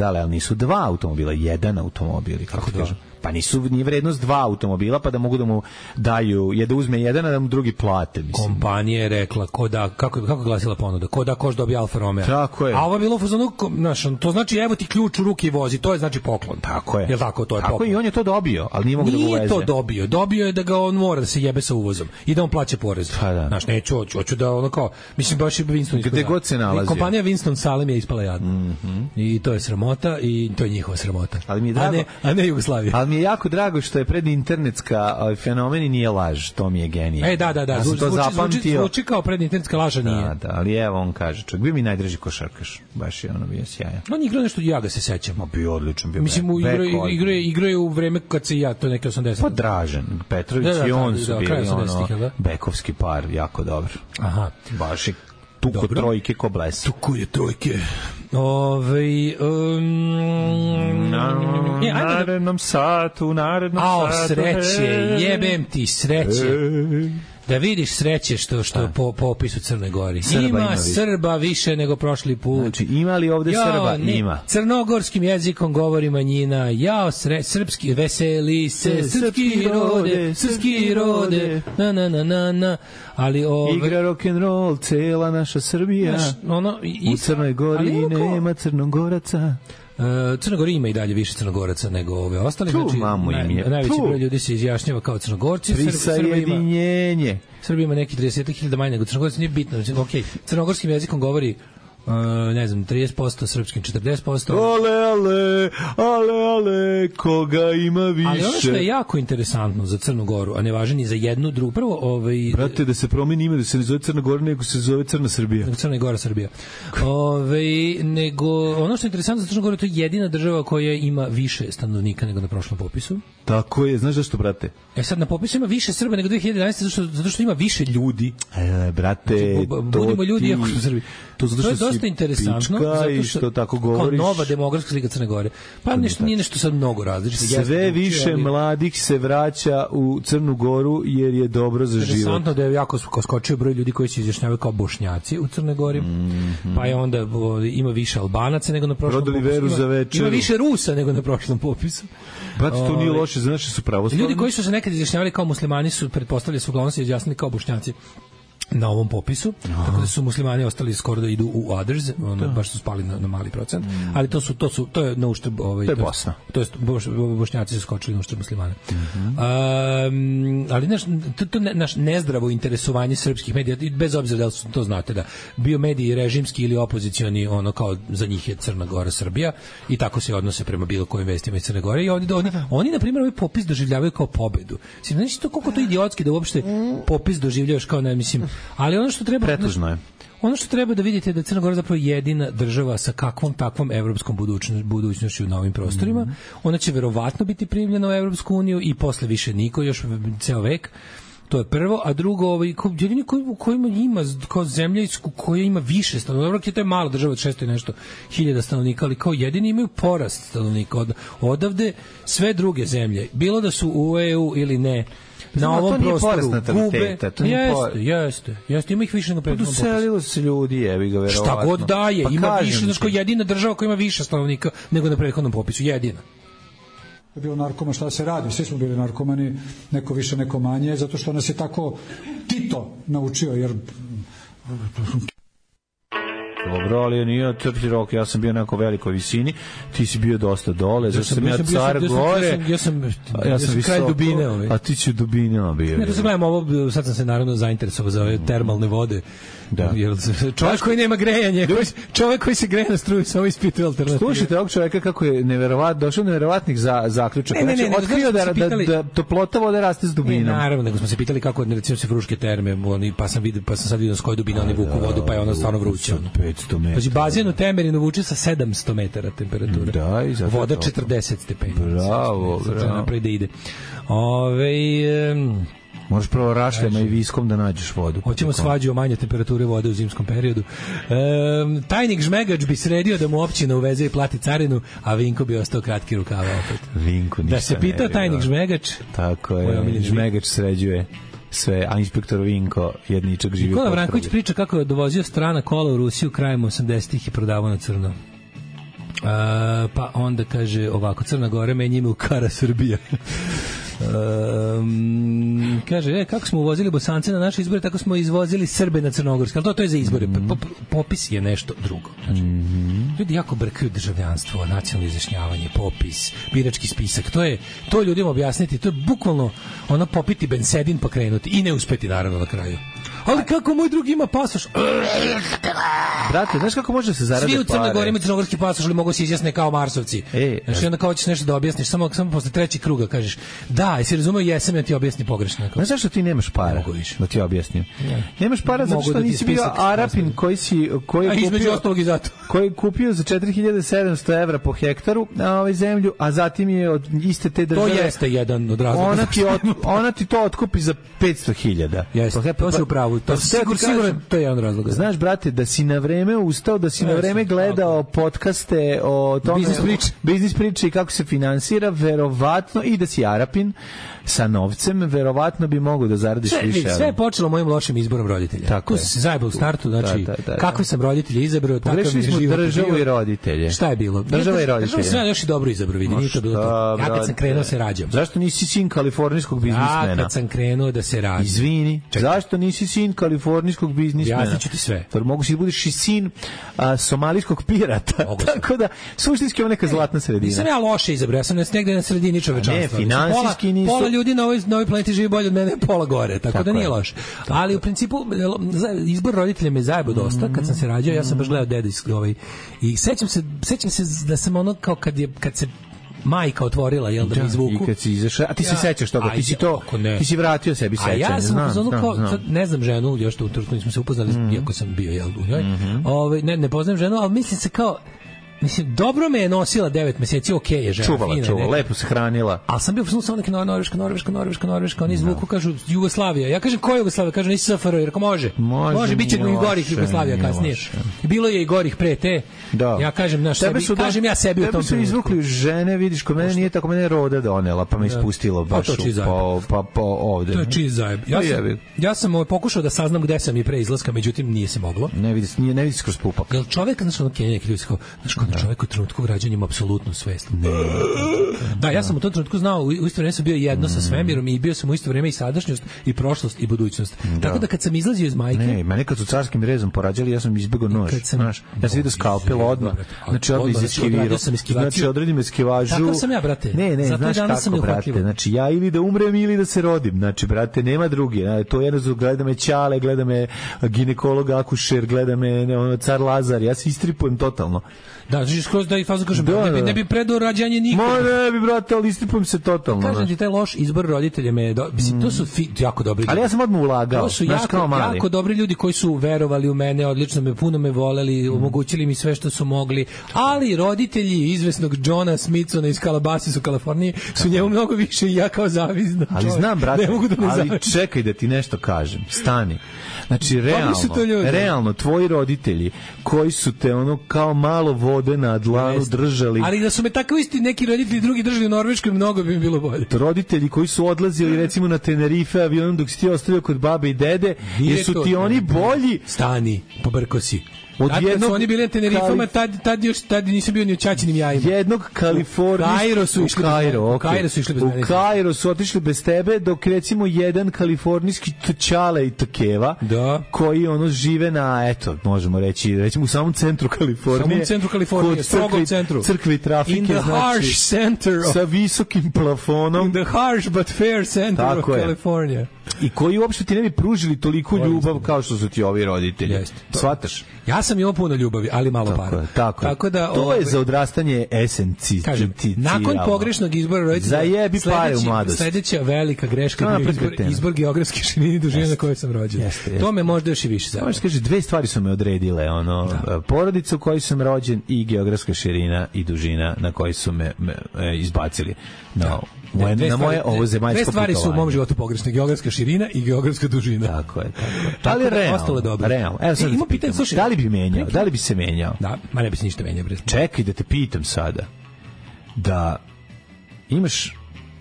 Ali nisu dva automobila, jedan automobil. Kako kažem? Pa nije vrednost 2 automobila, pa da mogu da mu daju, da uzme jedan, a da mu drugi plate. Mislim. Kompanija je rekla, kako je glasila ponuda, ko da koš dobije Alfa Romeo. Tako je. A ovo je bilo u fazonu, to znači evo ti ključ u ruki i vozi, to je znači poklon. Tako je. Jel tako, to je poklon. Tako i on je to dobio, ali nije mogu da ga uveze. Nije to dobio je da ga on mora da se jebe sa uvozom i da on plaća porez. Pa da. Znaš, hoću da ono kao, mislim baš je Winston gde god se nalazi. Kompanija Winston Salem je ispala jadna. I to je sramota i to je njihova sramota. Ali mi je drago, a ne Jugoslavija. Ali mi je jako drago što je predinternetska fenomen i nije laž, to mi je genije. Da. Zvuči kao predinternetska laža, nije. Da, ali evo on kaže, čak bio mi najdraži košarkaš, baš je ono bio sjajan. On igrao nešto, ja ga se sećam. Bio odličan, bio. Mislim, igrao je u vreme kad se to neke 80. Pa Dražen Petrović i on su bili ono bekovski par, jako dobro. Aha. Baš je tuko trojke ko bles. Tuko je trojke. Narednom satu. Sreće, jebem ti sreće. Da vidiš sreće što po opisu Crne Gori. Ima Srba više nego prošli put. Znači, ima li ovde Srba? Ima. Crnogorskim jezikom govori manjina. Srpski, veseli se, srpski rode, na. Ali igra rock'n'roll, cela naša Srbija. U Crnoj Gori nema Crnogoraca. Crna Gora ima i dalje više Crnogoraca nego ove ostale. Znači, najveći broj ljudi se izjašnjava kao Crnogorci. Prisajedinjenje. Srbija ima neki 30.000 manje nego Crnogorci, nije bitno. Znači, Crnogorskim jezikom govori ne znam, 30%, srpskim 40%. Ale, koga ima više. Ali ono što je jako interesantno za Crnu Goru, a ne važi ni za jednu drugu, prvo... Brate, da se promeni ime, da se ne zove Crna Gora, nego se zove Crna Srbija. Crna Gora, Srbija. Nego, ono što je interesantno za Crnu Goru, to je jedina država koja ima više stanovnika nego na prošlom popisu. Tako je, znaš zašto, brate? Sad na popisu ima više Srba nego 2011, zato što ima više ljudi. Brate, budimo ljudi, ako su Srbi. To je dosta interesantno, zato što tako govoriš. Kao nova demografska slika Crne Gore. Pa nije nešto sad mnogo različito. Sve više mladih se vraća u Crnu Goru jer je dobro za život. Interesantno da je jako skočio broj ljudi koji se izjašnjavaju kao Bošnjaci u Crnoj Gori. Pa je onda ima više Albanaca nego na prošlom popisu. Ima više Rusa nego na prošlom popisu. Brate, to nije loše, znači su pravoslavni. Ljudi koji su se nekad izjašnjavali kao muslimani su pretpostavljali su uglavnom se izjasnili kao Bošnjaci na ovom popisu, tako da su muslimani ostali skoro da idu u others, baš su spali na mali procent, ali to je na uštrb to je Bosna. To jest Bošnjaci su skočili na uštrb muslimana. Ali naš nezdravo interesovanje srpskih medija, bez obzira da li su to znate da bio mediji režimski ili opozicioni, ono kao za njih je Crna Gora Srbija i tako se odnose prema bilo kojim vestima iz Crne Gore i oni na primjer ovaj popis doživljavaju kao pobedu. Znači to koliko to idiotski da uopšte popis doživljavaš kao ali ono što treba pretužno je. Ono što treba da vidite je da Crna Gora zapravo jedina država sa takvom evropskom budućnošću na ovim prostorima. Ona će verovatno biti primljena u Evropsku uniju i posle više niko, još ceo vek. To je prvo, a drugo, jedini kojima ima kao zemlja koja ima više stanovnika, to je mala država od 600 i nešto hiljada stanovnika, ali kao jedini imaju porast stanovnika. Odavde sve druge zemlje, bilo da su u EU ili ne, na ovom prostoru gube. Jeste, ima ih više nego prethodnom popisu. Doselilo se ljudi, jebi ga verovatno. Šta god daje, ima više, znači kao jedina država koja ima više stanovnika nego na prethodnom popisu, jedina. Je bilo narkoma, šta se radi, svi smo bili narkomani, neko više, neko manje, zato što nas je tako Tito naučio, jer... Dobro, ali nije crti rok, ja sam bio na nekoj velikoj visini, ti si bio dosta dole, zašto sam ja car gore, ja sam kraj dubine, a ti si dubine bio. Ne, to se gledam ovo, sad sam se naravno zainteresovao za ove termalne vode. Da. Čovjek koji nema grejanje, čovjek koji se greje na struju, samo ispituje alternativu. Slušajte ovog čovjeka kako je došao do neverovatnih zaključaka. Znači, otkrio da toplota vode raste s dubinom. Naravno, nego smo se pitali kako, recimo, se Fruške terme, pa sam sad vidio s koje dubine oni vuku vodu, pa je ona stvarno vruća. 500 metara. Znači, bazen u Temerinu vuče sa 700 metara temperatura. Da, i zato voda 40 stepeni. Bravo. Napred da ide. Možeš prvo rašljama i viskom da nađeš vodu. Hoćemo svađu o manje temperature vode u zimskom periodu. Tajnik Žmegač bi sredio da mu općina uveze i plati carinu, a Vinko bi ostao kratki rukava opet. Vinko ništa da se pita tajnik Žmegač. Tako je, Žmegač sređuje sve, a inspektor Vinko jedničak živi. Nikola Vranković priča kako je dovozio strana kola u Rusiju krajem 80-ih i prodavao na crno. Pa onda kaže ovako, Crna Gora menja ime u Kara Srbija. Kaže, kako smo uvozili Bosance na naše izbore, tako smo izvozili Srbe na Crnogorske, ali to je za izbore. Popis je nešto drugo. Znači, ljudi jako brkaju državljanstvo, nacionalno izjašnjavanje, popis, birački spisak. To ljudima objasniti, to je bukvalno ono popiti bensedin pa krenuti i ne uspeti naravno na kraju. Ali kako moj drugi ima pasoš? Brate, znaš kako može se zarade svi u Crnoj Gori imaju crnogorski pasoš, ali mogu se izjasne kao Marsovci. Znači onda kao ćeš nešto da objasniš, samo posle trećeg kruga kažeš, da, jesi razumeo, jesam, ja ti objasni pogrešno. Znaš zašto ti nemaš para? Da ti objasnim. Nemaš para zato što nisi bio Arapin koji je kupio za 4700 evra po hektaru na ovoj zemlju, a zatim je od iste te države... To jeste jedan od razloga. Ona ti to otkupi za 500.000. Jeste, to si upravo. Sigurno to je jedan razlog. Znaš, brate, da si na vreme ustao, da si na vreme gledao podcaste o tome, biznis priče i kako se finansira, verovatno, i da si Arapin sa novcem, verovatno bi mogao da zaradiš više. Sve je počelo mojim lošim izborom roditelja. Tako je. Se zajebao u startu, znači, kakve sam roditelje izabrao, takav mi je život. Državu i roditelje. Šta je bilo? Država i roditelje. Država sve još i dobro izabro, vidi, nije to bilo to. Ja kad sam krenuo se rađam. Zašto nisi sin kalifornijskog biznismena? Ja kad sam krenuo da se rađam. Izvini, zašto nisi sin sin kalifornijskog biznismena. Jasniću ti sve. Mogu si da budeš i sin somalijskog pirata. Tako da, suštinski je neka zlatna sredina. Nisam ja loše izabrao, ja sam negde na sredini čovečanstva. Ne, finansijski nisu. Pola ljudi na ovoj planeti živi bolje od mene, pola gore, tako da nije loše. Ali u principu, izbor roditelja me zajebo dosta. Kad sam se rađao, ja sam baš gledao dedijski i sećam se da sam ono kao kad se majka otvorila, jel, da mi izvuku. I kad si izašao, a ti se sećaš toga, ti si vratio sebi sećanje. A ja sam ne znam ženu, još to u trenutku nismo se upoznali, iako sam bio, jel, u njoj. Ne poznajem ženu, ali mislim se kao, dobro me je nosila 9 meseci, okej je žena. Čuvala, lepo se hranila. Ali sam bio samo neke Norveška, oni zvuku kažu Jugoslavija. Ja kažem, ko je Jugoslavija? Kažu, nisi SFRJ, jer ako može, bit će i gorih Jugoslavija kasnije. Bilo je i gorih pre te. Ja kažem, kažem ja sebi u tom trenutku. Tebe su izvukli žene, vidiš, kod mene nije tako, mene je roda donela, pa me ispustilo baš ovde. To je čiji zajeb. Ja sam pokušao da saznam gde sam i pre izlaska, međutim nije se moglo. Ne vidiš kroz pupak. Jel čovek, neki ljudi čovjek u trenutku građanja ima apsolutnu svest. Da, ja sam u tom trenutku znao, u isto vrijeme sam bio jedno sa svemirom i bio sam u isto vrijeme i sadašnjost i prošlost i budućnost. Tako da kad sam izlazio iz majke... Ne, mene kad su carskim rezom porađali, ja sam izbegao nož. Ja sam vidio skalpel odmah. Znači odmah izeskivirao. Znači odredim eskivažu. Takav sam ja, brate. Ne, znaš kako, brate. Znači ja ili da umrem ili da se rodim. Znači, brate, nema drugi. To jedno gleda me Ćale, gleda me ginekolog akušer, gleda me car Lazar. Ja se istripujem totalno. Da, znači skroz da i fazu kažem, ne bi predao rađanje nikad. Ne bi, brate, ali istripujem se totalno. Kažem ti, taj loš izbor roditelja mislim, to su jako dobri ljudi. Ali ja sam odmah ulagao. To su jako dobri ljudi koji su verovali u mene, odlično puno me voleli, omogućili mi sve što su mogli, ali roditelji izvesnog Johna Smithsona iz Calabasas u Kaliforniji su njemu mnogo više i ja kao zavisno. Ali znam, brate, ali čekaj da ti nešto kažem. Stani. Znači, realno, tvoji roditelji koji su te kao malo vode na dlanu držali. Ali da su me tako isti neki roditelji drugi držali u Norveškoj, mnogo bi mi bilo bolje. Roditelji koji su odlazili recimo na Tenerife avionom dok si ti ostavio kod babe i dede, jer su ti oni bolji. Stani, pobrko si. Kad su oni bili na Tenerifama, tad nisam bio ni u ćaćinim jajima. Jednog Kalifornijskog... U Kairo su otišli bez tebe, dok recimo jedan kalifornijski Ćale i Takeva, koji žive na, možemo reći, recimo u samom centru Kalifornije. Strogom centru. Crkvi trafike, in the harsh center sa visokim plafonom. In the harsh but fair center of California. I koji uopšte ti ne bi pružili toliko ljubav kao što su ti ovi roditelji. Svataš? Ja sam imao puno ljubavi, ali malo para. Tako da to je za odrastanje esenci. Kažem, nakon pogrešnog izbora roditelja, zajebi pare u mladosti. Sledeća velika greška je izbor geografske širine i dužine na kojoj sam rođen. To me možda još i više zajebe. Možeš kaže, dve stvari su me odredile, porodica u kojoj sam rođen i geografska širina i dužina na kojoj su me izbacili. Na moje ovo zemaljsko putovanje. Dve stvari su u mom životu pogrešne, geografska širina i geografska dužina. Tako je. Ali realno. Evo sad, da li bi menjao? Da li bi se menjao? Da, ma ne bi se ništa menjao. Čekaj da te pitam sada. Da imaš,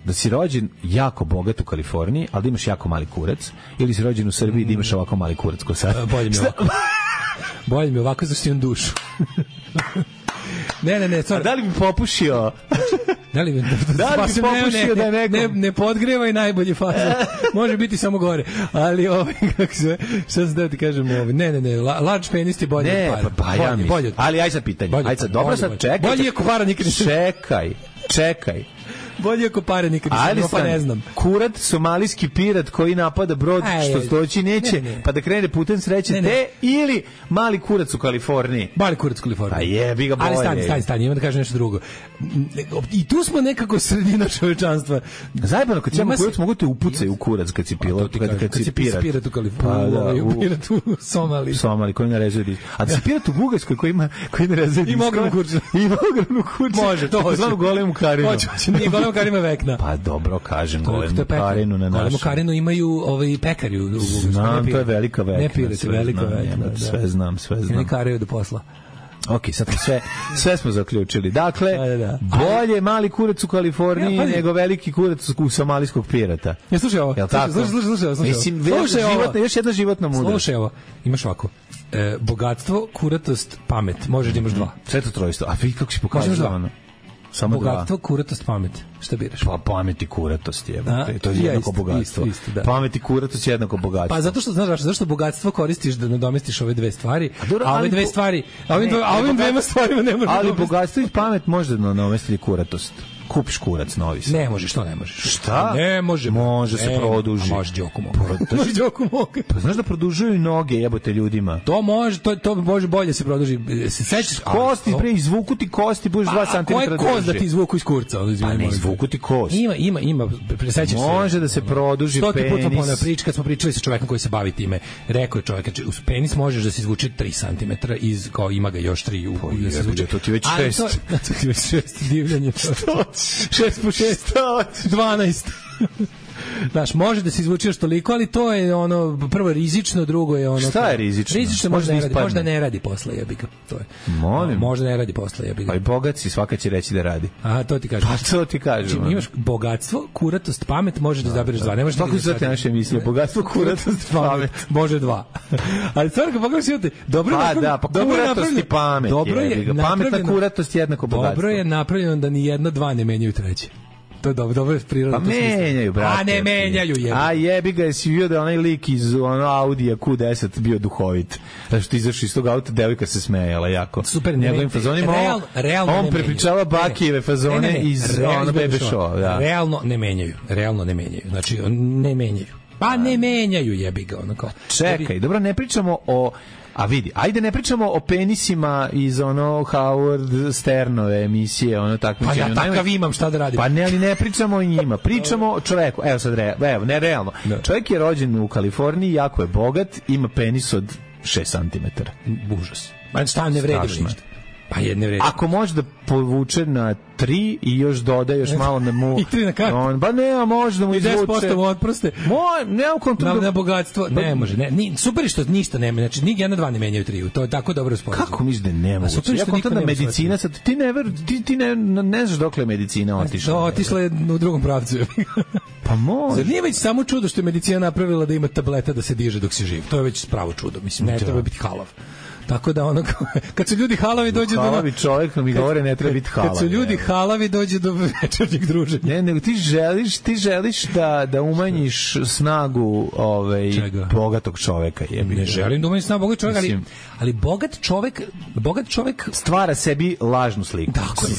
da si rođen jako bogat u Kaliforniji, ali da imaš jako mali kurac, ili si rođen u Srbiji da imaš ovako mali kurac ko sad? Bolje mi ovako zašto imam dušu. Ne, a da li bi popušio? Da li bi popušio da nekom? Ne podgreva i najbolje faze. Može biti samo gore. Ali kako se, šta sam da ti kažem, ne, large penis ti bolje. Ne, pa ja mislim. Ali aj sad pitanje. Aj sad, dobro sad, čekaj. Bolje ako para nikad Čekaj. Bolje ako pare nikad nisam, pa ne znam. Kurat, somalijski pirat koji napada brod što doći neće, pa da krene putem sreće, ili mali kurac u Kaliforniji. Mali kurac u Kaliforniji. A jebi ga bolje. Ali stani, imam da kažem nešto drugo. I tu smo nekako sredina čovečanstva. Zajebano, kad si imamo kurac, mogu te upucaju u kurac kad si pilot, kad si pirat u Kaliforniji, pirat u Somaliji. Somali, koji narezuje disk. A da si pirat u Bugarskoj koji narezuje disk. Ima ogromnu kurcu. Može, to hoće. Golemu Karinu. Nije Golemu Karinu vekna. Pa dobro, kažem, Golemu Karinu na našu. Golemu Karinu imaju pekari u Bugarskoj. Znam, to je velika vekna. Ne pirat, velika vekna. Sve znam. Oni karaju do posla. Ok, sad sve smo zaključili. Dakle, bolje mali kurac u Kaliforniji nego veliki kurac u somalijskog pirata. Ja, slušaj ovo. Slušaj. Mislim, još jedna životna mudrost. Slušaj ovo. Imaš ovako. Bogatstvo, kuratost, pamet. Možeš da imaš dva. Sve to trojstvo. A vi kako si pokazao ono? Samo bogatstvo, kuratost, pamet. Šta biraš? Pa pamet i kuratost je. To je jednako bogatstvo. Da. Pamet i kuratost je jednako bogatstvo. Pa zato što, znaš, zašto bogatstvo koristiš da nadomestiš ove dve stvari, a ove dve stvari, ovim dvema stvarima ne možeš. Ali bogatstvo i pamet može da nadomesti kuratost. Kupiš kurac novi. Ne možeš, to ne možeš. Šta? Ne može. Može se produži. A može Đoku mogu. Može Đoku mogu. Pa znaš da produžuju i noge, jebote ljudima. To može bolje se produži. Se sećaš kosti, pre izvuku ti kosti, budeš 2 cm. Ko je kost da ti izvuku iz kurca? Pa ne izvuku ti kost. Ima. Presećaš se. Može da se produži penis. 100 puta ponavljam priču, kad smo pričali sa čovekom koji se bavi time. Rekao je čovek, uz penis možeš da se izvuče 3 cm, kao ima ga još 3 da se izvuče. To ti već 6. To ti već 6 divljanje. 6 po 6, 12. Znaš, može da se izvuče još toliko, ali to je ono, prvo rizično, drugo je ono... Šta je rizično? Rizično možda ne radi posle jebika. To je. Molim. Možda ne radi posle jebika. Pa i bogat si, svaka će reći da radi. Aha, to ti kažem. Pa to ti kažem. Znači, imaš bogatstvo, kuratost, pamet, možeš da izabereš 2. Ne možeš tako su te naše emisije, bogatstvo, kuratost, pamet. Može 2. Ali stvarno, kad pogledaš imate, dobro je napravljeno. Pa kuratost i pamet. Dobro je pametna kuratost jednako bogatstvo. Dobro je napravljeno da ni jedno 2 ne menjaju treće. To je dobro je prirodno. Pa menjaju, brate. A ne menjaju, jebi. A jebi ga, jesi vidio da je onaj lik iz Audija Q10 bio duhovit. Da što izašao iz tog auta, devojka se smejala jako. Super, njegovim fazonima. On prepričava Bakijeve fazone iz Bebe Show. Da. Realno ne menjaju. Znači, ne menjaju. Pa ne menjaju, jebi ga. Čekaj, dobro, ne pričamo o... A vidi, ajde ne pričamo o penisima iz Howard Sternove emisije, takmičenje. Pa ja takav imam, šta da radim? Pa ne, ali ne pričamo o njima, pričamo o čoveku. Evo sad, ne realno. Čovjek je rođen u Kaliforniji, jako je bogat, ima penis od 6 cm. Užas. Pa šta ne vredi ništa? Pa je ne vredi. Ako može da povuče na 3 i još doda još malo da mu... I 3 na kartu. Ba ne, može da mu izvuče. 10% mu otproste. Nemam kontrolu. Na bogatstvo. Ne može. Super je što ništa nema. Znači, ni 1 2 ne menjaju 3. To je tako dobro sporazum. Kako misliš da ne moguće? Super je što niko nema medicina, sad, ti ne znaš dokle je medicina otišla. Otišla je u drugom pravcu. Pa može. Zar nije već samo čudo što je medicina napravila da ima tableta da se diže dok si živ? To je već pravo čudo. Mislim, ne treba biti halav. Tako da kad su ljudi halavi dođe do... Halavi čovjek mi govore ne treba biti halav. Kad su ljudi halavi dođe do večernjeg druženja. Ne, nego ti želiš da umanjiš snagu bogatog čoveka. Ne želim da umanjim snagu bogatog čoveka, ali bogat čovek stvara sebi lažnu sliku.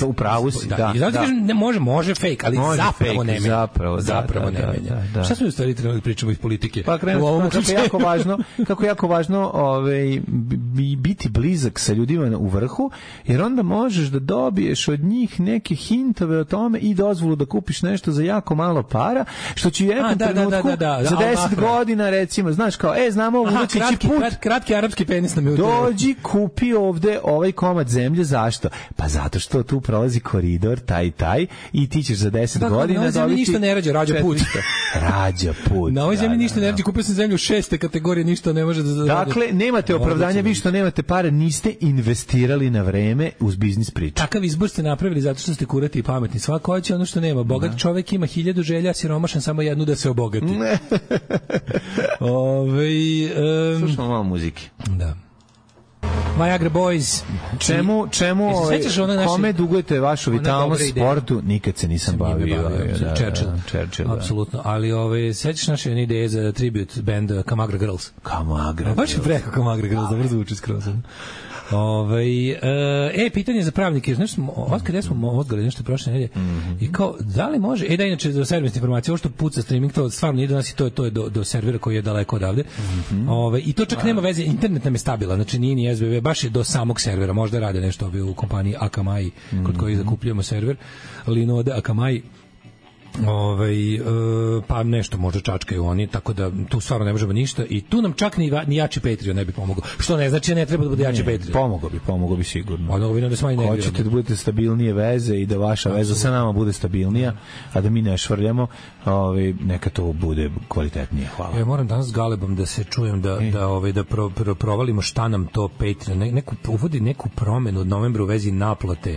U pravu si, da. I zato kažem, može fake, ali zapravo ne menja. Zapravo ne menja. Šta smo u stvari trebali pričamo iz politike? Pa krenemo kako jako važno biti blizak sa ljudima u vrhu, jer onda možeš da dobiješ od njih neke hintove o tome i dozvolu da kupiš nešto za jako malo para, što će u jednom trenutku za 10 godina recimo, znaš kao, znamo ovo kratki arapski penis nam je dođi, kupi ovde ovaj komad zemlje, zašto? Pa zato što tu prolazi koridor, taj i ti ćeš za 10 godina dobiti... Na ovoj zemlji ništa ne rađa, rađa put. Na ovoj zemlji ništa ne rađa, kupio sam zemlju 6. kategorije, ništa ne može da... Dakle, nemate opravdanja, vi što nemate pare, niste investirali na vreme uz biznis priču. Takav izbor ste napravili zato što ste kurati i pametni. Svako hoće ono što nema. Bogat čovjek ima 1000 želja, siromašan samo jednu da se obogati. Slušamo malo muzike. Da. Viagra Boys. Čemu kome dugujete vašu vitalnost sportu? Nikad se nisam bavio. Churchill. Apsolutno. Ali sećaš naše ideje za tribute band Kamagra Girls? Kamagra. Baš je preko Kamagra Girls, dobro zvuči skroz. Pitanje za pravnike, znaš, otkada smo odgledali nešto prošle nedelje i kao, da li može, da inače za servisne informacije, ovo što puca streaming, to stvarno ide do nas i to je do servera koji je daleko odavde, i to čak nema veze, internet nam je stabilan, znači nije ni SBB, baš je do samog servera, možda rade nešto u kompaniji Akamai, kod kojih zakupljujemo server, Linode Akamai, pa nešto možda čačkaju oni, tako da tu stvarno ne možemo ništa i tu nam čak ni jači Patreon ne bi pomogao, što ne znači ne treba da bude jači Patreon. Pomogao bi sigurno. Hoćete da budete stabilnije veze i da vaša veza sa nama bude stabilnija, a da mi ne švrljamo, neka to bude kvalitetnije. Hvala. Ja moram danas s Galebom da se čujem da provalimo šta nam to Patreon, uvodi neku promenu od novembra u vezi naplate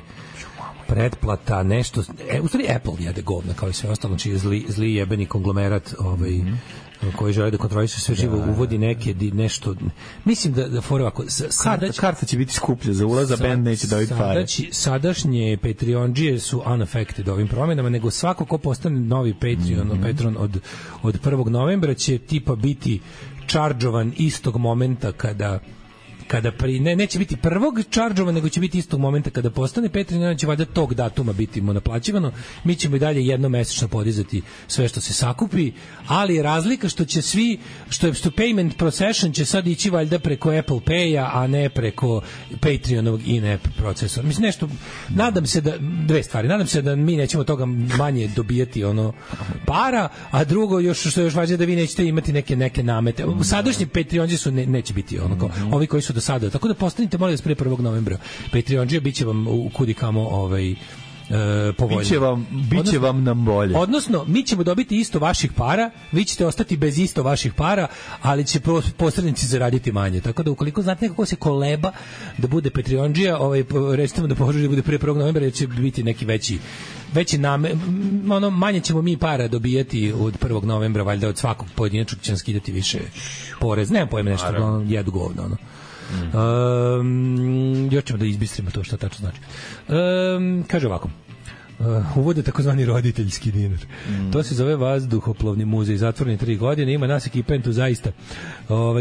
pretplata, nešto, u stvari Apple jede govna kao i sve ostalo, znači zli jebeni konglomerat koji žele da kontroliše sve živo, uvodi nešto, mislim da fore ovako, karta će biti skuplja za ulaz, a band neće dobiti pare. Sadašnje Patreondžije su unaffected ovim promjenama, nego svako ko postane novi Patreon od 1. novembra će tipa biti čaržovan istog momenta kada neće biti prvog čaržova, nego će biti istog momenta kada postane Patreon, će valjda tog datuma biti mu naplaćivano. Mi ćemo i dalje jednomesečno podizati sve što se sakupi, ali je razlika što će svi, što payment procession će sad ići valjda preko Apple Pay-a, a ne preko Patreonovog in-app procesora. Mislim nešto, nadam se da, dve stvari, nadam se da mi nećemo toga manje dobijati para, a drugo, što je još važnije, da vi nećete imati neke namete. Sadašnji Patreonđi su neće biti ovi koji su do sada. Tako da postanite, molim vas, pre 1. novembra Patreonđija, bit će vam u kudikamo povoljno. Biće vam nam bolje. Odnosno, mi ćemo dobiti isto vaših para, vi ćete ostati bez isto vaših para, ali će posrednici zaraditi manje. Tako da ukoliko znate nekako se koleba da bude Patreonđija, recite mu da poželi da bude pre 1. novembra, jer će biti neki veći manje ćemo mi para dobijati od 1. novembra, valjda od svakog pojedinačnog će nam skidati više porez. Nemam pojma nešto, jedu govno, još ćemo da izbistrimo to što tačno znači. Kaže ovako, uvode takozvani roditeljski dinar. To se zove vazduhoplovni muzej, zatvoreni 3 godine, ima nas ekipentu zaista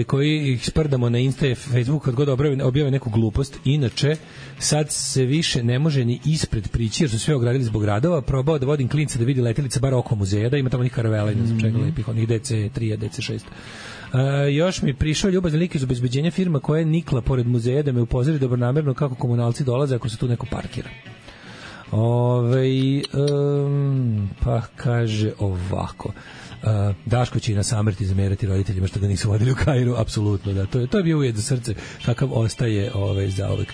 koji ih sprdamo na Insta i Facebook kad god objave neku glupost. Inače, sad se više ne može ni ispred prići jer su sve ogradili zbog radova. Probao da vodim klinca da vidi letelica bar oko muzeja, da ima tamo onih karavela i ne znam čega lepih, onih DC3, DC6. Još mi prišao ljubazan lik iz obezbeđenja firma koja je nikla pored muzeja da me upozori dobronamerno kako komunalci dolaze ako se tu neko parkira. Pa kaže ovako, Daško će i na samrti zamerati roditeljima što ga nisu vodili u Kairu, apsolutno, da, to je bio ujed za srce kakav ostaje zauvek.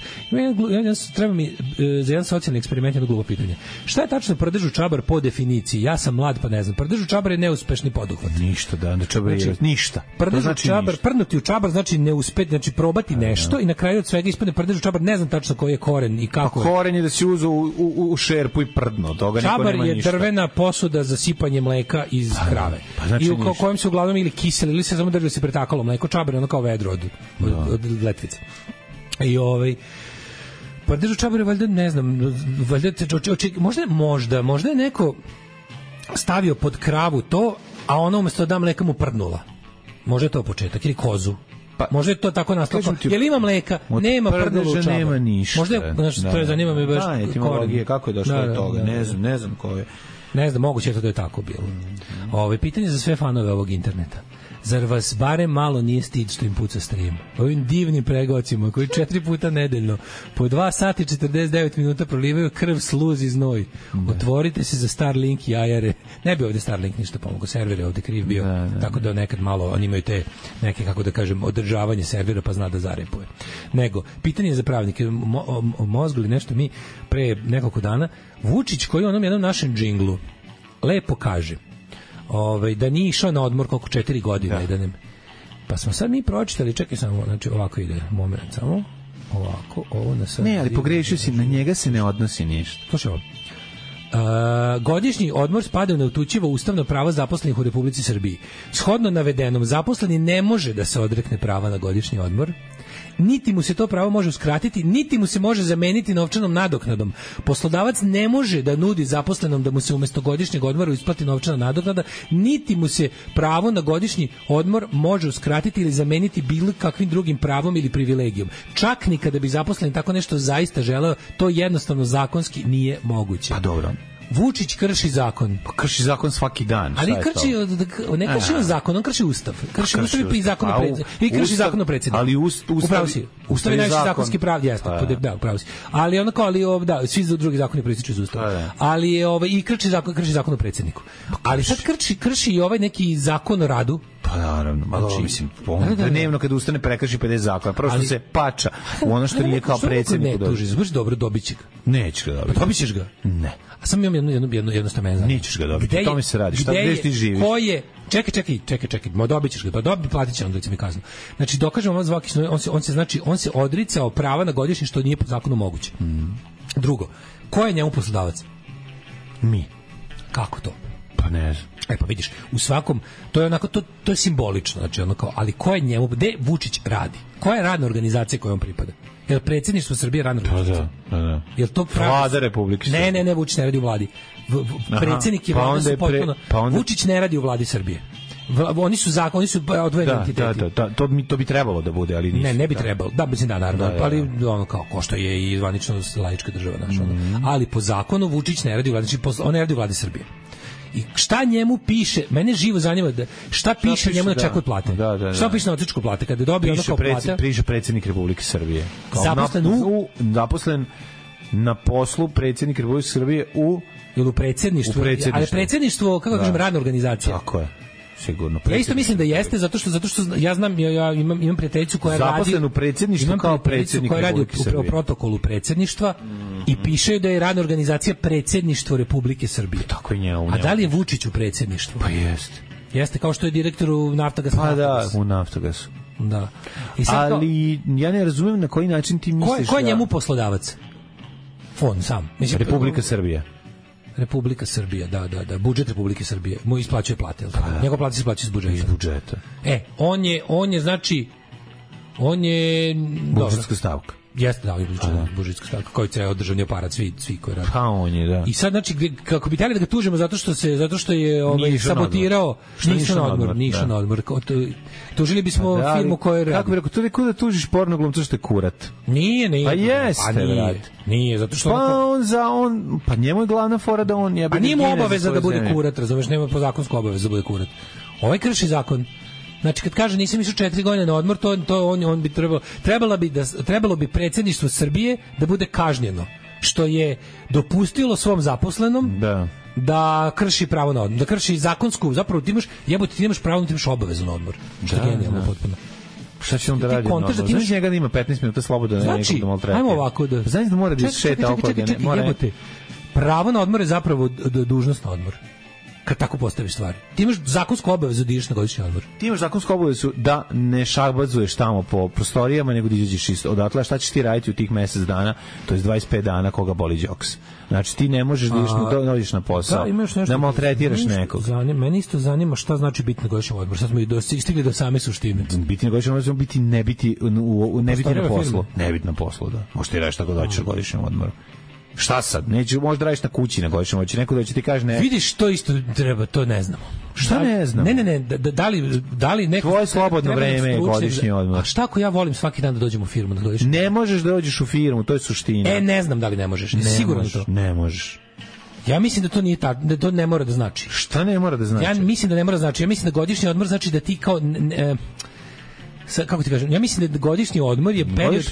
Treba mi za jedan socijalni eksperiment jedno glupo pitanje. Šta je tačno prdežu čabar po definiciji? Ja sam mlad pa ne znam. Prdežu čabar je neuspešni poduhvat. Ništa, da čabar je ništa. Prdežu znači čabar, ništa. Prnuti u čabar znači ne uspeti, znači probati nešto i na kraju od svega ispadne prdežu čabar, ne znam tačno koji je koren i kako. Koren je da se uzu u šerpu i prdno, toga niko nema ništa. Čabar je drvena posuda za sipanje mleka iz krave. Pa znači i u kojem se uglavnom ili kiseli ili se samo da se pretakalo mleko. Čabar je ono kao vedro od letvice. I prdežu čabar je valjda, ne znam, valjda možda je neko stavio pod kravu to, a ona umjesto da mleka mu prdnula. Možda je to početak, ili kozu. Pa, možda je to tako nastalo. Jel ima mleka? Nema prdnula u čabar. Nema ništa. Možda je, to je zanima me baš. Etimologija, kako je došlo do toga, ne znam ko je. Ne znam, moguće je to da je tako bilo. Pitanje za sve fanove ovog interneta. Zar vas barem malo nije stid što im puca stream? Ovim divnim pregocima koji 4 puta nedeljno po 2 sati 49 minuta prolivaju krv, sluz i znoj. Otvorite se za Starlink jajare. Ne bi ovde Starlink ništa pomogao, server je ovde kriv bio, tako da nekad malo oni imaju te neke, kako da kažem, održavanje servera pa zna da zarepuje. Nego, pitanje za pravnike, mozgli nešto mi pre nekoliko dana, Vučić koji u onom jednom našem džinglu lepo kaže da nije išao na odmor koliko 4 godine. Da. Pa smo sad mi pročitali, čekaj samo, znači ovako ide, moment, samo ovako, ovo na sad... Ne, ali pogrešio si, na njega se ne odnosi ništa. Slušaj ovo. Godišnji odmor spada u neutučivo ustavno pravo zaposlenih u Republici Srbiji. Shodno navedenom, zaposleni ne može da se odrekne prava na godišnji odmor, niti mu se to pravo može uskratiti, niti mu se može zameniti novčanom nadoknadom. Poslodavac ne može da nudi zaposlenom da mu se umjesto godišnjeg odmora isplati novčana nadoknada, niti mu se pravo na godišnji odmor može uskratiti ili zameniti bilo kakvim drugim pravom ili privilegijom. Čak ni kada bi zaposleni tako nešto zaista želeo, to jednostavno zakonski nije moguće. Pa dobro. Vučić krši zakon. Pa krši zakon svaki dan. Ali ne krši on zakon, on krši ustav. Krši ustav i zakon o predsjedniku. I krši zakon o predsjedniku. Ali ustav je najviši zakonski prav, jeste. Da, upravo si. Ali onako, da, svi drugi zakoni proističu iz ustava. Ali je i krši zakon o predsjedniku. Ali sad krši i ovaj neki zakon o radu. Pa naravno, malo mislim, dnevno kada ustane prekrši 50 zakona, prosto se pača u ono što nije kao predsjedniku. Ne tuži, baš dobro, dobit će ga. Nećeš ga dobiti. Dobit ćeš ga? Ne. A sam imam jednostavno. Nećeš ga dobiti, o tome se radi. Šta, gde ti živiš? Ko je? Čekaj, dobit ćeš ga, pa platit će onda mi kaznu. Znači, dokažemo vam zvaki, on se odricao prava na godišnji što nije po zakonu moguće. Drugo, ko je njemu poslodavac? Mi. Kako to? Pa ne znam. Pa vidiš, u svakom, to je onako, to je simbolično, znači ono kao, ali ko je njemu, gde Vučić radi? Koja je radna organizacija kojom pripada? Jel predsjedništvo Srbije radna organizacija? Da. Jel to Vlada Republike Srbije? Ne, Vučić ne radi u vladi. Predsjednik i vlada su potpuno... Vučić ne radi u vladi Srbije. Oni su odvojeni entiteti. Da, to bi trebalo da bude, ali nisu. Ne bi trebalo. Da, mislim da, naravno. Ali ono kao što je i zvanično laička država naša. Ali po zakonu Vučić ne radi u vladi, on ne radi u vladi Srbije. I šta njemu piše, mene živo zanima šta piše njemu na čeku od plate. Šta piše na otičku plate kada dobije ono kao plata? Piše predsjednik Republike Srbije. Zaposlen na poslu predsjednik Republike Srbije u predsjedništvu. Ali predsjedništvo, kako kažem, radna organizacija. Tako je. Sigurno. Ja isto mislim da jeste, zato što ja znam, ja imam prijateljicu koja radi zaposlen u predsjedništvu kao predsjednik Republike Srbije. Koja radi u protokolu predsjedništva i piše da je radna organizacija predsjedništvo Republike Srbije. Tako je njemu. A da li je Vučić u predsjedništvu? Pa jeste. Jeste, kao što je direktor u Naftagasu. Pa da, u Naftagasu. Da. Ali ja ne razumijem na koji način ti misliš. Ko je njemu poslodavac? On sam. Mislim, Republika Srbija. Republika Srbija, da, budžet Republike Srbije mu isplaćuje plate, jel tako? Njegova plata se isplaćuje iz budžeta. On je znači budžetska stavka. Jeste, da, budžetska stavka, koji ceo državni aparat, svi koji rade. Pa on je, da. I sad, znači, kako bi htjeli da ga tužimo zato što je sabotirao, ništa na odmor. Tužili bismo firmu koja radi. Kako bi rekao, to je da tužiš porno glumca što je kurat. Nije. Pa jeste, nije, zato što... Pa njemu je glavna fora da on... A nije mu obaveza da bude kurat, razumeš, nema po zakonsku obavezu da bude kurat. Ovaj krši zakon. Znači, kad kaže nisam išao 4 godine na odmor, to on bi trebalo bi predsjedništvo Srbije da bude kažnjeno, što je dopustilo svom zaposlenom da krši pravo na odmor, da krši zakonsku, zapravo ti imaš pravo, ti imaš obavezu na odmor. Što je genijalno potpuno. Šta će on da radi? Znaš njega da ima 15 minuta sloboda na nekog da maltretira. Ajmo ovako da... Znaš da mora da šeta oko jebote. Pravo na odmor je zapravo dužnost na odmor. Kad tako postaviš stvari. Ti imaš zakonsku obavezu da ideš na godišnji odmor. Ti imaš zakonsku obavezu da ne šabadzuješ tamo po prostorijama, nego da izađeš odatle. Šta ćeš ti raditi u tih mjesec dana, to je 25 dana koga boli džoks. Znači ti ne možeš da ideš na posao, da maltretiraš nekog. Meni isto zanima šta znači biti na godišnjem odmoru. Sad smo stigli do same suštine. Biti na godišnjem odmoru, ne biti na poslu. Ne biti na poslu, da. Možeš ti raditi tako da hoćeš na godišnjem odmoru. Šta sad? Neću možda radiš na kući na godišnjem, hoće neko da će ti kaže ne. Vidiš, to isto treba, to ne znamo. Šta ne znam? Ne, da li neko tvoje slobodno vreme je godišnji odmor. A šta ako ja volim svaki dan da dođem u firmu na godišnji? Ne možeš da dođeš u firmu, to je suština. Ne znam da li ne možeš. Sigurno to. Ne možeš. Ja mislim da to nije tako, da to ne mora da znači. Šta ne mora da znači? Ja mislim da ne mora da znači. Ja mislim da godišnji odmor znači da ti kao kako ti kažem, ja mislim da godišnji odmor je period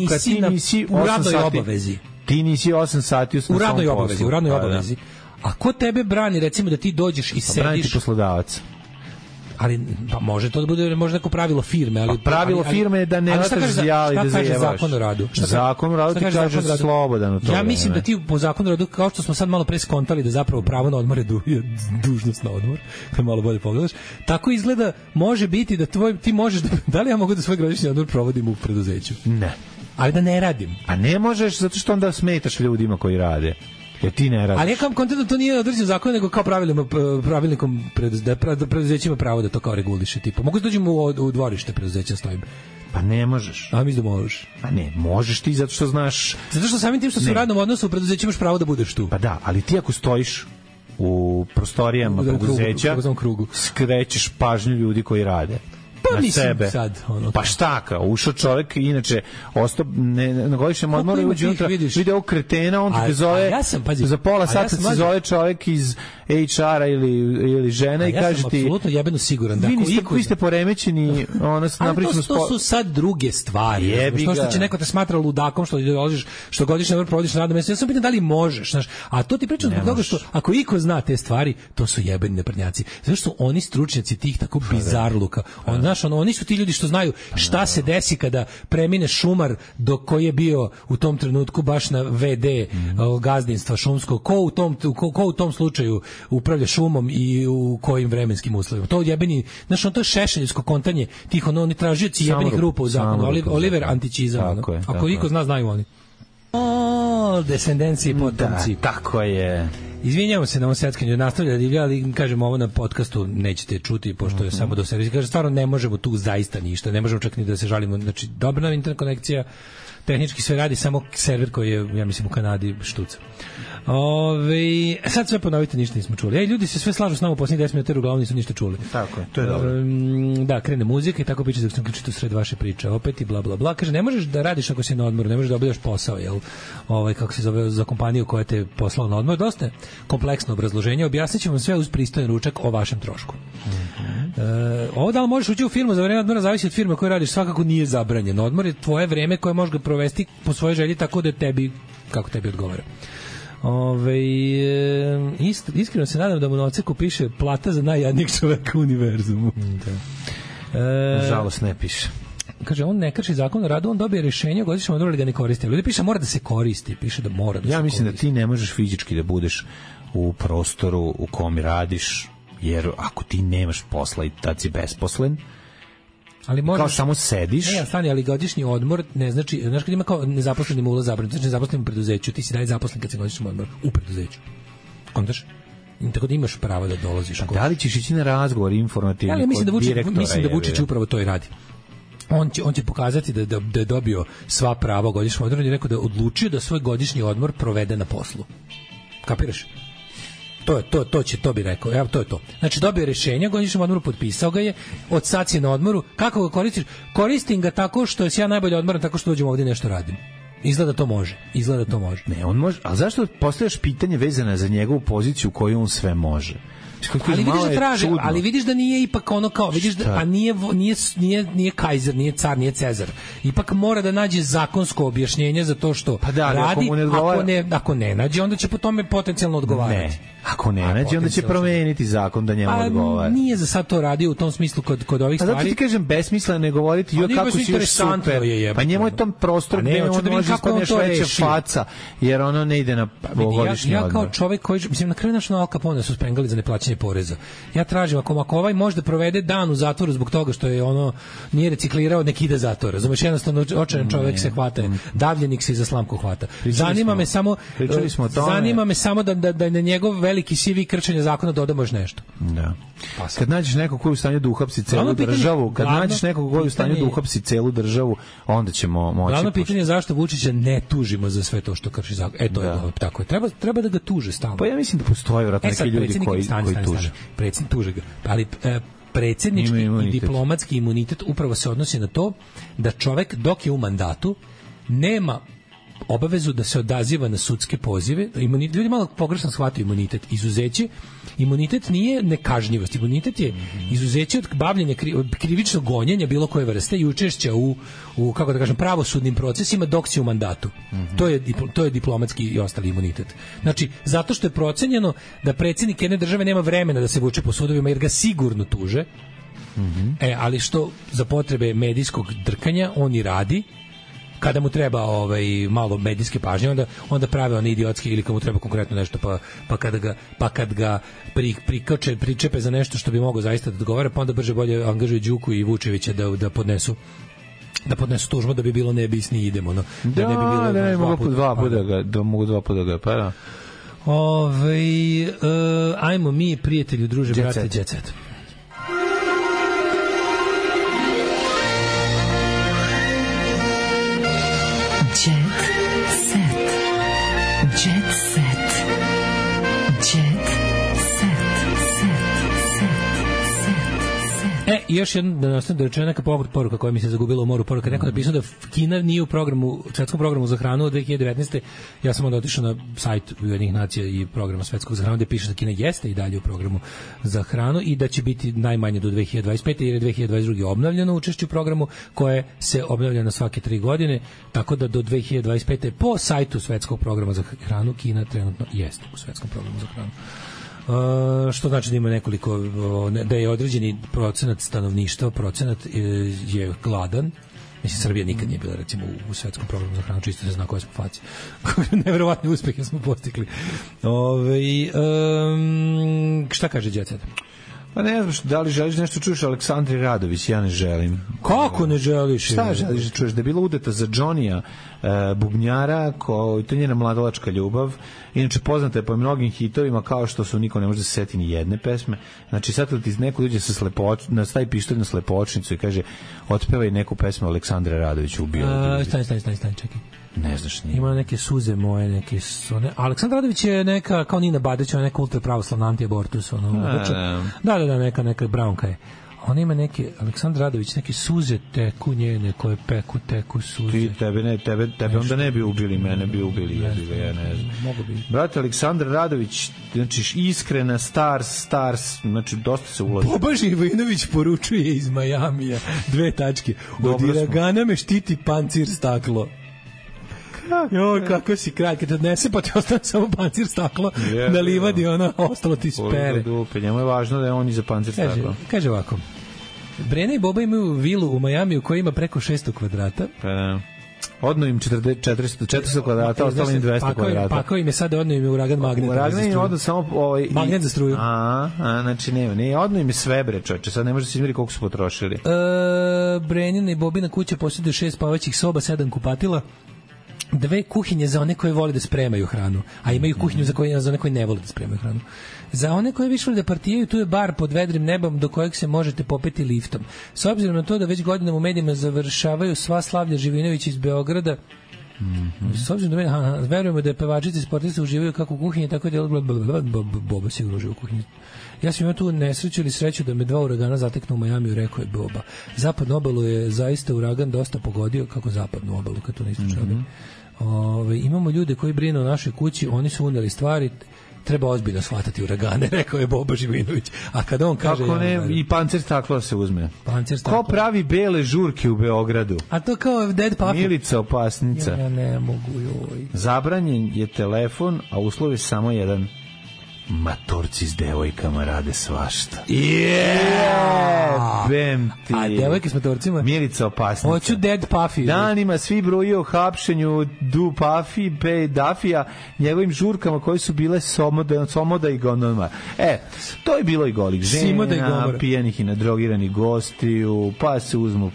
kada ti nisi u radnoj obavezi. Ti nisi 8 sati u radnoj obavezi. A ko tebe brani, recimo, da ti dođeš i sediš... Brani ti poslodavac. Ali, pa može to da bude možda neko pravilo firme, ali... Pravilo firme je da ne lataš zjali da zajevaš. Šta kaže zakon o radu? Zakon o radu ti kaže slobodan od toga. Ja mislim da ti po zakonu o radu, kao što smo sad malo pre skontali da zapravo pravo na odmor je dužnost na odmor, kad malo bolje pogledaš, tako izgleda, može biti da ti možeš da li ja mogu da svoj godišnji odmor provodim u preduzeću? Ne. Ali da ne radim. A ne možeš, zato što onda smetaš ljudima koji rade. Jer ti ne radiš. Ali ja kao kontent to nije određen zakon, nego kao pravilnikom preduzećima pravo da to kao reguliše. Tipo, mogu da dođem u dvorište preduzeća stojim. Pa ne možeš. A mislim da možeš. Pa ne, možeš ti zato što znaš... Zato što samim tim što si u radnom odnosu u preduzeću imaš pravo da budeš tu. Pa da, ali ti ako stojiš u prostorijama preduzeća, skrećeš pažnju ljudi koji rade. Pa na sebe. Sad, pa šta kao, ušao čovjek, inače ostao na godišnjem odmoru i uđe unutra, vide ovog kretena, on te zove, za pola sata se zove čovjek iz HR-a ili žena i kaže ti... Ja sam apsolutno jebeno siguran da... Vi ste poremećeni, ali to su sad druge stvari. Što će neko te smatra ludakom, što godišnji odmor provodiš na radnom mjestu. Ja sam pitan da li možeš, znaš, a to ti pričam zbog toga što ako iko zna te stvari, to su jebeni naprednjaci. Zato što oni stručnjaci tih tako bizarluka, oni su ti ljudi što znaju šta se desi kada premine šumar koji je bio u tom trenutku baš na VD gazdinstva šumskog, ko u tom slučaju upravlja šumom i u kojim vremenskim uslovima. To jebeni, znaš, to je šešeljsko kontanje tih, oni tražioci jebenih grupa u zakonu. Oliver Antićizam. Ako iko zna, znaju oni. All descendencije potomci. Da, tako je. Izvinjamo se na ovom seckanju, nastavlja da divlja, ali kažemo ovo na podcastu nećete čuti, pošto je samo do servisa. Kaže, stvarno ne možemo tu zaista ništa, ne možemo čak ni da se žalimo. Znači, dobra nam internet konekcija, tehnički sve radi, samo server koji je, ja mislim, u Kanadi štuca. Sad sve ponovite, ništa nismo čuli. Ljudi se sve slažu s nama u posljednjih 10 minuta, jer uglavnom nisu ništa čuli. Tako je, to je dobro. Da, krene muzika i tako piče dok sam ključito sred vaše priče. Opet i bla bla bla. Kaže, ne možeš da radiš ako si na odmoru, ne možeš da obavljaš posao, jel? Kako se zove, za kompaniju koja te poslala na odmor. Dosta kompleksno obrazloženje. Objasnit ćemo vam sve uz pristojan ručak o vašem trošku. Ovo da li možeš ući u firmu za vreme odmora zavisi od firme koju radiš, svakako nije zabranjeno. Odmor je tvoje vreme koje možeš ga provesti po svojoj želji tako da tebi, kako tebi odgovara. Iskreno se nadam da mu na odseku piše plata za najjadnijeg čoveka u univerzumu. Nažalost ne piše. Kaže, on ne krši zakon o radu, on dobije rješenje, godišnjem odmoru ga ne koristi. Ljudi piše mora da se koristi, piše da mora da se koristi. Ja mislim da ti ne možeš fizički da budeš u prostoru u kom radiš, jer ako ti nemaš posla i tad si besposlen, ali možeš, kao samo sediš. Ne, stani, ali godišnji odmor ne znači, znaš kad ima kao nezaposlenim ulaz zabranjen, znači nezaposlenim u preduzeću, ti si dalje zaposlen kad se godišnji odmor u preduzeću. Kontaš? Tako da imaš pravo da dolaziš. Da li ćeš ići na razgovor informativni kod direktora? Mislim da Vučić upravo to i radi. On će pokazati da je dobio sva prava godišnjeg odmora i rekao da je odlučio da svoj godišnji odmor provede na poslu. Kapiraš? To bi rekao. Evo, to je to. Znači, dobio rješenje, godišnjem odmoru, potpisao ga je, od sad si na odmoru. Kako ga koristiš? Koristim ga tako što si ja najbolje odmoran, tako što dođem ovdje nešto radim. Izgleda to može. Ne, on može. A zašto postavljaš pitanje vezano za njegovu poziciju koju on sve može? Ali vidiš da traži, ali vidiš da nije ipak ono kao, vidiš da, a nije kajzer, nije car, nije Cezar. Ipak mora da nađe zakonsko objašnjenje za to što radi, ako ne nađe, onda će po tome potencijalno odgovarati. Ne, ako ne nađe, onda će promeniti zakon da njemu odgovara. Nije za sad to radio u tom smislu kod ovih stvari. Zato ti kažem, besmisleno ne govoriti kako si još super. Pa njemu je tom prostor gde on može ispadneš veća faca, jer ono ne ide na godišnji odmor. Ja kao čovek koji, mislim, na kraju našo Al Capone su spengali za neplaćanje poreza. Ja tražim, ako ovaj može da provede dan u zatvoru zbog toga što je nije reciklirao, nek ide zatvor. Razumeš, jednostavno očajan čovek se hvata, davljenik se iza slamku hvata. Zanima me samo da na njegov veliki CV kršenja zakona dodamo još nešto. Da. Kad nađeš nekog koji je u stanju da uhapsi celu državu, onda ćemo moći. Glavno pitanje je zašto Vučića ne tužimo za sve to što krši zakon. To je tako je. Treba da ga tuže stalno. Pa ja mislim da postoje vjerojatno neki ljudi koji tuže. Predsjednik tuže ga. Ali predsjednički i diplomatski imunitet upravo se odnosi na to da čovek dok je u mandatu nema obavezu da se odaziva na sudske pozive. Ljudi malo pogrešno shvataju imunitet. Imunitet nije nekažnjivost. Imunitet je izuzeće od bavljenja krivičnog gonjenja bilo koje vrste i učešća u kako da kažem, pravosudnim procesima dok si u mandatu. To je diplomatski i ostali imunitet. Znači, zato što je procenjeno da predsjednik jedne države nema vremena da se vuče po sudovima jer ga sigurno tuže. Ali što za potrebe medijskog drkanja on i radi. Kada mu treba malo medijske pažnje, onda prave one idiotske, ili kad mu treba konkretno nešto, pa kad ga pričepe za nešto što bi mogao zaista da odgovara, pa onda brže bolje angažuju Đuku i Vučevića da podnesu tužbu, da bi bilo ne bisni idemo. Mogu dva puta ga, pa da. Ajmo mi, prijatelju, druže, brate, Jet Set. I još jedna da rečena neka poruka koja mi se zagubila u moru poruka. Neko napisao da Kina nije u svetskom programu za hranu od 2019. Ja sam onda otišao na sajt Ujedinjenih nacija i programa svetskog za hranu gde piše da Kina jeste i dalje u programu za hranu i da će biti najmanje do 2025. jer je 2022. obnovljeno učešće u programu koje se obnavlja na svake 3 godine, tako da do 2025. po sajtu svetskog programa za hranu Kina trenutno jeste u svetskom programu za hranu. Što znači da ima nekoliko, da je određeni procenat stanovništva, je gladan. Mislim, Srbija nikad nije bila recimo u svetskom programu za hranu, čisto se zna koje smo faci. Neverovatne uspehe smo postigli. Šta kaže Jet Set? Pa ne znaš, da li želiš nešto čuješ Aleksandri Radović, ja ne želim. Kako ne želiš? Da li želiš nešto čuješ Aleksandri Radović, ja ne želim. Kako ne želiš? Šta želiš da čuješ? Da je bila udeta za Johnny-a bubnjara, to je njena mladalačka ljubav. Inače, poznata je po mnogim hitovima, kao što su Niko ne može da se seti ni jedne pesme. Znači, sad kad ti neko dođe stavi pištolj na slepočnicu i kaže, otpevaj neku pesmu Aleksandra Radovića ubio. Stani, čekaj. Ne znaš nije. Ima neke suze moje, neke sone. Aleksandar Radović je neka, kao Nina Badeć, ona neka ultrapravoslavna anti-abortus. Da, neka braunka je. Ona ima neke, Aleksandar Radović, neke suze teku njene, koje teku suze. Tebe onda ne bi ubili, mene bi ubili, ja ne znam. Mogu bi. Brate, Aleksandar Radović, znači iskrena, stars, znači dosta se ulazi. Boba Živinović poručuje iz Majamija, 2 tačke. Od iragana me štiti pancir staklo. Joj, kako si kralj, kad te odnese, pa ti ostane samo pancir staklo na livadi, ostalo ti spere. Njemu je važno da je on iza pancir staklo. Kaže ovako, Brena i Boba imaju vilu u Majamiju koja ima preko 600 kvadrata. Odno im 400 kvadrata, ostalo im 200 kvadrata. Pakao im je sada, odno im je uragan magnet. Uragan im odno samo... magnet za struju. Znači ne, odno im je sve bre, čoče, sad ne može se izmeri koliko su potrošili. Brenina i Bobina kuća posjeduje 6 spavaćih soba, 7 kupatila, 2 kuhinje za one koje vole da spremaju hranu, a imaju kuhinju za one koje ne vole da spremaju hranu. Za one koje više vole da partijaju, tu je bar pod vedrim nebom do kojeg se možete popeti liftom. S obzirom na to da već godinama u medijima završavaju sva slavlja Živinović iz Beograda, s obzirom da verujemo da je pevačice i sportice uživaju kako u kuhinji, tako da je Boba sigurno uživa u kuhinji. Ja sam imao tu nesreću ili sreću da me 2 uragana zateknu u Majamiju, rekao je Boba. Zapadnu obalu je zaista uragan dosta pogodio, kako zapadnu obalu, kad to nisu čuli. Imamo ljude koji brinu o našoj kući, oni su uneli stvari, treba ozbiljno shvatati uragane, rekao je Boba Živinović. A kada on kaže... Kako ne, i pancir staklo se uzme. Ko pravi bele žurke u Beogradu? A to kao Dead Puffy. Milica opasnica. Ja ne mogu, joj. Zabranjen je telefon, a uslov je samo jedan. Matorci s devojkama rade svašta. Bem ti. A devojke s matorcima? Milica opasnica. Hoću Dead Puffy. Danima svi bruje o hapšenju Puffy, Dafija, njegovim žurkama koje su bile Somoda i Gondoma. To je bilo i golih žena, pijenih i nadrogiranih gostiju, pa se uzmu,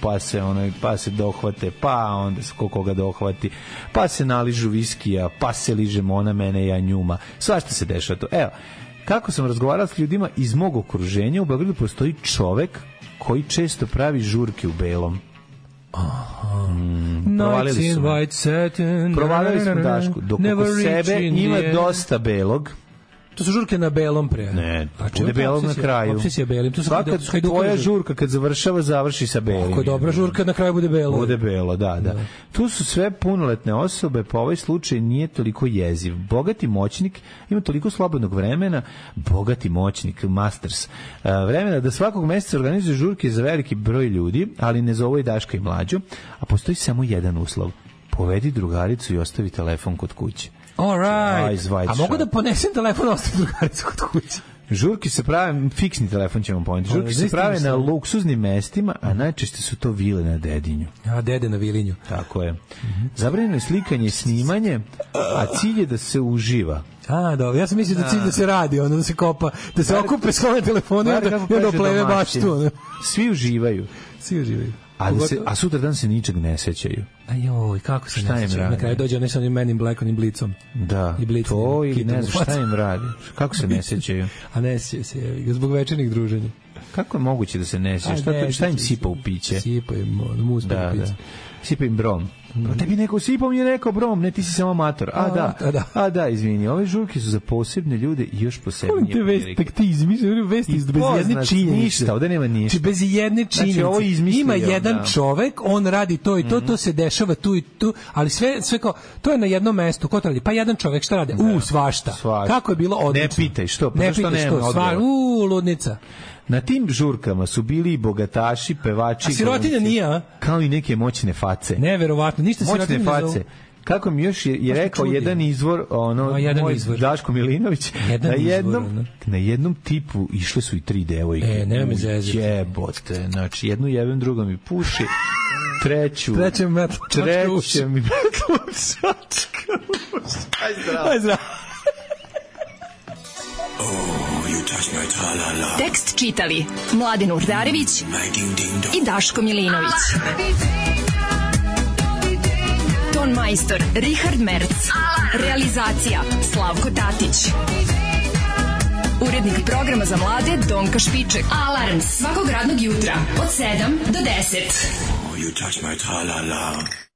pa se dohvate, pa onda se koga dohvati, pa se naližu viskija, pa se ližemo ona mene, ja njuma. Svašta se dešava to. Evo, kako sam razgovarao s ljudima iz mog okruženja, u Beogradu postoji čovek koji često pravi žurke u belom. Provalili smo Dašku. Dok oko sebe ima dosta belog. To su žurke na belom pre. Ne, bude belog na kraju. Obsesija belim. Svaka tvoja žurka kad završi sa belim. Ako je dobra žurka, na kraju bude belo. Bude belo, da. Tu su sve punoletne osobe, pa ovaj slučaj nije toliko jeziv. Bogati moćnik ima toliko slobodnog vremena, bogati moćnik, masters, vremena da svakog meseca organizuje žurke za veliki broj ljudi, ali ne zove i Daška i Mlađu, a postoji samo jedan uslov. Povedi drugaricu i ostavi telefon kod kuće. Alright. A mogu da ponesem telefon, ostavim drugaricu kod kuće? Žurke se prave, fiksni telefon ćemo poneti, žurke se prave na luksuznim mestima, a najčešće su to vile na Dedinju. A, Dede na Vilinju. Tako je. Zabranjeno je slikanje i snimanje, a cilj je da se uživa. A, dobro, ja sam mislio da cilj da se radi, da se kopa, da se okupe svoje telefone i onda pleve baš tu. Svi uživaju. A sutra dan se ničeg ne sećaju. Ajoj, kako se ne sećaju? Na kraju dođe onaj sa onim Men in Black, onim blicom. Da, to ili ne znam šta im radi. Kako se ne sećaju? A ne sećaju se, zbog večernih druženja. Kako je moguće da se ne sećaju? Šta im sipa u piće? Sipa im mus u piće. Sipa im brom. Tebi neko sipao, mi je rekao brom, ne, ti si samo amator. A da, izvini, ove žurke su za posebne ljude i još posebnije prilike. Taktizmi, vesti bez jedne činjenice. Ništa, ovde nema ništa. Bez jedne činjenice. Ima jedan čovek, on radi to i to se dešava tu i tu, ali sve kao, to je na jednom mestu, ko to radi? Pa jedan čovek, šta radi? Svašta. Kako je bilo odlično. Ne pitaj, što? Ne pitaj što, ludnica. Na tim žurkama su bili i bogataši, pevači, a sirotinja nije, kao i neke moćne face. Neverovatno, ništa sirotinja ne zovu. Kako mi još je rekao jedan izvor, moj Daško Milinović, na jednom tipu išle su i 3 devojke. Nema mi zezati. Jebote, znači jednu jebem, druga mi puši, trećem mi metlušačka. Aj zdravo. Tekst čitali Mladen Urdarević i Daško Milinović. Ton majstor Richard Merc. Realizacija Slavko Tatić. Urednik programa za mlade Donka Špiček. Alarms svakog radnog jutra od 7 do 10. You touch my tra-la-la.